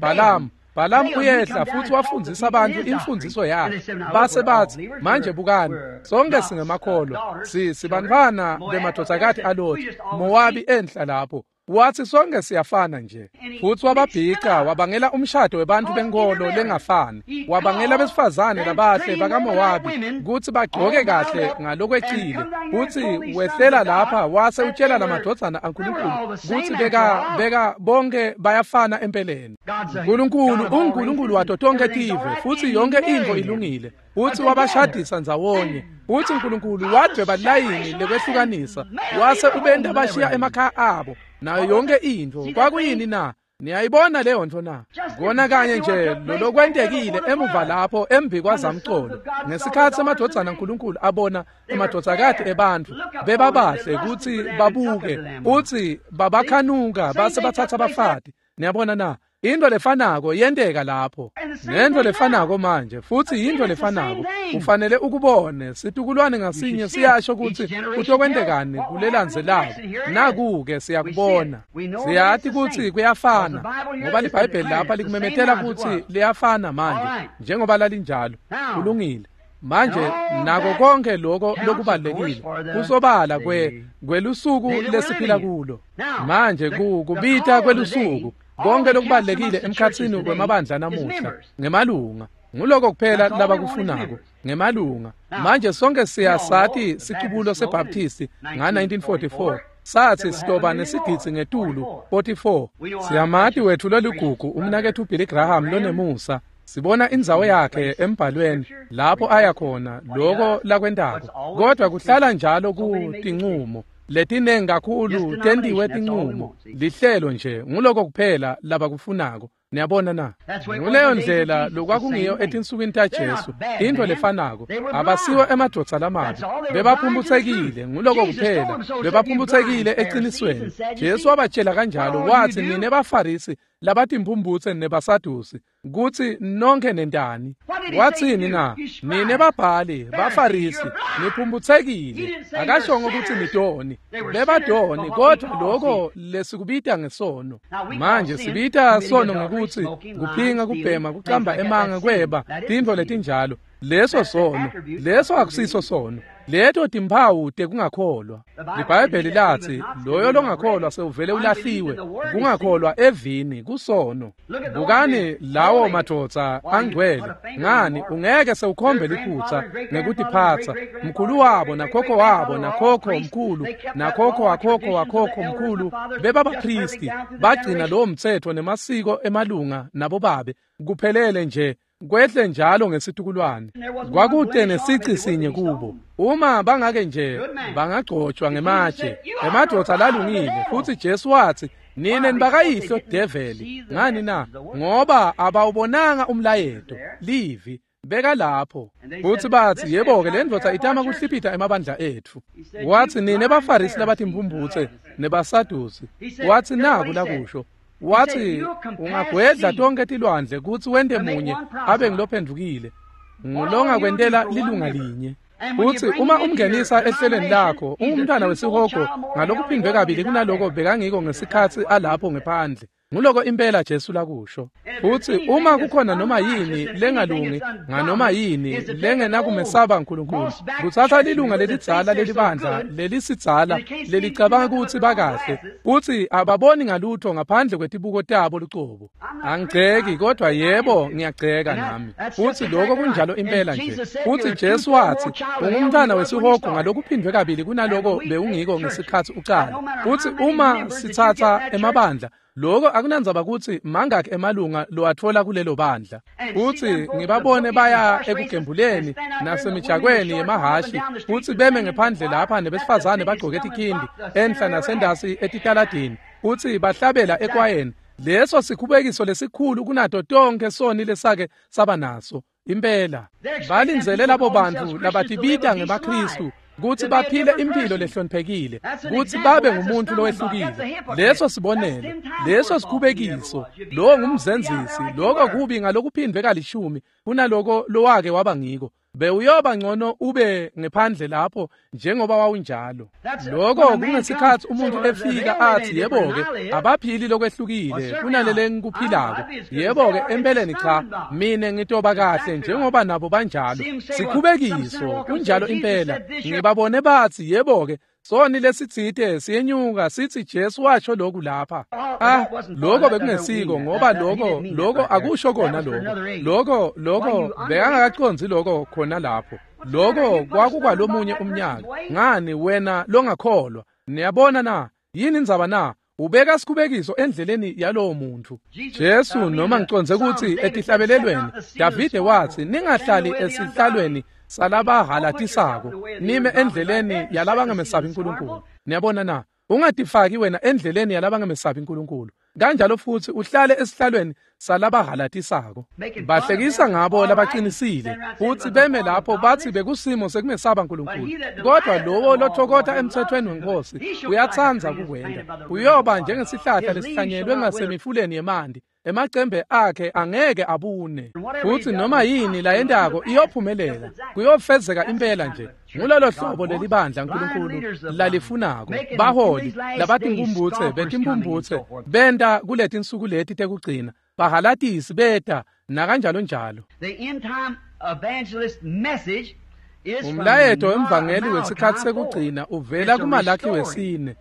Balaam uyehla futsi wafundzisa abantu imfundziso yakhe. Base batsi, manje bukani, sonke singemakholwa, sibantfwana bemadvodzakati aLothi, Mowabi enhla lapho. Wathi sonke siyafana nje. Futhi wababhica, wabangela umshado webantfu benkholo lengafani, wabangela besifazane labahle bakaMowabi kutsi bagcoke kahle ngalokwecile. Futsi wehlela lapha wase utshela lamadvodzana aNkulunkulu kutsi beka bonke bayafana empeleni. Nkulunkulu unguNkulunkulu wato tonke tive, futsi yonke intfo ilungile. Futsi wabashadisa ndzawonye. Futsi Nkulunkulu wadvweba layini lekwehlukanisa, wase ubenta bashiya emakhaya abo nayo yonke intfo. Kwakuyini na? Niyayibona leyo ntfo na? Kona kanye nje lolokwentekile emuva lapho embi kwazamcolo, ngesikhatsi emadvodzana aNkulunkulu abona emadvodzakati ebantfu bebabahle kutsi babuke, futsi babakhanuka base batsatsa bafati. Niyabona na? Into lefanako yenteka lapho, nento lefanako manje, futsi yinto lefanako. Ufanele ukubone, situkulwane ngasinye siyasho kutsi kutokwentekani kulelandzelako. Naku-ke siyakubona, siyati kutsi kuyafana, ngoba liBhayibheli lapha likumemetela kutsi liyafana manje njengoba lalinjalo. Kulungile. Manje nako konke lokho lokubalekile kusobala kwelusuku lesiphila kulo manje, kubita kwelusuku. Konke lokubalekile emkhatsini kwemabandla namuhla ngemalunga, nguloko kuphela labakufunako ngemalunga. Manje sonke siyasati sicubulo seBaptisti nga-1944 sathi sitoba nesigidzi ngetulu 44. Siyamati wethu loligugu umnaketfu Billy Graham lonemusa. Sibona indzawo yakhe embhalweni lapho aya khona, loko lakwentako. Kodwa kuhlala njalo kutincumo letinengi kakhulu tentiwe tincumo, lihlelo nje, nguloko kuphela labakufunako. Niyabona na? Nguleyo ndlela lokwakungiyo etinsukwini taJesu, intfo lefanako. Abasiwo emadvodza lamabi, bebaphumphutsekile, nguloko kuphela, bebaphumphutsekile eqinisweni. Jesu wabatshela kanjalo, wathi nine baFarisi labatimphumphutse nebaSadusi, kutsi nonke nentani. Wathini na? Nine babhali, baFarisi, niphumphutsekile. Akashongo kutsi nitoni, bebadoni, kodwa lokho lesikubita ngesono. Manje sibita sono ngekutsi kuphinga, kubhema, kucamba emanga, kweba, tintfo letinjalo. Leso sono, leso akusiso sono. Leto timphawu tekungakholwa. LiBhayibheli lathi loyo longakholwa sewuvele ulahliwe. Kungakholwa evini kusono. Bukani lawo madvodza angcwele. Ngani ungeke sewukhombe liphutsa ngekutiphatsa. Mkhulu wabo nakhokho wabo nakhokho mkhulu nakhokho wakhokho wakhokho mkhulu bebabaphristi, bagcina lowo mtsetfo nemasiko emalunga nabobabe kuphelele nje, kwehle njalo ngesitukulwane. Kwakute nesici sinye kubo. Uma bangake nje bangagcotshwa ngematshe, emadvodza lalungile. Futhi Jesu wathi nine nibakayihlo develi. Ngani na? Ngoba abawubonanga umlayeto, livi beka lapho. Futhi bathi yebo-ke le ndvodza itama kuhliphita emabandla etfu. Wathi nine baFarisi labatimphumphutse nebaSadusi. Wathi naku lakusho. Wathi ungagwedla tonke tilwandle kutsi wente munye abe ngilophendvukile, ngulongakwentela lilunga linye. Futsi uma umngenisa ehlelweni lakho, ungumntwana wesihogo ngalokuphindwe kabili kunaloko bekangiko ngesikhatsi alapho ngephandle. Nguloko impela Jesu lakusho. Futsi uma kukhona noma yini lengalungi nganoma yini lengenakumesaba uNkulunkulu, kutsatsa lilunga lelidzala lelibandla lelisidzala lelicabanga kutsi bakahle, futsi ababoni ngalutho ngaphandle kwetibuko tabo lucobo. Angigceki, kodwa yebo ngiyagceka nami. Futsi lokho kunjalo impela nje. Futsi Jesu wathi ungumntwana wesihogo ngalokuphindwe kabili kunaloko bewungiko ngesikhatsi ucala. Futsi uma sitsatsa emabandla, lokho akunandzaba kutsi mangaki emalunga lowatfola kulelo bandla. Futsi ngibabone baya ekugembuleni nasemijakweni yemahashi, futsi beme ngephandle lapha nebesifazane bagcoke tikhindi enhla nasendasi etitaladini, futsi bahlabela ekwayeni. Leso sikhubekiso lesikhulu kunato tonke soni lesake saba naso. Impela balindzele labo bantfu labatibita ngemaKhristu kutsi baphile impilo lehloniphekile, kutsi babe ngumuntu lowehlukile. Leso sibonelo, leso sikhubekiso, lowo ngumzenzisi. Lokho kubi ngalokuphindwe kalishumi kunaloko lowake waba ngiko. Bewuyoba ngcono ube ngephandle lapho njengoba wawunjalo. Lokho kungesikhatsi umuntu efika athi yebo-ke abaphili lokwehlukile kunalele ngikuphilako. Yebo-ke empeleni cha, mina ngitoba kahle njengoba nabo banjalo. Sikhubekiso kunjalo impela. Ngibabone bathi yebo-ke Soni lesitsite siyenyuka sithi Jesu washo lokhu lapha. Lokho bekungesiko ngoba lokho akusho kona lokho. Lokho bekangakaqondzi lokho khona lapho. Lokho kwakukwalomunye umnyaka. Ngani wena longakholwa? Niyabona na? Yini indzaba na? Ubeka sikhubekiso endleleni yalowo muntu. Jesu noma ngicondze ukuthi etihlabelelweni Davide wathi ningahlali esihlalweni salabahalatisako, nime endleleni yalabangamesabi uNkulunkulu. Niyabona na? Ungatifaki wena endleleni yalabangamesabi uNkulunkulu. Kanjalo futhi uhlale esihlalweni salabahalatisako. Bahlekisa ngabo labaqinisile futhi beme lapho bathi bekusimo sekumesaba uNkulunkulu. Kodwa lowo lothokotha emthethweni wenkosi uyatsandza kukwenda. Uyoba njengesihlahla lesihlanyelwe ngasemifuleni yemanti, emacembe akhe angeke abune. Futhi noma yini layendako iyophumelela, kuyofezeka impela nje. Ngulolo hlobo lelibandla uNkulunkulu lalifunako. Baholi labatinkumbutse betimbumbutse benta kuletinsuku leti tekugcina, bahalatisi beta nakanjalo njalo. Umlayeto wemvangeli wesikhathi sekugcina uvela kuMalakhi wesine.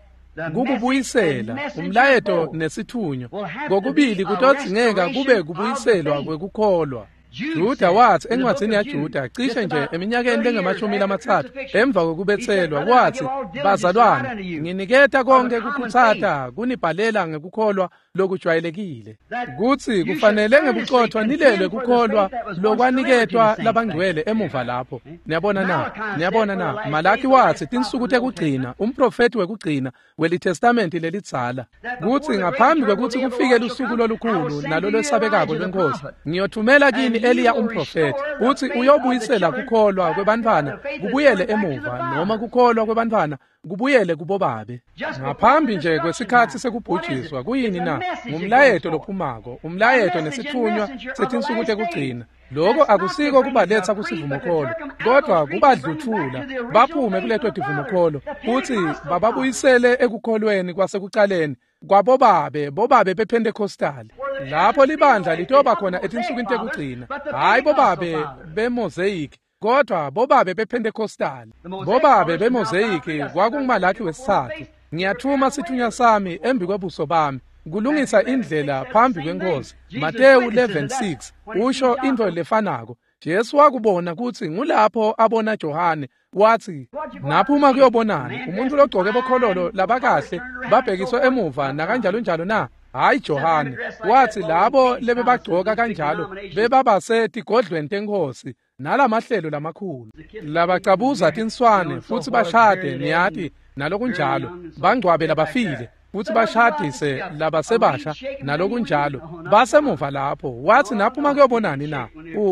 Kukubuyisela umlayeto nesithunywa kokubili kutodzingeka kube kubuyiselwa kwekukholwa. Juda wathi encwadzini yaJuda cishe nje eminyakeni lengamashumi 30 emva kokubethelwa, wathi bazalwane nginiketa konke kukhutsata kunibhalela ngekukholwa lokujwayelekile, kutsi kufanele ngebuqotho nilelwe kukholwa lokwaniketwa labangcwele emuva lapho. Niyabona na? Niyabona na? Malaki wathi tinsuku tekugcina, umprofeti wekugcina welitestamenti lelidzala, kutsi ngaphambi kwekutsi kufike lusuku lolukhulu nalolwesabekako lwenkosi, ngiyothumela kini Eliya umprofeti, uthi uyobuyisela kukholwa kwebantfwana kubuyele emuva, noma kukholwa kwebantfwana kubuyele kubobabe. Ngaphambi nje kwesikhathi sekubhujiswa. Kuyini na? Ngumlayeto lophumako, umlayeto nesithunywa setinsuku tekugcina. Lokho akusiko kubaletha kusivumokholo, kodwa kubadluthula baphume kuleto tivumokholo futhi bababuyisele ekukholweni kwasekucaleni kwabobabe, bobabe bePentecostal. Lapho libandla litoba khona etinsukwini tekugcina, hayi bobabe beMosaic, kodwa bobabe bePentecostal. Bobabe beMosaic kwakunguMalakhi wesithathu. Ngiyathuma sithunywa sami embi kwebuso bami kulungisa indlela phambi kwenkosi. Mateyu 11:6 usho into lefanako. Jesu wakubona kutsi ngulapho abona Johane, wathi naphuma kuyobonani umuntu logcoke bokhololo labakahle babhekiswe emuva nakanjalo njalo na? Hayi Johane, wathi labo lebebagcoka kanjalo bebabase tigodlweni tenkosi nalamahlelo lamakhulu labacabuza tinswane futhi bashade, niyati nalokunjalo, bangcwabe labafile futhi bashadise labasebasha nalokunjalo, basemuva lapho. Wathi naphuma kuyobonani na?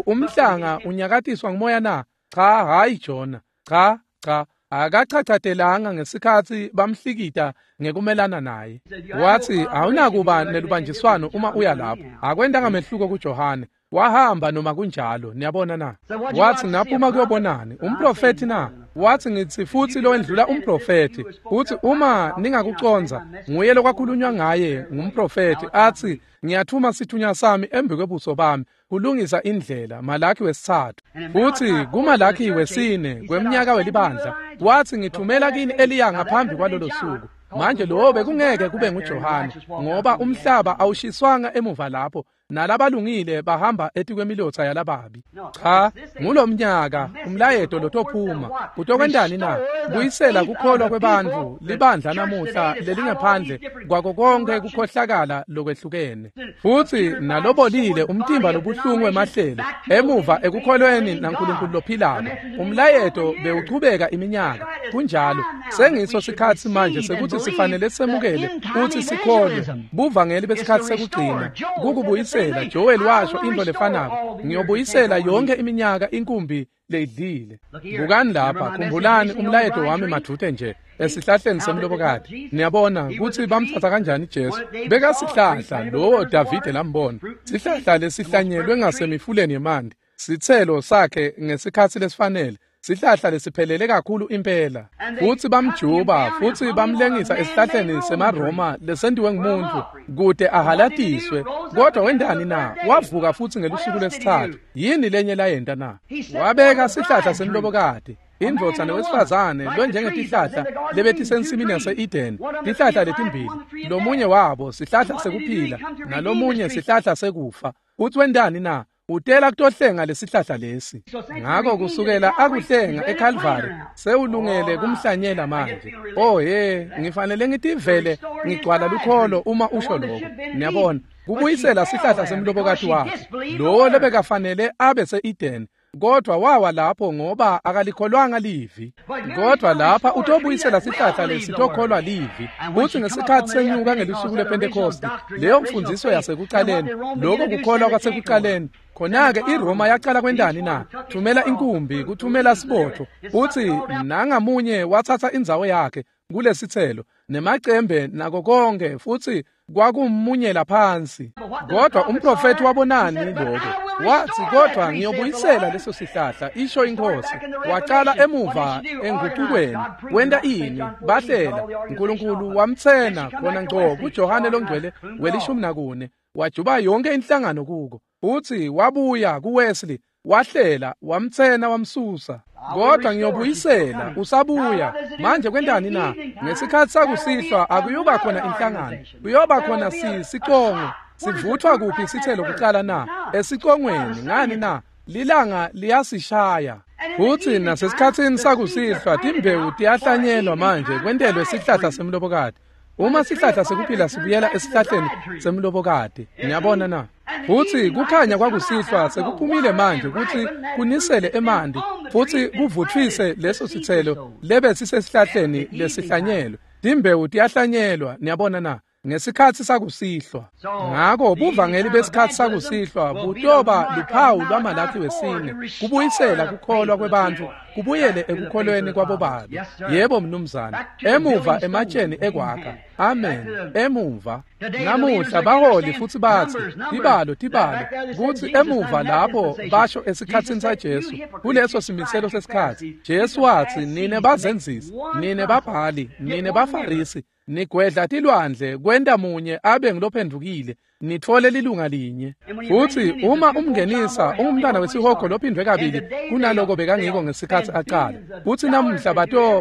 Umhlanga unyakatiswa ngumoya na? Cha, hayi Jona, cha cha, akachachatelanga ngesikhathi bamhlikita ngekumelana naye. Wathi awunakuba nelubanjiswano uma uya lapho. Akwentanga mehluko kuJohane, wahamba noma kunjalo. Niyabona na? Wathi naphuma kuyobonani umprofeti na? Wathi ngithi futhi lowendlula umprofeti, uthi uma ningakuconza nguye lokwakhulunywa ngaye ngumprofeti, athi ngiyathuma sithunywa sami embi kwebuso bami kulungisa indlela. Malakhi wesithathu. Futhi kuMalakhi wesine kweminyaka welibandla wathi ngithumela kini Eliya ngaphambi kwalolo suku. Manje lowo bekungeke kube nguJohane, ngoba umhlaba awushiswanga emuva lapho nalabalungile bahamba etikwemilotha yalababi. Cha, ngulomnyaka umlayeto lotophuma utokwentani na? Buyisela kukholwa kwebantfu libandla namuhla lelingaphandle kwako konke kukhohlakala lokwehlukene, futhi nalobolile umtimba lobuhlungu wemahlelo emuva ekukholweni naNkulunkulu lophilako. Umlayeto bewuchubeka iminyaka. Kunjalo, sengiso sikhathi manje sekuthi sifanele semukele futhi sikholwe buvangeli besikhathi sekugcina kukubuyisela. Joel washo into lefanako, ngiyobuyisela yonke iminyaka inkumbi leyidlile. Bukani lapha, khumbulani umlayeto wami madvute nje esihlahleni semlobokati. Niyabona kutsi bamthatha kanjani Jesu. Bekasihlahla lowo Davide lambona, sihlahla lesihlanyelwe ngasemifuleni yemanti, sitselo sakhe ngesikhathi lesifanele, sihlahla lesiphelele kakhulu impela. Futhi bamjuba futhi bamlengisa esihlahleni semaRoma lesentiwe ngumuntu kude ahalatiswe. Kodwa wendani na? Wavuka futhi ngelusuku lwesithathu. Yini lenye layenta na? Wabeka sihlahla semlobokati. Indvodza nowesifazane lonjengetihlahla lebetisensimini yase-Eden, tihlahla letimbili, lomunye wabo sihlahla sekuphila nalomunye sihlahla sekufa. Uthi wentani na? Utela kutohlenga lesihlahla lesi. Ngako kusukela akuhlenga eCalvary sewulungele kumhlanyela manje. Oh he, ngifanele ngitivele ngigcwala lukholo uma usho lokho. Niyabona, kubuyisela sihlahla semlobokati wakhe lowo lebekafanele abe se-Eden, kodwa wawa lapho ngoba akalikholwanga livi. Kodwa lapha utobuyisela sihlahla lesitokholwa livi. Kuthi ngesikhathi senyuka ngelusuku lwePentecost, leyo mfundiso yasekuqaleni, lokho kukholwa kwasekuqaleni, khona-ke iRoma yaqala kwentani na? Thumela inkumbi, kuthumela sibotho. Uthi nangamunye wathatha indzawo yakhe kulesithelo nemacembe nako konke, futhi kwakummunyela phansi. Kodwa umprofethi wabonani lokho? Wathi, kodwa ngiyobuyisela leso sihlahla, isho inkosi. Waqala emuva enguqukweni. Wenta ini? Bahlela. uNkulunkulu wamtsena khona ngco kuJohane longcwele we-14, wajuba yonke inhlangano kuko. Uthi wabuya kuWesley, wahlela, wamtsena, wamsusa. Kodwa ngiyobuyisela, usabuya. Manje kwentani na? Ngesikhathi sakusihlwa akuyuba khona inhlangano, kuyoba khona sicongo. Sivuthwa kuphi isithelo kuqala na? Esicongweni. Ngani na? Lilanga liyasishaya. Futhi nasesikhatsini sakusihlwa timbewu tiyahlanyelwa manje kwentelwe sihlahla semlobokati. Uma sihlahla sekuphila sibuyela esihlahleni semlobokati. Niyabona na? Futhi kukhanya kwakusihlwa sekuphumile manje ukuthi kunisele emanti futhi kuvuthwise leso sithelo lebe sisesihlahleni lesihlanyelwe. Timbewu tiyahlanyelwa, niyabona na? Ngesikhathi sakusihlwa. Ngako buvangeli besikhathi sakusihlwa butoba luphawu lwaMalakhi wesine, kubuyisela kukholwa kwebantfu kubuyele ekukholweni kwabobabe. Yebo mnumzane, emuva ematsheni ekwakha. Amen. Emuva. Namuhla baholi futhi bathi tibalo tibalo, kuthi emuva lapho basho esikhatsini saJesu, kuleso simiselo sesikhathi, Jesu wathi, nine bazenzisi, nine babhali, nine bafarisi, nigwedla tilwandle kwenta munye abe ngilophendukile, nitfole lilunga linye. Futhi uma umngenisa ungumntwana wesihogo lophindwe kabili kunaloko bekangiko ngesikhathi aqala. Futhi namuhla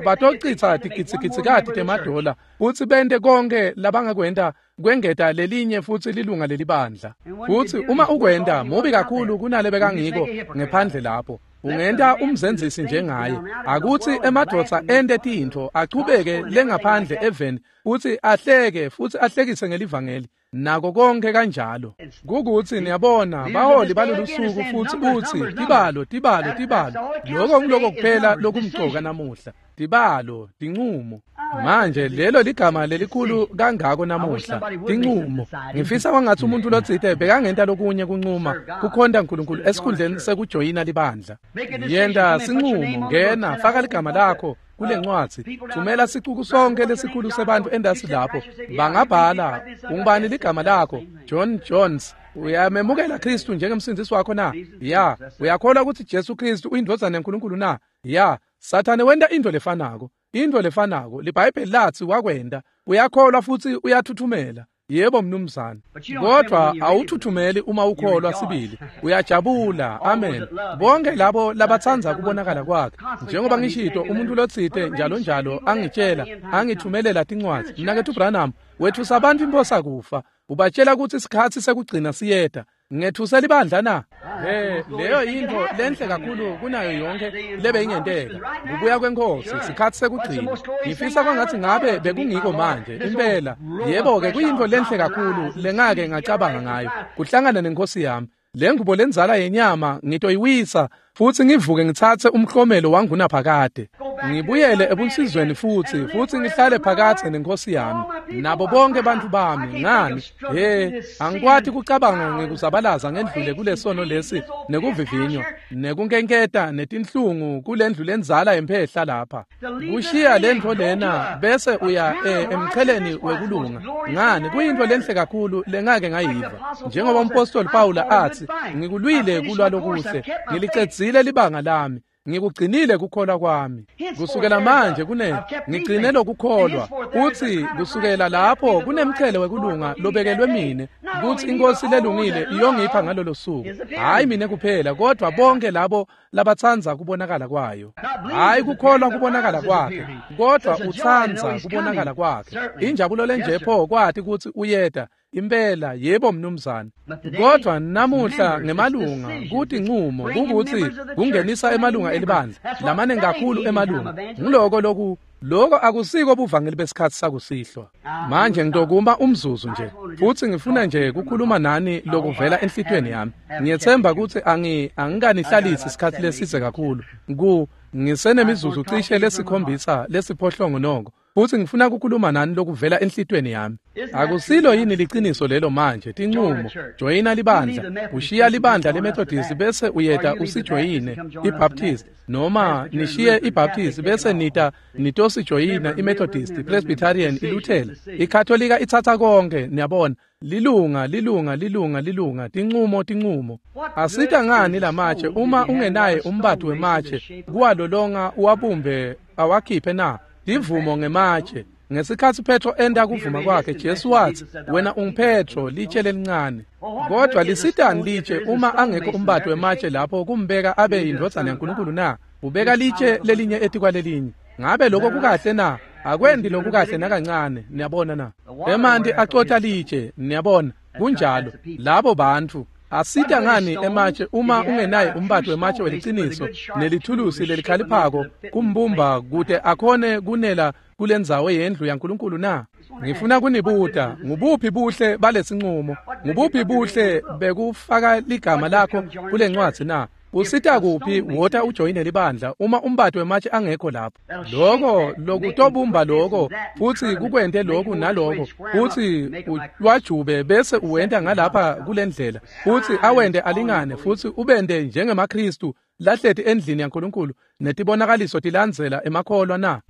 batocitsa tigitsigitsikati temadola futhi bente konke labangakwenta kwengeta lelinye futhi lilunga lelibandla. Futhi uma ukwenta mubi kakhulu kunale bekangiko ngephandle lapho. Ungenta umzenzisi njengaye. Akuthi emadvodza ente tintfo achubeke lengaphandle eveni futhi ahleke futhi ahlekise ngelivangeli nako konke kanjalo. Kukuthi niyabona baholi balolu suku futhi uthi tibalo tibalo tibalo. Lokho ngiloko kuphela lokumcoka namuhla. Tibalo, tincumo. Manje lelo ligama lelikhulu kangako namuhla, tincumo. Ngifisa kwangathi umuntu lotsite bekangenta lokunye kuncuma kukhonta uNkulunkulu esikhundleni sekujoyina libandla. Yenta sincumo, ngena, faka ligama lakho kule ncwadzi, thumela sicuku sonke lesikhulu sebantu endasi lapho. Bangabhala, ungubani ligama lakho? John Jones. Uyamemukela Kristu njengemsindisi wakho na? Ya. Uyakholwa ukuthi Jesu Kristu uyindvodzana yaNkulunkulu na? Ya. Sathane wenta into lefanako. Into lefanako liBhayibheli lathi wakwenta. Uyakholwa futhi uyathuthumela. Yebo mnumzane. Kodwa awuthuthumeli uma ukholwa sibili. Uyajabula. Amen. Bonke labo labatsandza kubonakala kwakhe. Njengoba ngishito umuntu lotsite njalo njalo angitshela, angithumelela tincwadzi. Mnaketfu Branham, wethusa abantu imphosa kufa. Ubatshela ukuthi isikhathi sekugcina siyeta. Ngethuse libandla na? Leyo yinto lenhle kakhulu kunayo yonke lebe ingenteka. Kubuya kwenkosi, isikhathi sekugcina. Ngifisa kwangathi ngabe bekungiko manje, impela. Yebo-ke kuyinto lenhle kakhulu lengake ngacabanga ngayo. Kuhlangana nenkosi yami. Le ngubo lenzala yenyama ngitoyiwisa futhi ngivuke ngithathe umklomelo wangunaphakade. Ngibuyele ebunsizweni futhi ngihlale phakathe nenkosi yami nabo bonke bantu bami. Ngani? Angikwati kucabanga ngikuzabalaza ngendlule kulesono lesi nekuvivinywa nekunkenketa netinhlungu kulendlu lenzala yemphehla lapha. Kushiya lendlu lena bese uya emcheleni wekulunga. Ngani? Kuyinto lenhle kakhulu lengake ngayiva. Njengoba umpostoli Paula athi, ngikulwile kulwa lokuhle, ngilicedzile libanga lami, Ngikugcinile kukholwa kwami. Kusukela manje ngigcine lokukholwa. Uthi kusukela lapho kunemchele wekulunga lobekelwe mine, kuthi inkosi lelungile iyongipha ngalolo suku. Hayi mina kuphela, kodwa bonke labo labatsandza kubonakala kwayo. Hayi kukholwa kubonakala kwakhe, kodwa utsandza kubonakala kwakhe. Injabulo lenje pho kwathi kuthi uyeda. Impela yebo mnumzane. Kodwa namuhla ngemalunga kuthi nqumo kukuthi kungenisa emalunga elibandla lamane kakhulu emalunga. Ngiloko loku lokho akusiko buvangeli besikhathi sakusihlwa. Manje ngitokuma umzuzu nje futhi ngifuna nje kukhuluma nani lokuvela enhlitiyweni yami. Ngiyethemba ukuthi angikanihlalisi isikhathi leside kakhulu. Ngisenemizuzu cishe lesikhombisa lesiphohlongo noko. Futhi ngifuna ukukhuluma nani lokuvela enhlitiyweni yami. Akusilo yini liqiniso lelo manje? Tinqumo, joyina libandla, ushiya libandla leMethodist bese uyeta usijoyine iBaptist, noma nishiye iBaptist bese nita nitosijoyina iMethodist, Presbyterian, iLuthela, iKatolika ithatha konke, niyabona. Lilunga, lilunga, lilunga, lilunga, tinqumo, tinqumo. Asita ngani lamatshe uma ungenaye umbati wematshe kuwalolonga uwabumbe awakhiphe na? Divumo ngematshe. Ngesikhathi Petro enda kuvuma kwakhe, Jesu wathi, wena unguPetro, litshe lelincane. Kodwa lisitani litshe uma angekho umbati wematshe lapho kumbeka abe yindvodzana yaNkulunkulu na? Ubeka litshe lelinye etikwalelinye. Ngabe lokho kukahle na? Akwendi lokukahle nakancane, niyabona na? Emanti acotha litshe, niyabona. Kunjalo, labo bantu. Asita ngani ematshe uma ungenaye umbati wematshe weliciniso nelithulusi lelikhaliphako kumbumba kute akhone kunela kulendzawo yendlu yaNkulunkulu na? Ngifuna kunibuta, ngubuphi buhle balesinqumo? Ngubuphi buhle bekufaka ligama lakho kulencwadzi na? Usita kuphi wota ujoyine libandla uma umbati wematshe angekho lapho? Lokho lokutobumba lokho futhi kukwente lokhu nalokho futhi wajube bese uwenta ngalapha kulendlela futhi awende alingane futhi ubende njengemaKristu lahleti endlini yaNkulunkulu netibonakaliso tilandzela emakholwa na?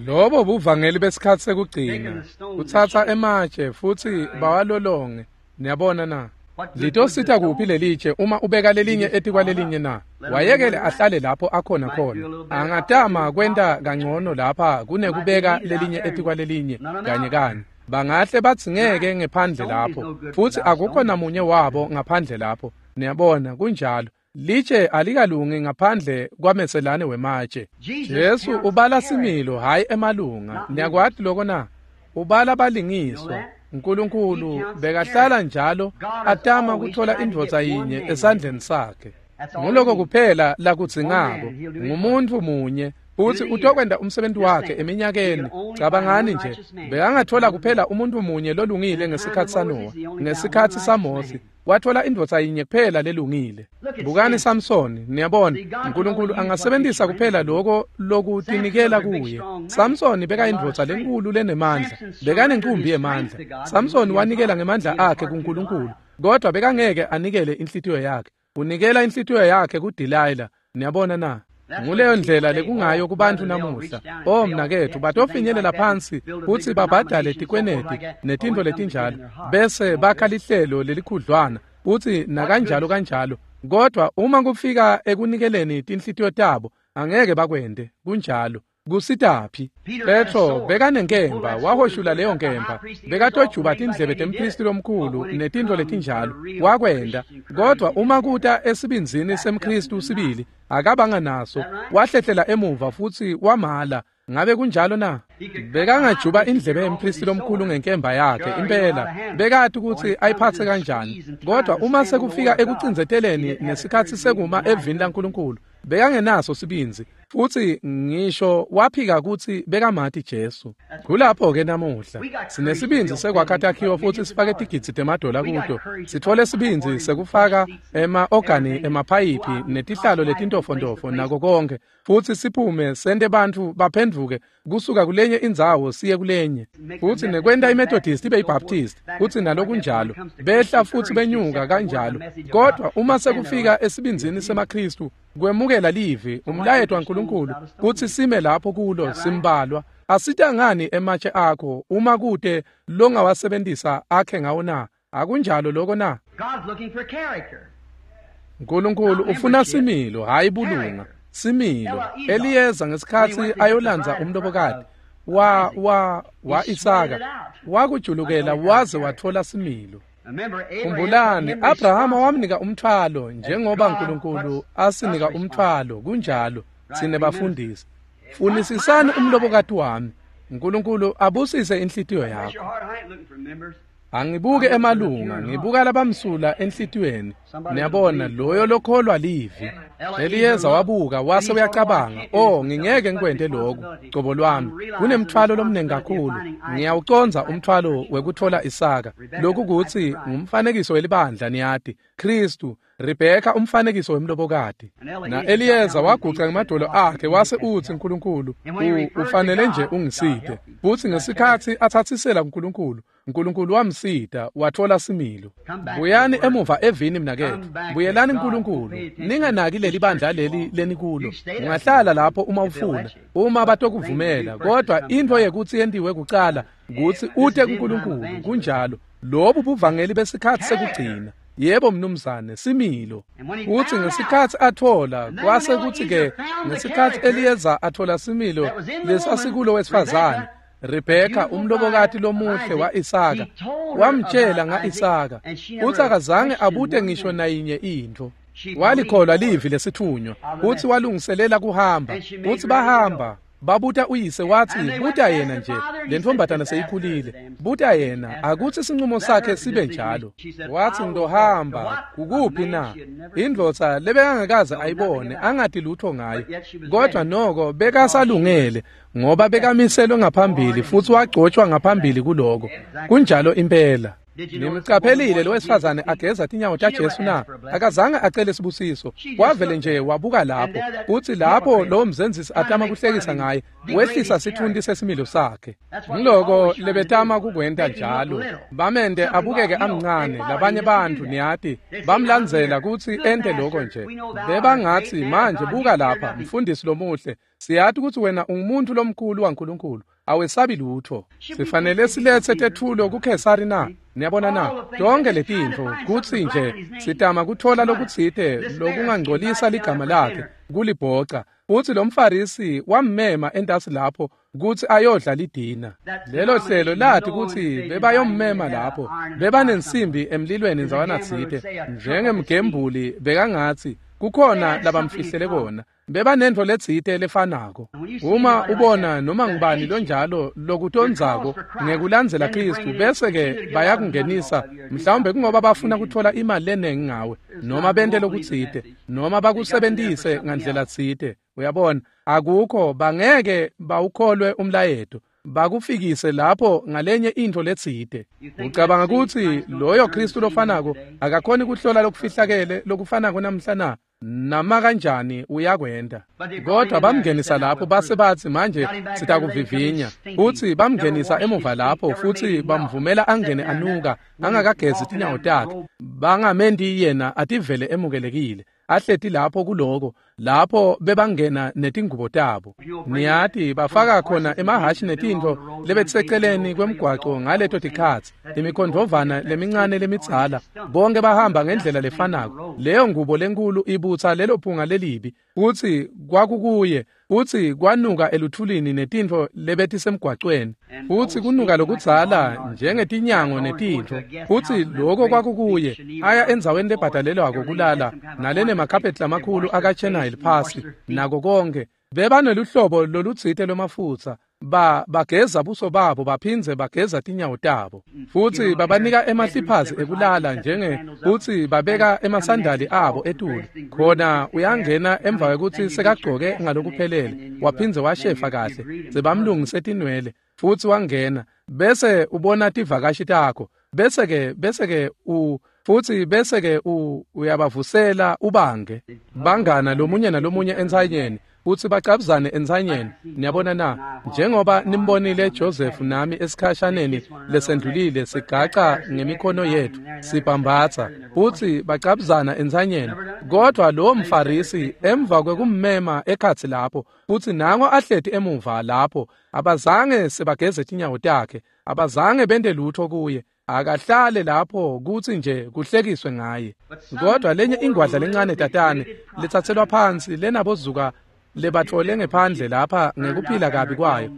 Lobo buvangeli besikhathi sekugcina, kuthatha ematshe futhi bawalolonge, niyabona na? Litosita kuphi lelitshe uma ubeka lelinye etikwalelinye na? Wayekele ahlale lapho akhona khona. Angatama kwenta kangcono lapha kunekubeka lelinye etikwalelinye kanye kanye. Bangahle batsingeke ngephandle lapho futhi akukho namunye wabo ngaphandle lapho. Niyabona kunjalo. Litshe alikalungi ngaphandle kwameselane wematshe. Jesu ubala similo hayi emalunga. Niyakwati lokho na? Ubala balingiswa. uNkulunkulu bekahlala njalo atama kuthola indvodza yinye esandleni sakhe. Nguloko kuphela lakudzingako, ngumuntu munye futhi utokwenda umsebenzi wakhe eminyakeni. Cabangani nje, bekangathola kuphela umuntu munye lolungile ngesikhathi saNowa, ngesikhathi saMose wathola indvodza yinye kuphela lelungile. Bukani Samsoni, niyabona, uNkulunkulu angasebenzisa kuphela lokho lokutinikela kuye. Samsoni bekayindvodza lenkulu lenemandla, bekanenkumbi yemandla. Samsoni wanikela ngemandla akhe kuNkulunkulu, kodwa bekangeke anikele inhlitiyo yakhe. Unikela inhlitiyo yakhe kuDelilah, niyabona na? Nguleyo ndlela lekungayo kubantu namuhla. Oh mnakethu, batofinyelela phansi futhi babhadale tikweneti netinto letinjalo, bese bakha lihlelo lelikhudlwana futhi nakanjalo kanjalo. Kodwa uma kufika ekunikeleni tinhlitiyo tabo, angeke bakwende. Kunjalo. Kusitaphi? Petro bekanenkemba, wahoshula leyo nkemba, bekatojuba tindlebe tempristi lomkhulu netinto letinjalo, wakwenda. Kodwa uma kuta esibindzini semKristu sibili, akabanga naso, wahlehlela emuva futhi wamala. Ngabe kunjalo na? Bekangajuba indlebe yempristi lomkhulu ngenkemba yakhe, impela bekati ukuthi ayiphathe kanjani. Kodwa uma sekufika ekucindzeteleni nesikhathi sekuma evini laNkulunkulu, bekangenaso sibindzi futhi ngisho waphika ukuthi bekamati Jesu. Kulapho ke namuhla sinesibindzi sekwakha takhiwo futhi sifake tigidzi temadola kuto. Sithole sibindzi sekufaka ema-organi, emaphayiphi netihlalo letintofontofo nako konke, futhi siphume sente bantfu baphendvuke kusuka kulenye indzawo siye kulenye, futhi nekwenta iMethodist ibe iBaptist futhi nalokunjalo, behla futhi benyuka kanjalo. Kodwa uma sekufika esibindzini semaKristu kwemukela livi, umlayeto waNkulunkulu, kuthi sime lapho kulo simbalwa. Asita ngani ematshe akho uma kude longawasebenzisa akhe ngawo na? Akunjalo lokho na? God's looking for character. uNkulunkulu ufuna similo, hayi bulunga. Similo. Eliyeza ngesikhatsi ayolandza umlobokati wa Isaka, wakujulukela waze wathola similo. Khumbulani, Abrahama wamnika umthwalo njengoba uNkulunkulu asinika umthwalo. Kunjalo, sine bafundisi. Funisisani umlobokati wami. uNkulunkulu abusise inhlitiyo yakho. Angibuke emalunga, ngibuka labamsula enhlitiyweni. Niyabona, loyo lokholwa livi. Eliyeza wabuka wase uyacabanga, "Oh, ngingeke ngikwente lokhu, cobo lwami. Kunemthwalo lomnengi kakhulu. Ngiyawucondza umthwalo wekuthola Isaka." Lokhu kutsi ngumfanekiso welibandla, niyati. Kristu, Rebheka umfanekiso wemlobokati. Na Eliyeza waguca ngemadolo akhe wase utsi, "Nkulunkulu, ufanele nje ungisite." Futsi ngesikhatsi atsatsisela kuNkulunkulu, uNkulunkulu wamsita wathola similo. Buyani emuva evini mnaketfu. Buyelani kuNkulunkulu. Ninganaki leli bandla leli lenikulo. Ungahlala lapho uma ufuna, uma batokuvumela, kodwa intfo yekutsi yentiwe kucala kutsi ute kuNkulunkulu. Kunjalo. Lobu buvangeli besikhatsi sekugcina. Yebo mnumzane, similo. Utsi ngesikhatsi athola, kwase kutsi ke ngesikhatsi Eliyeza athola similo lesasikulo wesifazane, Rebheka umlobokati lomuhle wa-Isaka, wamtjela nga-Isaka, utsi akazange abute ngisho nayinye intfo. Walikholwa livi lesitfunywa, utsi walungiselela kuhamba, utsi bahamba. Babuta uyise watsi, "Buta yena nje, le ntfombatana seyikhulile. Buta yena, akutsi sincumo sakhe sibe njalo." Watsi, "Ngizohamba, kukuphi na?" Indvodza lebekangakaze ayibone, angati lutho ngayo. Kodwa noko bekasalungele, ngoba bekamiselwe ngaphambili futsi wagcotshwa ngaphambili kuloko. Kunjalo impela. Nimcaphelile lo wesifazane ageza tinyawo taJesu na? Akazange acele sibusiso. Wavele nje wabuka lapho. Utsi lapho lo mzenzisi atama kuhlekisa ngaye, wehlisa sitfunti sesimilo sakhe. Ngiloko lebetama kukwenta njalo. Bamente abukeke amncane, labanye bantfu niyati bamlandzela kutsi ente loko nje. Bebangatsi, "Manje buka lapha, mfundisi lomuhle, siyati kutsi wena ungumuntu lomkhulu waNkulunkulu. Awesabi lutho. Sifanele siletse tetfulo kuKhesari na?" Niyabona na? Tonke letintfo kutsi nje sitama kuthola lokutsite lokungangcolisa ligama lakhe kulibhoca. Utsi lo mFarisi wammema entasi lapho kutsi ayodla lidina. Lelo hlelo lati kutsi bebayommema lapho, bebanensimbi emlilweni ndzawana tsite, njengemgembuli bekangatsi kukhona labamfihlele kona. Bebanentfo letsite lefanako. Uma ubona noma ngubani lonjalo lokutondzako ngekulandzela Kristu, bese-ke bayakungenisa, mhlawumbe kungoba bafuna kutfola imali lenengi ngawe, noma bente lokutsite, noma bakusebentise ngandlela tsite. Uyabona, akukho, bangeke bawukholwe umlayeto, bakufikise lapho ngalenye intfo letsite. Ucabanga kutsi loyo Kristu lofanako akakhoni kuhlola lokufihlakele lokufanako namhla na? Nama kanjani uyakwenta. Kodwa bamngenisa lapho base batsi, "Manje sitakuvivinya." Futsi bamngenisa emuva lapho futsi bamvumela angene anuka, angakagezi tinyawo takhe. Bangamenti yena ativele emukelekile. Ahleti lapho kuloko, lapho bebangena netingubo tabo. Niyati bafaka khona emahhashi netintfo lebetiseceleni kwemgwaco ngaleto tikhatsi, imikhondvovana lemincane lemidzala, bonke bahamba ngendlela lefanako. Leyo ngubo lenkulu ibutsa lelo phunga lelibi, futsi kwakukuye, futsi kwanuka eluthulini netintfo lebetisemgwacweni, futsi kunuka lokudzala njengetinyango netintfo, futsi loko kwakukuye. Aya endzaweni lebhadalelwako kulala nalene makhapheti lamakhulu akachenile phasi nako konke. Bebaneluhlobo lolutsite lwemafutsa, bageza buso babo baphindze bageza tinyawo tabo, futsi babanika emahliphazi ekulala njenge futsi babeka emasandali abo etulu. Khona uyangena emva kwekutsi sekagcoke ngalokuphelele, waphindze washefa kahle, sebamlungise tinwele, futsi wangena, bese ubona tivakashi takho, bese-ke uyabavusela ubange bangana lomunye nalomunye entsanyeni, futsi bacabuzane entsanyeni. Niyabona na? Njengoba nimbonile Joseph nami esikhashaneni lesendlulile sigaca ngemikhono yethu sibhambatsa, futsi bacabuzana entsanyeni. Kodwa lowo mFarisi emva kwekummema ekhatsi lapho, futsi nango ahleti emuva lapho, abazange sebageze tinyawo takhe, abazange bente lutho kuye. Akahlale lapho kutsi nje kuhlekiswe ngaye. Kodwa lenye ingwadla lencane tatane letsatselwa phansi lenabozuka lebatfole ngephandle lapha ngekuphila kabi kwayo.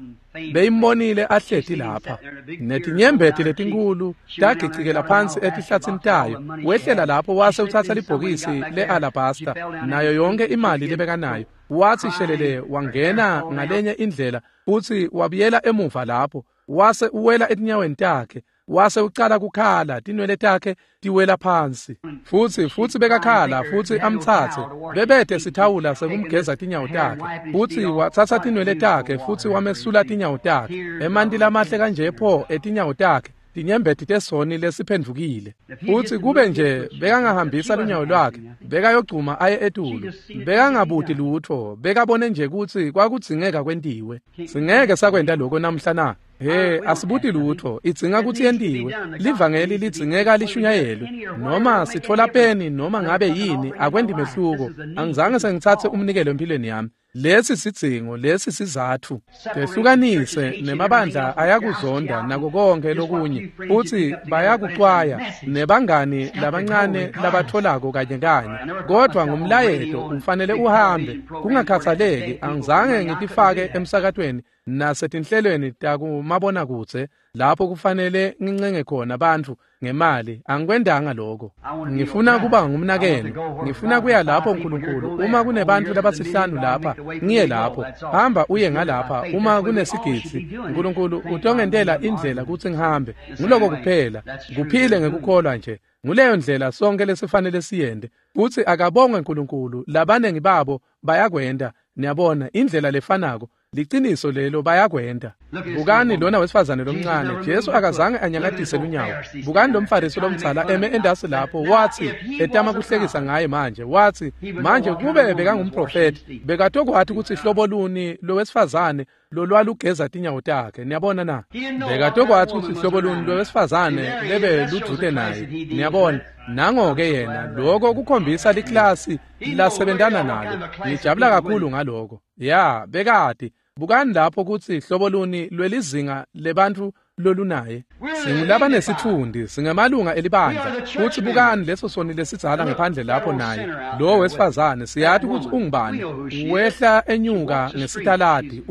Beyimbonile ahleti lapha. Netinyembeti letinkulu tagicikela phansi etihlatsini tayo. Wehlela lapho wase utsatsa libhokisi le-alabasta nayo yonke imali lebekanayo. Watsi shelele wangena ngalenye indlela futsi wabuyela emuva lapho. Wase uwela etinyaweni takhe. Wase ucala kukhala, tinwele takhe tiwela phansi. Futsi bekakhala futsi amtsatse. Bebete sithawula sekumgeza tinyawo takhe. Futsi watsatsa tinwele takhe futsi wamesula tinyawo takhe. Emanti lamahle kanje pho etinyawo takhe. Tinyembeti tesoni lesiphendvukile. Futsi kube nje bekangahambisa lunyawo lwakhe, bekayogcuma aye etulu. Bekangabuti lutfo, bekabone nje kutsi kwakudzingeka kwentiwe. Singeke sakwenta lokho namhla na? He, asibuti lutfo, idzinga kutsi yentiwe. Livangeli lidzingeka lishunyayelwe. Noma sitfola peni noma ngabe yini, akwendi mehluko. Angizange sengitsatse umnikelo empilweni yami. Lesi sidzingo, lesi sizatfu. Tehlukanise nemabandla ayakuzonda nako konke lokunye. Futsi bayakucwaya nebangani labancane labatholako kanye kanye. Kodwa ngumlayeto ufanele uhambe. Kungakhathaleki, angizange ngitifake emsakatweni nasetinhlelweni takumabonakudze lapho kufanele ngincenge khona bantfu ngemali. Angikwendanga lokho. Ngifuna kuba ngumnakenu. Ngifuna kuya lapho uNkulunkulu. Uma kunebantfu labasihlanu lapha, ngiye lapho. Hamba uye ngalapha uma kunesigidzi. uNkulunkulu utongentela indlela kutsi ngihambe. Nguloko kuphela. Kuphile ngekukholwa nje. Nguleyo ndlela sonke lesifanele siyende. Futsi akabongwe uNkulunkulu, labanengi babo bayakwenda. Niyabona indlela lefanako. Liciniso lelo bayakwenda. Bukani lona wesifazane lomncane. Jesu akazange anyakatise lunyawo. Bukani lo mfarisi lomdzala eme endasi lapho, watsi etama kuhlekisa ngaye manje. Watsi manje kube bekangumprofeti, bekatokwati kutsi hlobo luni lowesifazane lolwalugeza tinyawo takhe. Niyabona na? Bekatokwati kutsi hlobo luni lowesifazane lebe ludvute naye. Niyabona? Nango-ke yena, lokho kukhombisa liklasi lasebentana nalo. Ngijabula kakhulu ngaloko. Ya, bekati. Bukani lapho kutsi hlobo luni lwelizinga lebantfu lolunaye. Singulabanesitfundi, singemalunga elibandla. Futsi bukani leso soni lesidzala ngephandle lapho naye. Lo wesifazane siyati kutsi ungubani. Wehla enyuka ngesitaladi.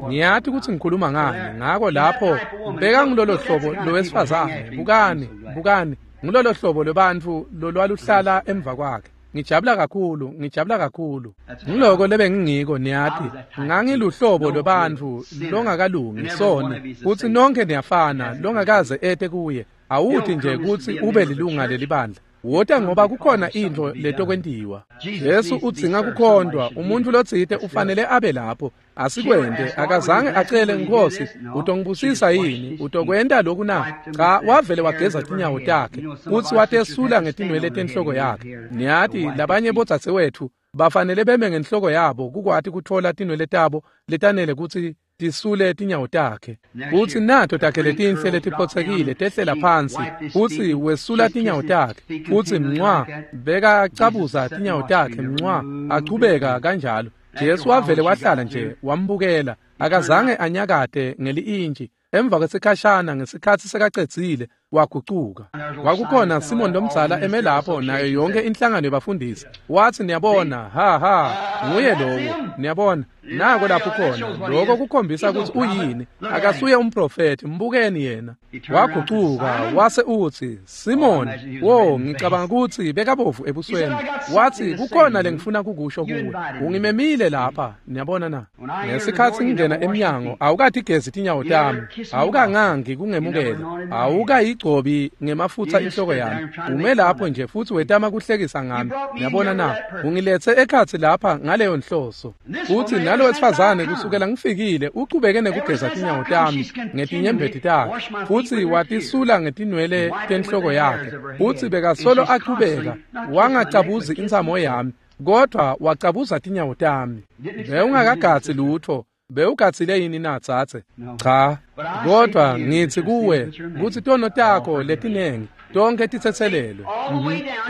Ngiyati kutsi ngikhuluma ngani. Ngako lapho bekangulolo hlobo lowesifazane. Bukani, bukani. Ngulolo hlobo lwebantfu lolwaluhlala emva kwakhe. Ngijabula kakhulu, ngijabula kakhulu. Ngiloko lebengingiko niyati. Ngangiluhlobo lwebantfu longakalungi soni. Futsi nonke niyafana, longakaze ete kuye. Awuthi nje kutsi ube lilunga lelibandla. Wota ngoba kukhona intfo letokwentiwa. Jesu udzinga kukhondwa, umuntfu lotsite ufanele abe lapho. Asikwente, akazange acele Nkosi, utongibusisa yini? Utokwenta lokhu na? Cha, wavele wageza tinyawo takhe, futsi watesula ngetinwele tenhloko yakhe. Niyati, labanye bodzadzewetfu bafanele beme ngenhloko yabo kukwati kutfola tinwele tabo letanele kutsi tisule tinyawo takhe. Futsi nato takhe letinhle letiphotsekile tehlela phansi, futsi wesula tinyawo takhe, futsi mncwa bekacabuza tinyawo takhe mncwa achubeka kanjalo. Jesu wavele wahlala nje wambukela, akazange anyakate ngeli-intshi. Emva kwesikhashana ngesikhatsi sekacedzile wagucuka. Kwakukhona Simon lomdzala eme lapho nayo yonke inhlangano yebafundisi. Watsi niyabona, ha ha, nguye lowo. Niyabona, nako lapho khona. Lokho kukhombisa kutsi uyini. Akasuye umprofeti, mbukeni yena. Wagucuka wase utsi, Simon, wo ngicabanga kutsi bekabovu ebusweni. Watsi kukhona lengifuna kukusho kuwe. Ungimemile lapha, niyabona na? Ngesikhatsi ngingena emnyango, awukatigezi tinyawo tami, awukangangi kungemukela, awukayigcobi ngemafutsa inhloko yami. Ume lapho nje futsi wetama kuhlekisa ngami. Niyabona na? Ungiletse ekhatsi lapha ngaleyo nhloso. Futsi nalo wesifazane kusukela ngifikile uchubeke nekugeza tinyawo tami ngetinyembeti takhe, futsi watisula ngetinwele tenhloko yakhe. Futsi bekasolo achubeka, wangacabuzi intsamo yami, kodwa wacabuza tinyawo tami. Bewungakagatsi lutfo. Bewugatsile yini na dzadze? Cha, kodwa ngitsi kuwe kutsi tono takho letinengi tonke titsetselelwe.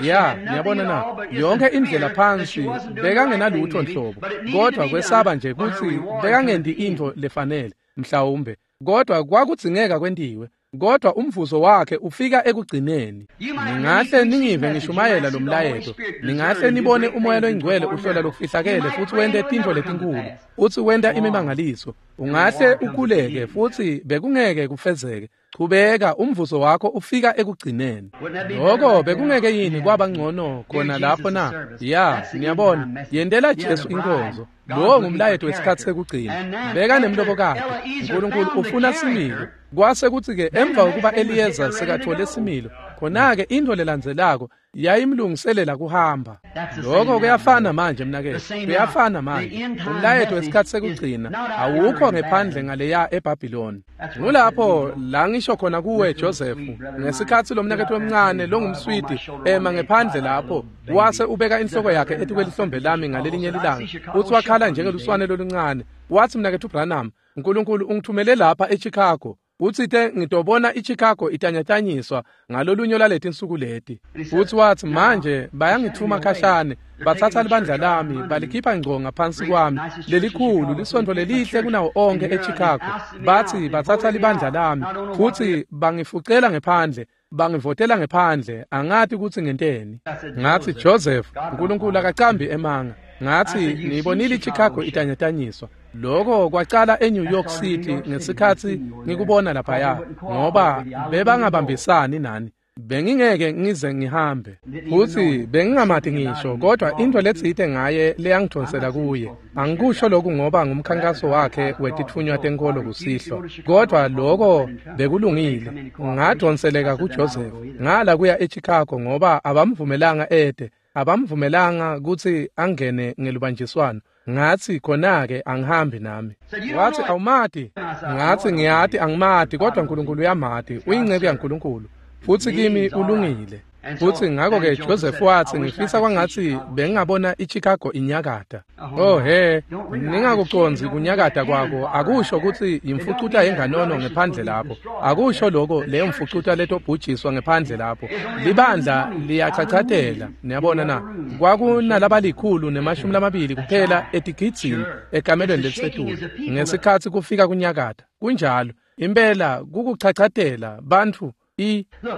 Ya, niyabona na? Yonke indlela phansi bekangenalutfo nhlobo, kodwa kwesaba nje kutsi bekangenti intfo lefanele mhlawumbe, kodwa kwakudzingeka kwentiwe. Kodwa umvuzo wakhe ufika ekugcineni. Ningahle ningive ngishumayela lo mlayeto, ningahle nibone umoya loyingcwele uhlola lokufihlakele futhi wente tintfo letinkulu, futhi wenta imimangaliso. Ungahle ukhuleke futhi bekungeke kufezeke. Chubeka, umvuzo wakho ufika ekugcineni. Lokho bekungeke yini kwaba ngcono khona lapho na? Ya, niyabona, yentela Jesu inkonzo. Lowo ngumlayeto wesikhathi sekugcina. Beka nemlobokati. uNkulunkulu ufuna similo. Kwase kuthi-ke emva kokuba Eliyeza sekathole similo, khona-ke into lelandzelako yayimlungiselela kuhamba. Lokho kuyafana manje mnaketfu, kuyafana manje. Umlayeto wesikhathi sekugcina awukho ngephandle ngaleya eBhabhiloni. Ngulapho la ngisho khona kuwe Joseph, ngesikhathi lo mnaketfu omncane longumswidi ema ngephandle lapho, wase ubeka inhloko yakhe etikwelihlombe lami ngalelinye lilanga, futhi wakhala njengeluswane loluncane. Wathi, mnaketfu Branham, uNkulunkulu ungithumele lapha eChicago. Utsite ngitobona iChicago itanyatanyiswa ngalolunye lwaleti insuku leti. Futhi wathi, manje bayangithuma khashane, bathatha libandla lami balikhipha ngco ngaphansi kwami, lelikhulu lisontfo lelihle kunawo onke eChicago. Bathi bathatha libandla lami futhi bangifucela ngephandle, bangivotela ngephandle, angati ukuthi ngenteni. Ngathi, Joseph, uNkulunkulu akacambi emanga. Ngathi, ngiyibonile iChicago itanyatanyiswa. Lokho kwacala eNew York City ngesikhathi ngikubona laphaya, ngoba bebangabambisani nani. Bengingeke ngize ngihambe, futhi bengingamati ngisho, kodwa into letsite ngaye leyangidonsela kuye. Angikusho lokhu ngoba ngumkhankaso wakhe wetitfunywa tenkolo kusihlwa, kodwa lokho bekulungile. Ngadonseleka kuJoseph, ngala kuya eChicago ngoba abamvumelanga ede, abamvumelanga ukuthi angene ngelubanjiswano. Ngathi, khona-ke angihambi nami. Wathi, awumati? Ngathi, ngiyati angimati, kodwa uNkulunkulu uyamati, uyinceku yaNkulunkulu, futhi kimi ulungile. Futhi ngakho-ke Joseph wathi, ngifisa kwangathi bengingabona iChicago inyakata. Oh he, ningakuconzi kunyakata kwako, akusho ukuthi imfucuta yenganono ngephandle lapho. Akusho lokho leyo mfucuta letobhujiswa ngephandle lapho. Libandla liyachachatela, niyabona na? Kwakunalabalikhulu nemashumi lamabili kuphela etigidzini ekamelweni lelisetulu ngesikhathi kufika kunyakata. Kunjalo, impela kukuchachatela bantfu.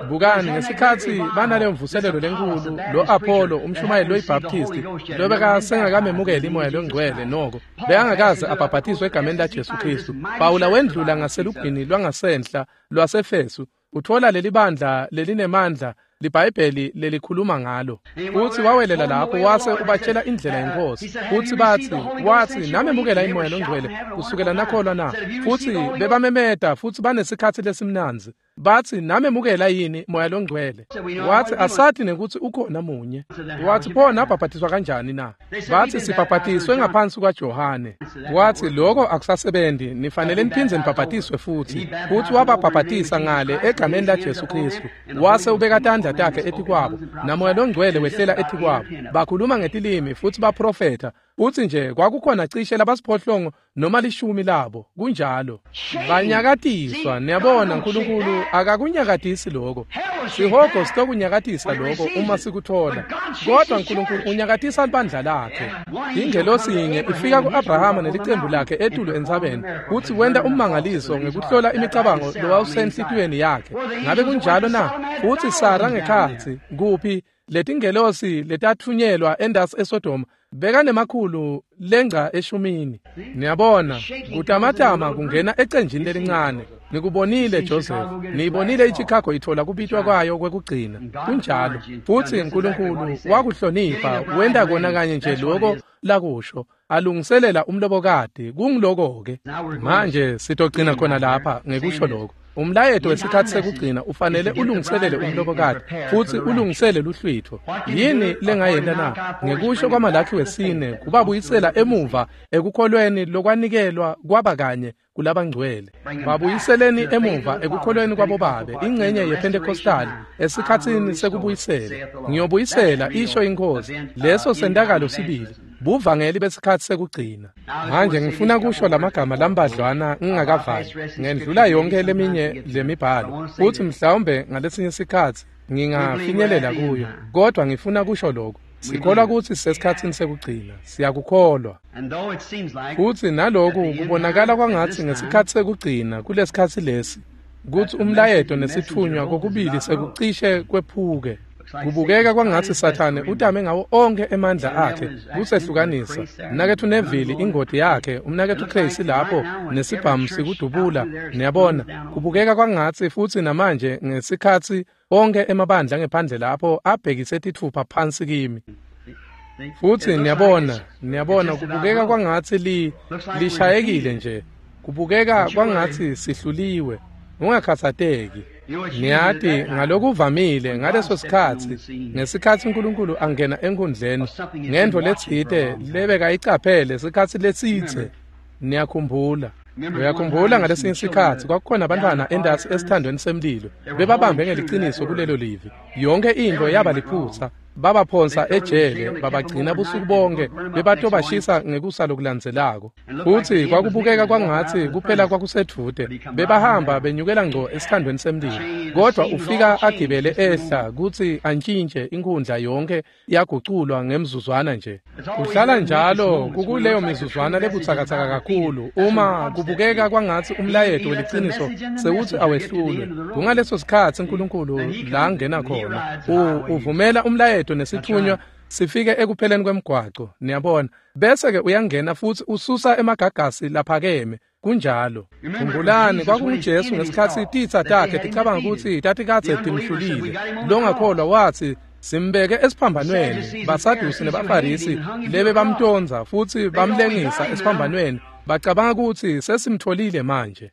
Bukani ngesikhathi banaleyo mvuselelo lenkulu, lo Apollo umshumayeli loyiBaptisti lobekasengakamemukeli imoya longcwele noko bekangakaze abhabhatiswe egameni laJesu Kristu. Pawula wendlula ngaselugwini lwangasenhla lwaseFesu, uthola leli bandla lelinemandla liBhayibheli lelikhuluma ngalo. Futhi wawelela lapho wase ubatshela indlela yenkosi. Futhi bathi, wathi, namemukela imoya longcwele kusukela nakholwa na? Futhi bebamemeta futhi banesikhathi lesimnandzi. Bathi, namemukela yini moya longcwele? Wathi, asathi nekuthi ukhona munye. Wathi, pho nabhabhatiswa kanjani na? Bathi, sibhabhatiswe ngaphansi kwaJohane. Wathi, lokho akusasebenzi, nifanele niphindze nibhabhatiswe futhi. Futhi wababhabhatisa ngale egameni laJesu Kristu. Wase ubeka tandla takhe etikwabo, namoya longcwele wehlela etikwabo. Bakhuluma ngetilimi futhi baprofetha. Uthi nje kwakukhona cishe labasiphohlongo noma 10 labo. Kunjalo. Banyakatiswa, niyabona uNkulunkulu akakunyakatisi lokho. Sihogo sitokunyakatisa lokho uma sikuthola. Kodwa uNkulunkulu unyakatisa libandla lakhe. Ingelosi yinye ifika kuAbrahama nelicembu lakhe etulu entsabeni, kuthi wenta ummangaliso ngekuhlola imicabango lowawusenhlitiyweni yakhe. Ngabe kunjalo na? Futhi Sara ngekhatsi kuphi letingelosi letathunyelwa endasi eSodoma bekanemakhulu lengca 10. Niyabona, kutamatama kungena ecenjini lelincane. Nikubonile Joseph, niyibonile iChicago ithola kubitwa kwayo kwekugcina. Kunjalo. Futhi uNkulunkulu wakuhlonipha, wenta kona kanye nje lokho lakusho, alungiselela umlobokati. Kungiloko-ke. Manje sitogcina khona lapha ngekusho lokho. Umlayeto wesikhathi sekugcina ufanele ulungiselele umlobokati futhi ulungisele luhlwitho. Yini lengayenta na? Ngekusho kwaMalakhi wesine, kubabuyisela emuva ekukholweni lokwanikelwa kwaba kanye kulabangcwele. Babuyiseleni emuva ekukholweni kwabobabe, ingcenye yePentecostal esikhatsini sekubuyisela. Ngiyobuyisela, isho inkosi. Leso sentakalo sibili, buvangeli besikhathi sekugcina. Manje ngifuna kusho lamagama lambadlwana ngingakavali. Ngendlula yonke leminye lemibhalo, futhi mhlawumbe ngalesinye isikhathi ngingafinyelela kuyo, kodwa ngifuna kusho lokho. Sikholwa ukuthi sisesikhathini sekugcina, siyakukholwa. Futhi naloku kubonakala kwangathi ngesikhathi sekugcina kulesikhathi lesi, Kutsi umlayeto nesitfunywa kokubili sekucishe kwephuke. Kubukeka kwangatsi Sathane utame ngawo onkhe emandla akhe kusehlukanisa. Umnaketfu Neville ingoti yakhe, umnaketfu Casey lapho nesibhamu sikudubula, niyabona. Kubukeka kwangatsi futsi namanje ngesikhatsi onkhe emabandla ngephandle lapho abhekise titfupha phansi kimi. Futsi niyabona kubukeka kwangatsi lishayekile nje. Kubukeka kwangatsi sihluliwe. Ungakhatsateki. Niyati ngalokuvamile ngaleso sikhatsi ngesikhatsi uNkulunkulu angena enkundleni ngentfo letsite lebekayicaphele sikhatsi lesitse. Niyakhumbula. Uyakhumbula ngalesinye sikhatsi kwakukhona abantwana endasi esithandweni semlilo bebabambe ngeliciniso kulelo livi. Yonke into yaba liphutsa. Babaphonsa ejele babagcina busuku bonke bebatobashisa ngekusa lokulandzelako. Futsi kwakubukeka kwangatsi kuphela kwakusedvute. Bebahamba benyukela ngco esithandweni semlilo. Kodwa ufika agibele ehla kutsi antshintshe inkhundla yonke yaguculwa ngemzuzwana nje. Kuhlala njalo kukuleyo mizuzwana lebutsakatsaka kakhulu uma kubukeka kwangatsi umlayeto weliciniso sewutsi awehlulwe. Kungaleso sikhatsi uNkulunkulu la angena khona. Uvumela umlayeto nesithunywa sifike ekupheleni kwemgwaco, niyabona. Bese ke uyangena futsi ususa emagagasi laphakeme. Kunjalo. Khumbulani kwakunguJesu ngesikhatsi titsa takhe ticabanga kutsi tatikadze timhlulile. Longakholwa watsi simbeke esiphambanweni. Basadusi nebaFarisi lebe bamtonza futsi bamlengisa esiphambanweni. Bacabanga kutsi sesimtholile manje.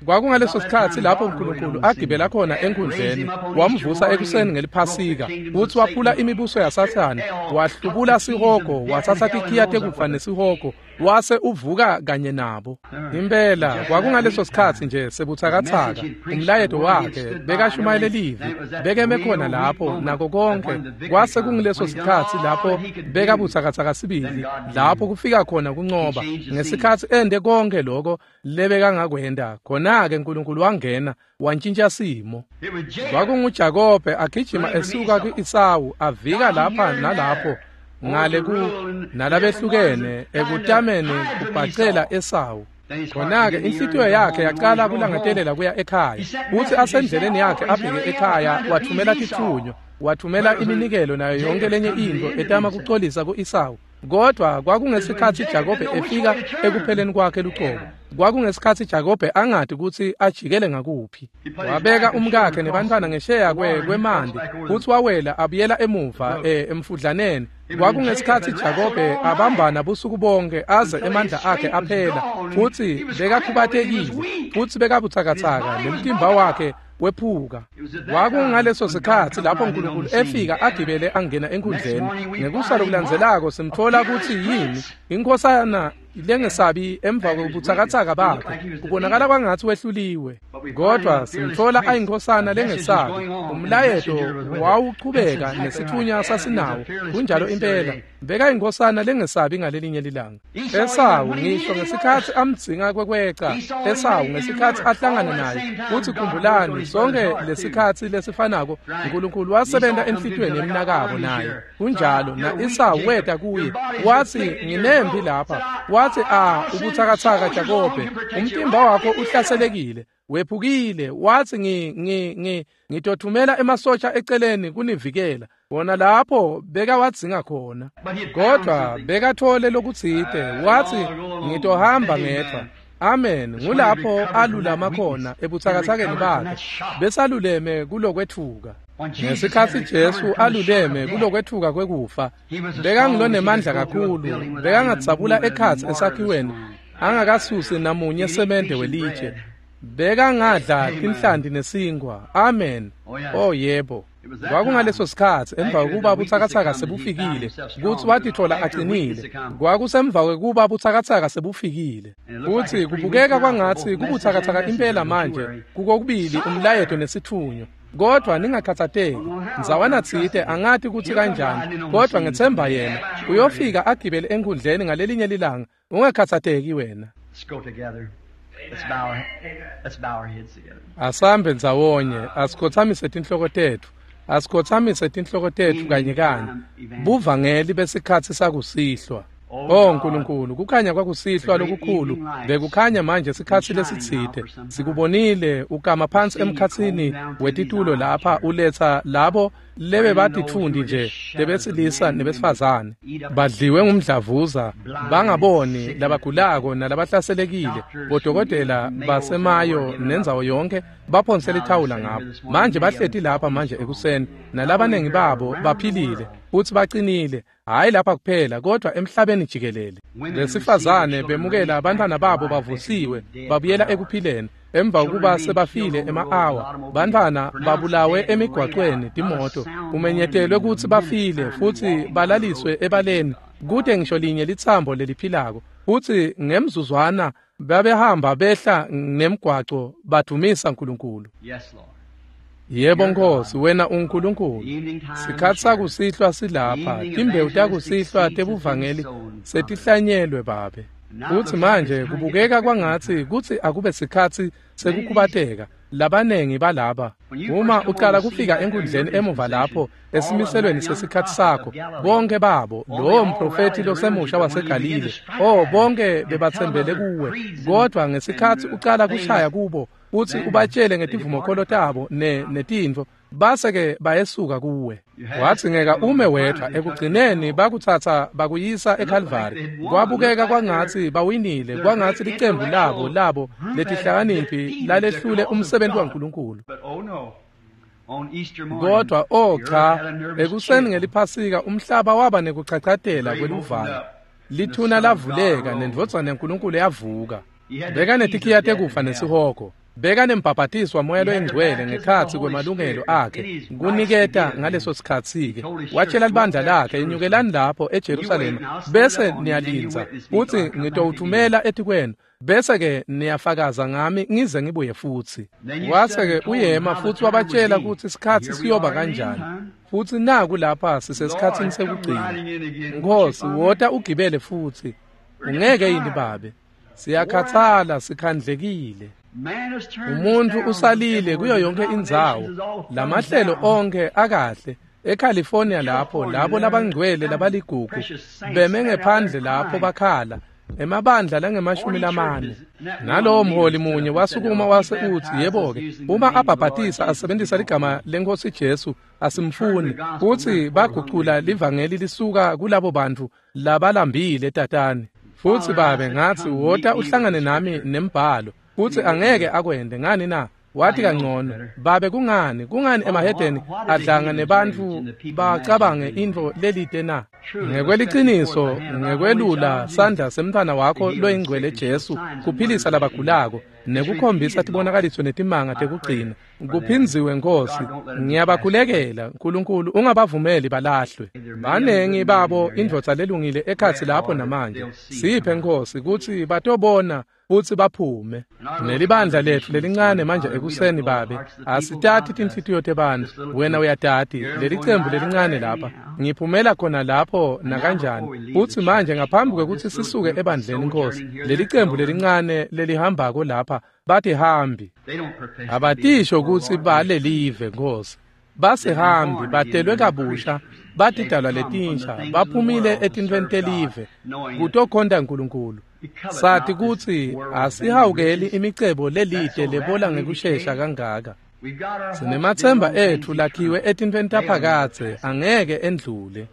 Kwakungaleso sikhatsi lapho uNkulunkulu agibela khona enkundleni, wamvusa ekuseni ngeliphasika, futsi waphula imibuso yaSathane, wahlubula sihogo, watsatsa tikhiya tekufa nesihogo, wase uvuka kanye nabo. Impela kwakungaleso sikhatsi nje sebutsakatsaka. Umlayeto wakhe bekashumayele livi, bekeme khona lapho nako konke. Kwase kungileso sikhatsi lapho bekabutsakatsaka sibili, lapho kufika khona kuncoba. Ngesikhatsi ende konke lokho lebekangakwenda, khona-ke uNkulunkulu wangena wantshintsha simo. KwakunguJakobe agijima esuka ku-Esawu avika lapha nalapho ngale ku nalabehlukene ekutameni kubhacela Esawu. Khona-ke inhlitiyo yakhe yaqala kulangatelela kuya ekhaya. Futsi asendleleni yakhe abheke ekhaya wathumela titfunywa, wathumela iminikelo nayo yonke lenye intfo etama kucolisa ku-Esawu. Kodwa kwakungesikhatsi Jakobe efika ekupheleni kwakhe lucobo. Kwakungesikhatsi Jakobe angati kutsi ajikele ngakuphi. Wabeka umkakhe nebantfwana ngesheya kwemanti futsi wawela abuyela emuva emfudlaneni. Kwakungesikhatsi Jakobe abambana busuku bonke aze emandla akhe aphela, futsi bekakhubatekile futsi bekabutsakatsaka nemtimba wakhe wephuka. Kwakungaleso sikhatsi lapho uNkulunkulu efika agibele angena enkundleni. Ngekusa lokulandzelako simthola kutsi yini inkhosana lengesabi emva kobutsakatsaka bakhe. Kubonakala kwangatsi wehluliwe, kodwa simthola ayinkhosana lengesabi. Umlayeto wawuchubeka nesitfunywa sasinawo. Kunjalo impela, bekayinkhosana lengesabi ngalelinye lilanga. Esawu ngisho ngesikhatsi amdzinga kwekweca, Esawu ngesikhatsi ahlangana naye, futsi khumbulani sonke lesikhatsi lesifanako uNkulunkulu wasebenta enhlitiyweni yemnakabo naye. Kunjalo, na Esawu weta kuye watsi nginempi lapha. Watsi ubutsakatsaka Jakobe, umtimba wakho uhlaselekile, wephukile. Watsi ngitothumela emasotja eceleni kunivikela. Wona lapho bekawadzinga khona, kodwa bekathole lokutsite. Watsi ngitohamba ngedvwa. Amen. Ngulapho alulama khona ebutsakatsakeni bakhe, besaluleme kulokwetfuka. Ngesikhatsi Jesu aluleme kulokwetfuka kwekufa, bekangulonemandla kakhulu, bekangadzabula ekhatsi esakhiweni angakasusi namunye semende welitshe. Bekangadla tinhlanti nesinkwa. Amen. Oh yebo. Kwakungaleso sikhatsi emva kwekuba butsakatsaka sebufikile kutsi watitfola acinile. Kwakusemva kwekuba butsakatsaka sebufikile. Futsi kubukeka kwangatsi kubutsakatsaka impela manje kukokubili umlayeto nesitfunywa. Kodwa ningakhatsateki, ndzawana tsite angati kutsi kanjani, kodwa ngetsemba yena uyofika agibele enkundleni ngalelinye lilanga. Ungakhatsateki wena. Asambe ndzawonye, asikhotsamise tinhloko tetfu. Asikhotsamise tinhloko tetfu kanye kanye. Buvangeli besikhatsi sakusihlwa. O Nkulunkulu, kukhanya kwakusihlwa lokukhulu bekukhanya manje sikhatsi lesitsite. Sikubonile ukama phansi emkhatsini wetitulo lapha uletsa labo lebe batitfundi nje lebesilisa nebesifazane badliwe ngumdlavuza, bangaboni, labagulako nalabahlaselekile. Bodokotela basemayo nendzawo yonke baphonsela ithawula ngabo. Manje bahleti lapha manje ekuseni, nalabanengi babo baphilile futsi bacinile, hhayi lapha kuphela kodwa emhlabeni jikelele. Besifazane bemukela abantwana babo bavusiwe babuyela ekuphileni emva kokuba sebafile ema-awa. Bantwana babulawe emigwacweni timoto, kumenyetelwe kutsi bafile futsi balaliswe ebaleni, kute ngisho linye litsambo leliphilako. Futsi ngemzuzwana babehamba behla nemgwaco badumisa Nkulunkulu. Yebo Nkosi, wena uNkulunkulu. Sikhatsi sakusihlwa silapha, timbewu takusihlwa tebuvangeli setihlanyelwe Babe. Futsi manje kubukeka kwangatsi kutsi akube sikhatsi sekukhubateka. Labanengi balaba uma ucala kufika enkundleni emuva lapho esimiselweni sesikhatsi sakho, bonke babo, lowo mprofethi losemusha waseGalile, bonke bebatsembele kuwe. Kodwa ngesikhatsi ucala kushaya kubo futsi ubatshele ngetivumokholo tabo netintfo, base-ke bayesuka kuwe. Wadzingeka ume wedvwa. Ekugcineni bakutsatsa bakuyisa eKhalvari. Kwabukeka kwangatsi bawinile, kwangatsi licembu labo letihlakaniphi lalehlule umsebenzi waNkulunkulu. Kodwa o cha, ekuseni ngeliphasika umhlaba waba nekuchachatela kweluvalo. Lithuna lavuleka nendvodzana yaNkulunkulu yavuka. Beka netikhiya tekufa nesihogo. Beka nembhabhatiswa moya loyingcwele ngekhatsi kwemalungelo akhe kuniketa ngaleso sikhatsi-ke. Watshela libandla lakhe, enyukelani lapho eJerusalema bese niyalindza, futsi ngitowuthumela etikwenu, bese-ke niyafakaza ngami ngize ngibuye futsi. Wase-ke uyema futsi wabatshela kutsi isikhatsi siyoba kanjani. Futsi naku lapha sisesikhatsini sekugcina. Nkosi, wota ugibele futsi. Ungeke yini Babe? Siyakhathala, sikhandlekile. Umuntu usalile kuyo yonke indzawo. Lamahlelo onke akahle. eCalifornia lapho labo labangcwele labaligugu beme ngephandle lapho bakhala emabandla lange-40. Nalowo mholi munye wasukuma wase utsi, yebo-ke, uma abhabhatisa asebenzisa ligama leNkosi Jesu asimfuni. Futsi bagucula livangeli lisuka kulabo bantfu labalambile tatane. Futsi Babe ngatsi, wota uhlangane nami nembhalo. Futsi angeke akwende ngani na? Wathi kangcono, Babe, kungani emahedeni adlanga nebantfu bacabange intfo lelite na? Ngekweliciniso, ngekwelula sandla semntfwana wakho loyingcwele Jesu kuphilisa labagulako nekukhombisa tibonakaliso netimanga tekugcina. Kuphindziwe Nkosi, ngiyabakhulekela Nkulunkulu, ungabavumeli balahlwe. Banengi babo indvodza lelungile ekhatsi lapho namanje. Siphe Nkosi kutsi batobona futsi baphume. Nelibandla letfu lelincane manje ekuseni Babe, asitati tinhlitiyo tebantfu, wena uyatati. Lelicembu lelincane lapha, ngiphumela khona lapho nakanjani. Futsi manje ngaphambi kwekutsi sisuke ebandleni Nkosi, lelicembu lelincane lelihambako lapha batihambi. Abatisho kutsi balelive Nkosi. Basihambi, batelwe kabusha, batidalwa letinsha, baphumile etintfweni telive kutokhonta Nkulunkulu. Sathi kutsi asihawukeli imicebo lelide lebola ngekushesha kangaka. Sinemathemba etfu lakhiwe etintfweni taphakadze, angeke endlule.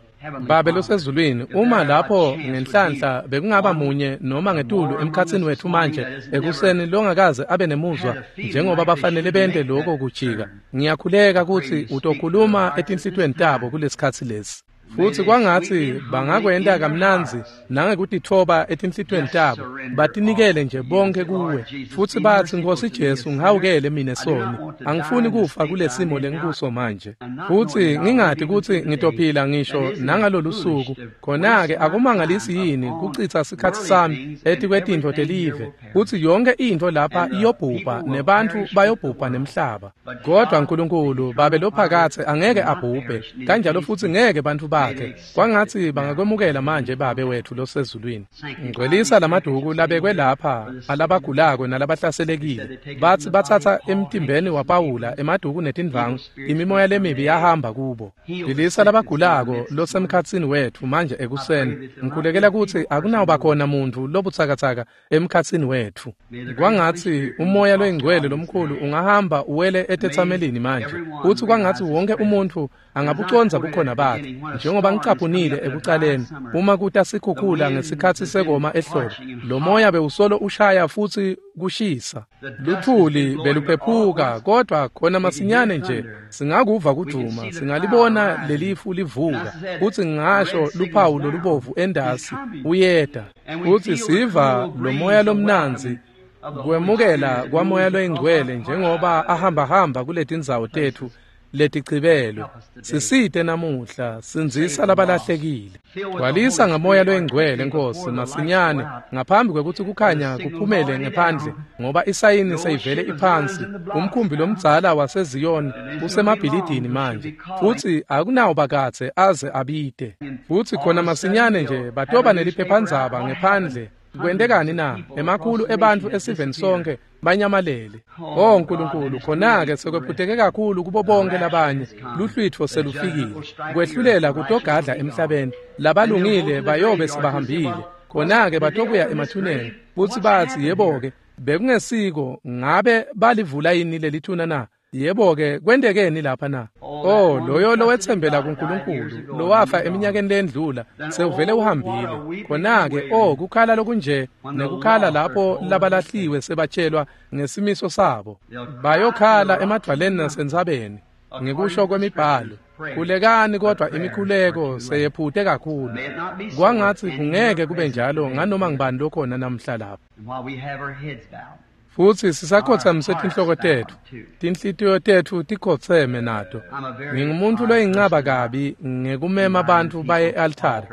Babe losezulwini, uma lapho ngenhlanhla bekungaba munye noma ngetulu emkhatsini wetfu manje ekuseni longakaze abe nemuzwa njengoba bafanele bente lokho kujika, ngiyakhuleka kutsi utokhuluma etinhlitiyweni tabo kulesikhatsi lesi. Futsi kwangatsi bangakwenta kamnandzi nangekutitfoba etinhlitiyweni tabo, batinikele nje bonke kuwe. Futsi batsi, Nkosi Jesu, ngihawukele mine soni, angifuni kufa kulesimo lengikuso manje. Futsi ngingati kutsi ngitophila ngisho nangalolu suku. Khona-ke akumangalisi yini kucitsa sikhatsi sami etikwetintfo telive, kutsi yonke intfo lapha iyobhubha nebantfu bayobhubha nemhlaba. Kodwa Nkulunkulu, Babe lophakatse, angeke abhubhe, kanjalo futsi ngeke bantfu bakhe. bakhe. Kwangatsi bangakwemukela manje Babe wethu losezulwini. Ngcwelisa lamaduku labekwe lapha alabagulako nalabahlaselekile. Batsi batsatsa emtimbeni waPawula emaduku netindvangu, imimoya lemibi yahamba kubo. Philisa labagulako losemkhatsini wetfu manje ekuseni. Ngikhulekela kutsi akunawuba khona muntfu lobutsakatsaka emkhatsini wetfu. Kwangatsi umoya loyingcwele lomkhulu ungahamba uwele etetsamelini manje. Futsi kwangatsi wonke umuntfu angabucondza bukhona bakhe. Njengoba ngicaphunile ekucaleni, uma kuta sikhukhula ngesikhatsi sekoma ehlobo, lo moya bewusolo ushaya futsi kushisa. Luthuli beluphephuka, kodvwa khona masinyane nje singakuva kudvuma, singalibona lelifu livuka. Futsi ngisho luphawu lolubovu endasi uyeta. Futsi siva lo moya lomnandzi kwemukela kwamoya loyingcwele njengoba ahambahamba kuletindzawo tetfu letichibelwe. Sisite namuhla, sindzisa labalahlekile. Gcwalisa ngamoya loyingcwele Nkosi masinyane ngaphambi kwekutsi kukhanya kuphumele ngephandle, ngoba isayini seyivele iphansi. Umkhumbi lomdzala waseZiyoni usemabhilidini manje, futsi akunawubakadze aze abite. Futsi khona masinyane nje batoba neliphephandzaba ngephandle. Kwentekani na? Emakhulu ebantfu esiveni sonke banyamalele. Oh Nkulunkulu, khona-ke sekwephuteke kakhulu kubo bonke labanye. Luhlwitfo selufikile. Kwehlulela kutogadla emhlabeni. Labalungile bayobe sebahambile. Khona-ke batokuya emathuneni. Futsi batsi, yebo-ke, bekungesiko, ngabe balivula yini lelithuna na? Yebo-ke, kwentekeni lapha na? Oh, loyo lowetsembela kuNkulunkulu, lowafa eminyakeni lendlula, sewuvele uhambile. Khona-ke, oh, kukhala lokunje, nekukhala lapho labalahliwe sebatshelwa ngesimiso sabo. Bayokhala emadvwaleni nasentsabeni, ngekusho kwemibhalo. Khulekani kodwa imikhuleko seyephute kakhulu. Kwangatsi kungeke kube njalo nganoma ngibani lokhona namhla lapha. Futsi sisakhotsamise tinhloko tetfu, tinhlitiyo tetfu tikhotseme nato. Ngingumuntu loyincaba kabi ngekumema bantfu baye e-altari.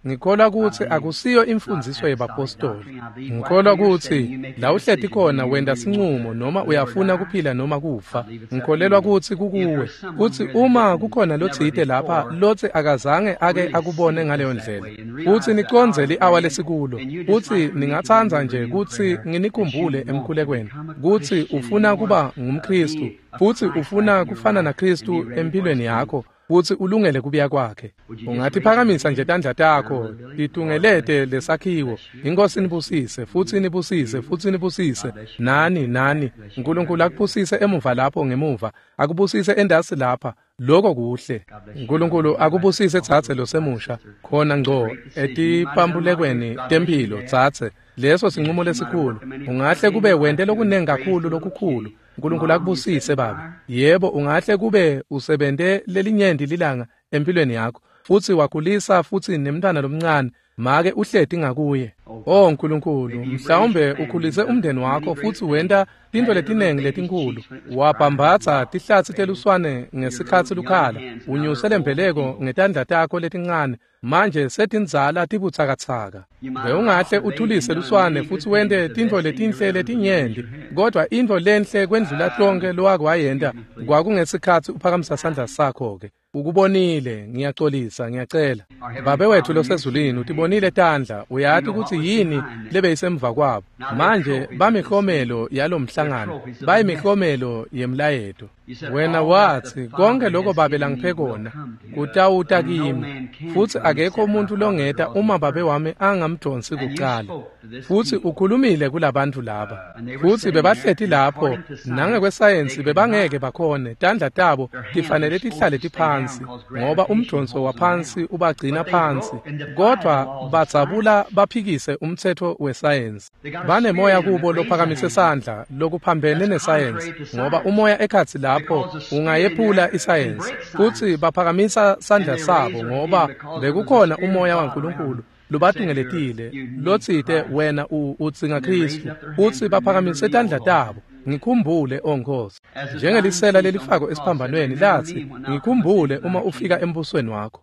Ngikholwa kutsi akusiyo imfundziso yebapostoli. Ngikholwa kutsi la uhleti khona wenta sincumo noma uyafuna kuphila noma kufa. Ngikholelwa kutsi kukuwe. Kutsi uma kukhona lotsite lapha lotsi akazange ake akubone ngaleyo ndlela. Futsi nicondze li-awa lesikulo. Futsi ningatsandza nje kutsi nginikhumbule emkhulekweni kutsi ufuna kuba ngumKhristu, futsi ufuna kufana naKhristu empilweni yakho. Futsi ulungele kubuya kwakhe. Ungatiphakamisa nje tandla takho titungelete lesakhiwo. Inkosi nibusise, futsi nibusise, futsi nibusise. Nani, nani. Nkulunkulu akubusise emuva lapho ngemuva. Akubusise endasi lapha. Lokho kuhle. Nkulunkulu akubusise tsatse losemusha. Khona ngco etipambulekweni temphilo tsatse. Leso sinqumo lesikhulu. Ungahle kube wente lokunengi kakhulu lokukhulu. Nkulunkulu akubusise baba. Yebo, ungahle kube usebente lelinyenti lilanga empilweni yakho, futsi wakhulisa futsi nemntwana lomncane, make uhleti ngakuye. Oh Nkulunkulu, mhlawumbe ukhulise umndeni wakho futsi wenta tintfo letinengi letinkulu. Wabhambatsa tihlatsi teluswane ngesikhatsi lukhala, unyuse lembeleko ngetandla takho letincane. Manje setindzala tibutsakatsaka. Bewungahle uthulise luswane futsi wente tintfo letinhle letinyenti, kodvwa intfo lenhle kwendlula tonkhe lowake wayenta kwakungesikhatsi uphakamisa sandla sakho-ke. Ukubonile, ngiyaxolisa, ngiyacela. Babe wethu losezulwini, utibonile tandla, uyati kutsi yini lebeyisemva kwabo. Manje bamiklomelo yalomhlangano, bayimiklomelo yemlayeto. Wena watsi, konke lokho Babe langiphe kona kutawuta kimi, futsi akekho umuntu longeta uma Babe wami angamdonsi kucala. Futsi ukhulumile kulabantu laba. Futsi bebahleti lapho, nangekwesayensi bebangeke bakhone, tandla tabo tifanele tihlale tiphansi, ngoba umdonso waphansi ubagcina phansi. Kodvwa badzabula baphikise umtsetfo wesayensi. Banemoya kubo lophakamise sandla lokuphambene nesayensi, ngoba umoya ekhatsi lapho ungayephula isayensi. Futsi baphakamisa sandla sabo ngoba bekukhona umoya waNkulunkulu lobatungeletile lotsite wena udzinga Khristu. Futsi baphakamise tandla tabo. Ngikhumbule, O Nkosi, njengelisela lelifako esiphambanweni latsi, ngikhumbule uma ufika embusweni wakho.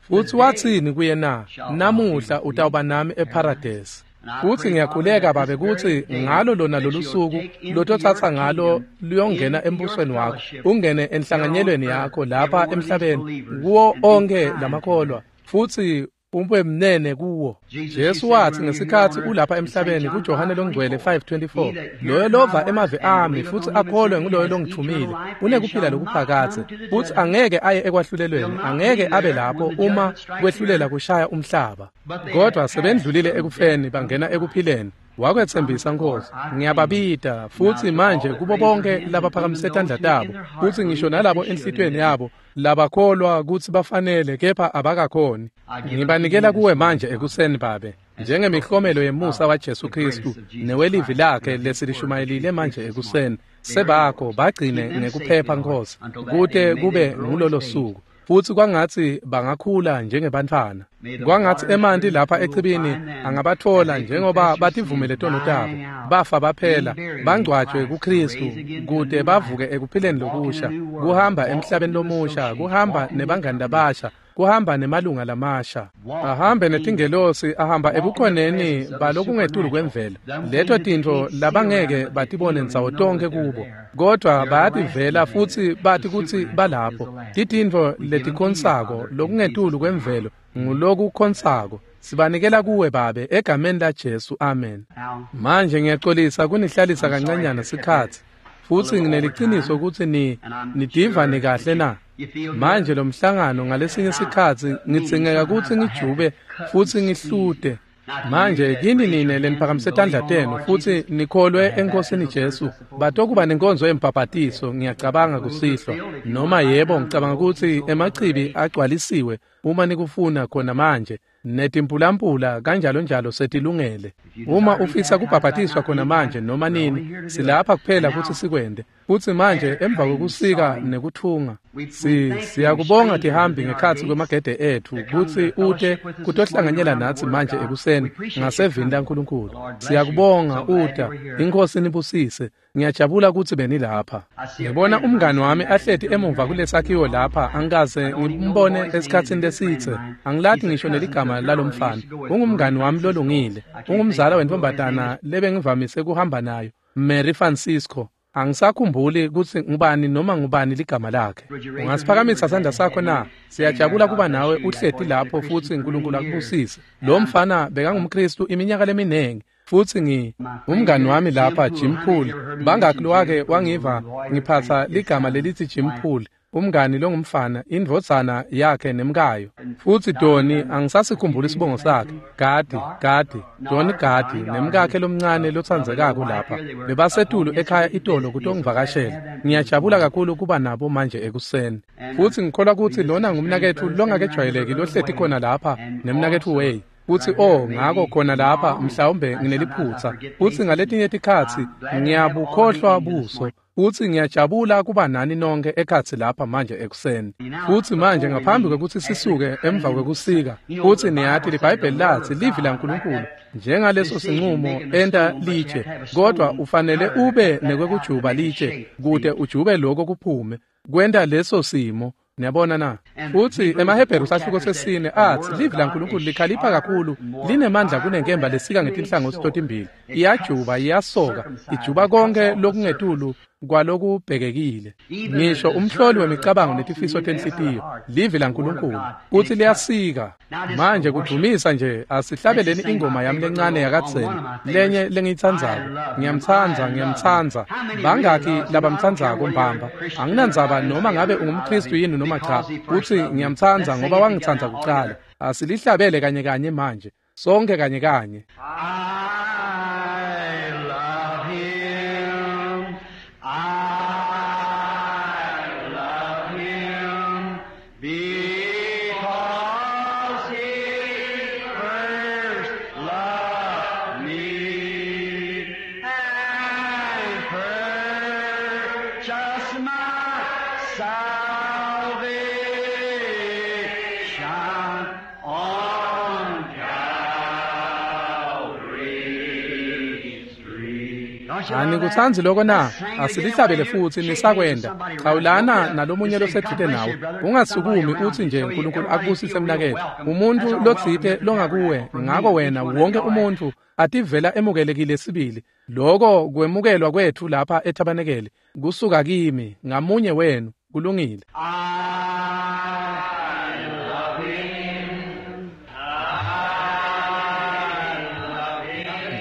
Futsi watsini kuye na? Namuhla utawuba nami eParadesi. Futsi ngiyakhuleka Babe kutsi ngalo lona lolusuku lototsatsa ngalo luyongena embusweni wakho, ungene enhlanganyelweni yakho lapha emhlabeni kuwo onkhe lamakholwa, futsi ube mnene kuwo. Jesu watsi ngesikhatsi ulapha emhlabeni kuJohane longcwele 5:24, loyo lova emavi ami futsi akholwe nguloyo longithumile unekuphila lokuphakadze, futsi angeke aye ekwahlulelweni, angeke abe lapho uma kwehlulela kushaya umhlaba. Kodwa sebendlulile ekufeni bangena ekuphileni. Wakwetsembisa Nkosi, ngiyababita futsi manje kubo bonke labaphakamise tandla tabo, futsi ngisho nalabo enhlitiyweni yabo labakholwa kutsi bafanele kepha abakakhoni. Ngibanikela kuwe manje ekuseni Babe, njengemihlomelo yemusa waJesu Kristu newelivi lakhe lesilishumayelile manje ekuseni. Sebakho bagcine ngekuphepha Nkosi, kute kube ngulolo suku. Futsi kwangatsi bangakhula njengebantfwana. Kwangatsi emanti lapha echibini angabatfola njengoba bativumele tono tabo, bafa baphela, bangcwatjwe kuKristu kute bavuke ekuphileni lokusha, kuhamba emhlabeni lomusha, kuhamba nebangani labasha, kuhamba nemalunga lamasha, ahambe netingelosi, ahamba ebukhoneni balokungetulu kwemvelo. Leto tintfo labangeke batibone ndzawo tonkhe kubo, kodwa bayativela futsi bati kutsi balapho. Titintfo letikhonsako lokungetulu kwemvelo ngulokukhonsako. Sibanikela kuwe Babe egameni laJesu, amen. Manje ngiyaxolisa kunihlalisa kancanyana sikhatsi, futsi ngineliciniso kutsi nitiva nikahle na. Manje lo mhlangano ngalesinye sikhatsi ngidzingeka kutsi ngijube futsi ngihlute. Manje kini nine leniphakamise tandla tenu futsi nikholwe eNkosini Jesu, batokuba nenkonzo yembhabhatiso ngiyacabanga kusihlwa, noma yebo ngicabanga kutsi emachibi agcwalisiwe uma nikufuna khona manje, netimpulampula kanjalo njalo setilungele. Uma ufisa kubhabhatiswa khona manje noma nini, silapha kuphela kutsi sikwente. Futsi manje emva kwekusika nekuthunga, siyakubonga tihambi ngekhatsi kwemagede ethu kutsi ute kutohlanganyela natsi manje ekuseni ngasevini laNkulunkulu. Siyakubonga uta, iNkhosi nibusise. Ngiyajabula kutsi benilapha. Ngibona umngani wami ahleti emuva kulesakhiwo lapha, angikaze ngimbone esikhatsini lesitse. Angilati ngisho neligama lalomfana. Ungumngani wami lolungile. Ungumzala wentombatana lebengivamise kuhamba nayo, Mary Francisco. Angisakhumbuli kutsi ngubani noma ngubani ligama lakhe. Ungasiphakamisa sandla sakho na? Siyajabula kuba nawe uhleti lapho futsi uNkulunkulu akubusise. Lo mfana bekangumKristu iminyaka leminingi. Futsi umngani wami lapha Jim Poole, bangaki lowake wangiva ngiphatsa ligama lelithi Jim Poole, umngani longumfana, indvodzana yakhe nemkayo. Futsi Doni, angisasikhumbuli isibongo sakhe, Gadi, Doni Gadi, nemkakhe lomncane lotsandzekako lapha. Bebasetulu ekhaya itolo kutongivakashela. Ngiyajabula kakhulu kuba nabo manje ekuseni. Futsi ngikholwa kutsi lona ngumnaketfu longakejwayeleki lohleti khona lapha, nemnaketfu Way. Futsi ngako khona lapha mhlawumbe ngineliphutsa. Futsi ngaletinye tikhatsi ngiyabukhohlwa buso. Futsi ngiyajabula kuba nani nonke ekhatsi lapha manje ekuseni. Futsi manje ngaphambi kwekutsi sisuke emva kwekusika, futsi niyati liBhayibheli latsi livi laNkulunkulu njengaleso sinqumo enta litshe, kodwa ufanele ube nekwekujuba litshe kute ujube lokho kuphume kwenta leso simo. Niyabona na? Futsi emaHebheru sahluko 4 atsi livi laNkulunkulu likhalipha kakhulu, linemandla kunenkemba lesika ngetinhlangothi totimbili, iyajuba, iyasoka, ijuba konke lokungetulu kwalokubhekekile, ngisho umhloli wemicabango netifiso tenhlitiyo. Livi laNkulunkulu kutsi liyasika. Manje kudumisa nje, asihlabeleni ingoma yami lencane yakadzeni, lenye lengiyitsandzako. Ngiyamtsandza, ngiyamtsandza. Bangaki labamtsandzako mbamba? Anginandzaba noma ngabe ungumKristu yini noma cha, kutsi ngiyamtsandza ngoba wangitsandza kucala. Asilihlabele kanye kanye manje, sonke kanye kanye. Anikutsanzi loko na? Asilihlabele futsi nisakwenda. Chawulana nalomunye losedvute nawe. Ungasukumi utsi nje uNkulunkulu akubusise mnaketfu. Umuntfu lotsite longakuwe, ngako wena wonke umuntfu ativela emukelekile sibili. Loko kwemukelwa kwetfu lapha ethabanekeli kusuka kimi ngamunye wenu. Kulungile.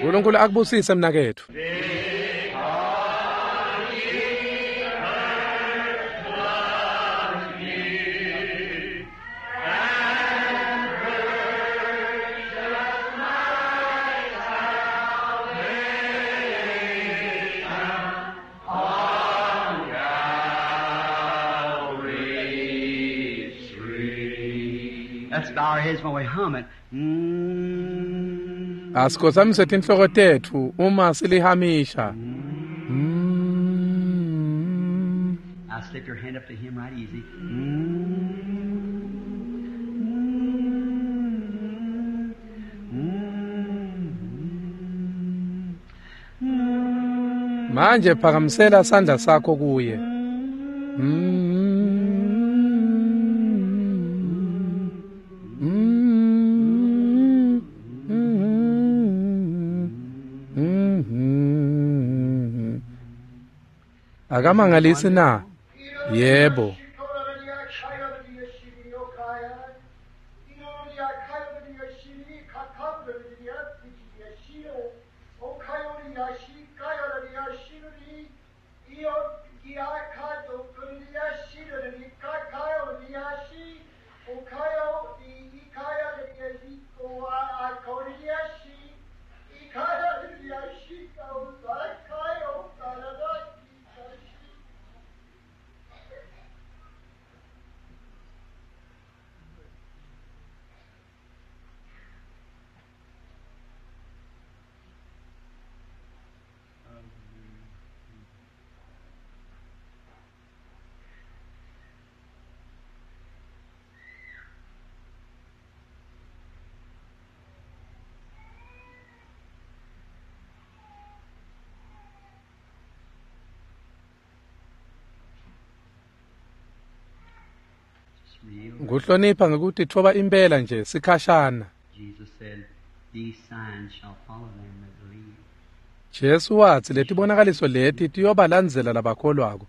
uNkulunkulu akubusise mnaketfu. Let's bow our heads while we hum it. Asikhothamise tinhloko tetfu uma silihamisha. Now slip your hand up to him right easy. Manje phakamisela sandla sakho kuye. Akamangalisi na? Yebo. Kuhlonipha ngekutitfoba impela nje sikhashana. Jesu watsi letibonakaliso leti tiyobalandzela labakholwako.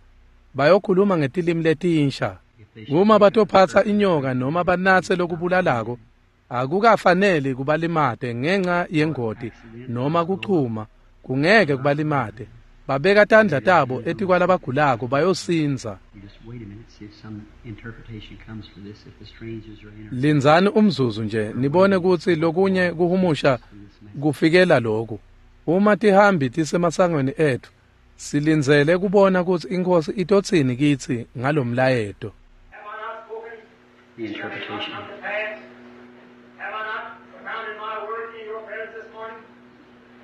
Bayokhuluma ngetilimi letinsha. Uma batophatsa inyoka noma banatse lokubulalako, akukafaneli kubalimate ngenxa yengoti noma kuchuma, kungeke kubalimate. Babeka tandla tabo etikwalabagulako bayosindza. Lindzani umzuzu nje nibone kutsi lokunye kuhumusha kufikela loku. Uma tihambi tisemasangweni etfu, silindzele kubona kutsi iNkhosi itotsini kitsi ngalomlayeto. The interpretation. Have I not propounded my word in your presence this morning?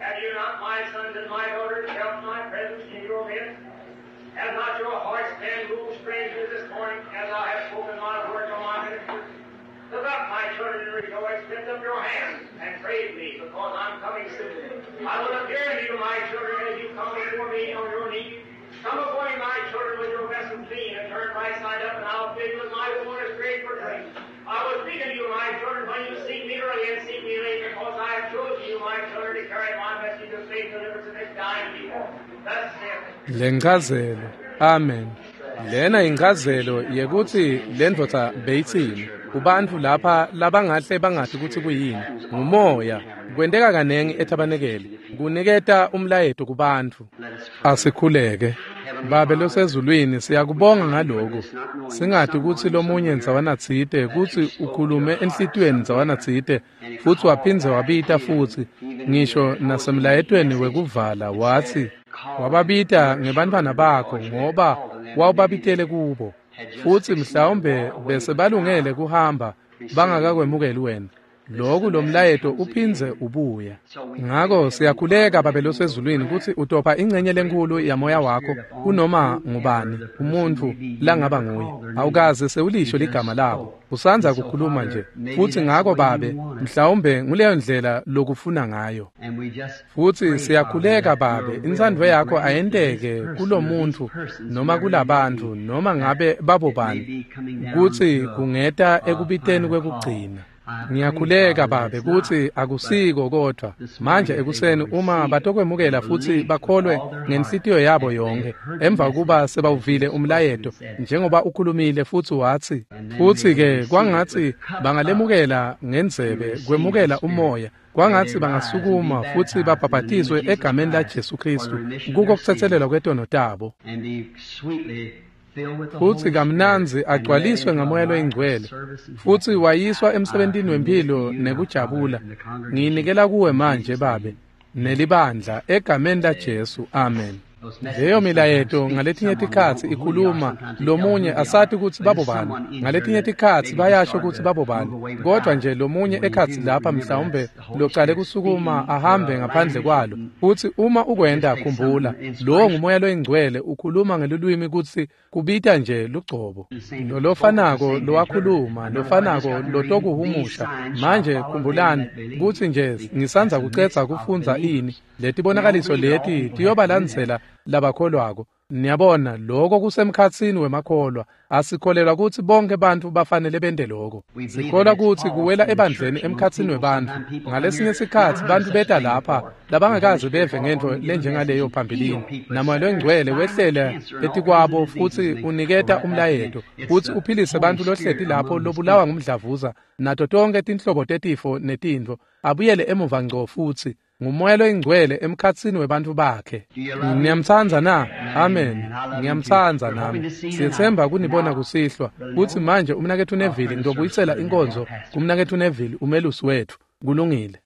Have you not, my sons and my daughters, felt my presence in your midst? Have not your hearts been moved strangely this morning as I have spoken my word to my ministers? Look up, my children, and rejoice. Lift up your hands and praise me, because I'm coming soon. I will appear to you, my children, as you come before me on your knees. Come before me, my children, with your vessel clean and turn right side up, and I'll fill you with my fullness great for drink. I will speak unto you, my children, when you seek me early and seek me late, because I have chosen you, my children, to carry my message of faith deliverance to this dying people. Thus saith Lencazelo. Amen. Lena incazelo yekutsi lendvodza beyitsini kubantfu lapha labangahle bangathi kutsi kuyini. Ngumoya. Kwenteka kanengi ethabanekeli kuniketa umlayeto kubantfu. Asikhuleke. Babe losezulwini, siyakubonga ngaloku. Singati kutsi lomunye ndzawanatsite kutsi ukhulume enhlitiyweni ndzawanatsite futsi waphindze wabita futsi ngisho nasemlayetweni wekuvala watsi wababita ngebantfwana bakho ngoba wawubabitele kubo, futsi mhlawumbe bese balungele kuhamba bangakakwemukeli wena. Loku lomlayeto uphindze ubuya. Ngako siyakhuleka Babe losezulwini kutsi utopha ingcenye lenkulu yamoya wakho kunoma ngubani umuntfu langaba nguye. Awukaze sewulisho ligama labo. Usandza kukhuluma nje. Futsi ngako Babe, mhlawumbe nguleyo ndlela lokufuna ngayo. Futsi siyakhuleka Babe, intsandvo yakho ayenteke kulomuntfu noma kulabantfu noma ngabe babobani, kutsi kungeta ekubiteni kwekugcina. Ngiyakhuleka Babe kutsi akusiko kodvwa manje ekuseni uma batokwemukela futsi bakholwe ngenhlitiyo yabo yonke emva kuba sebawuvile umlayeto njengoba ukhulumile futsi watsi, futsi-ke kwangatsi bangalemukela ngendzebe kwemukela umoya, kwangatsi bangasukuma futsi babhabhatiswe egameni laJesu Khristu kuko kutsetselelwa kwetono tabo. Futsi kamnandzi agcwaliswe ngamoya loyingcwele, futsi wayiswa emsebentini wemphilo nekujabula. Ngiyinikela kuwe manje Babe, nelibandla egameni laJesu. Amen. Leyo milayeto ngaletinye tikhatsi ikhuluma lomunye asati kutsi babobani, ngaletinye tikhatsi bayasho kutsi babobani, kodwa nje lomunye ekhatsi lapha mhlawumbe locale kusukuma ahambe ngaphandle kwalo. Futsi uma ukwenta, khumbula lowo ngumoya loyingcwele ukhuluma ngelulwimi kutsi kubita nje lugcobo lolofanako lowakhuluma, lofanako lotokuhumusha. Manje khumbulani kutsi nje ngisandza kucedza kufundza ini letibonakaliso leti tiyobalandzela labakholwako. Niyabona, lokho kusemkhatsini wemakholwa. Asikholelwa kutsi bonke bantfu bafanele bente lokho. Sikholwa kutsi kuwela ebandleni emkhatsini webantfu. Ngalesinye sikhatsi bantfu beta lapha labangakaze beve ngentfo lenjengaleyo phambilini. Namoya loyingcwele wehlele etikwabo futsi uniketa umlayeto futsi uphilise bantfu lohleti lapho lobulawa ngumdlavuza nato tonkhe tinhlobo tetifo netintfo, abuyele emuva ngco futsi. Ngumoya loyingcwele emkhatsini webantfu bakhe. Niyamtsandza na? Amen. Ngiyamtsandza nami. Siyetsemba kunibona kusihlwa. Kutsi manje umnaketfu Neville, ngitobuyisela inkonzo kumnaketfu Neville, umelusi wetfu. Kulungile.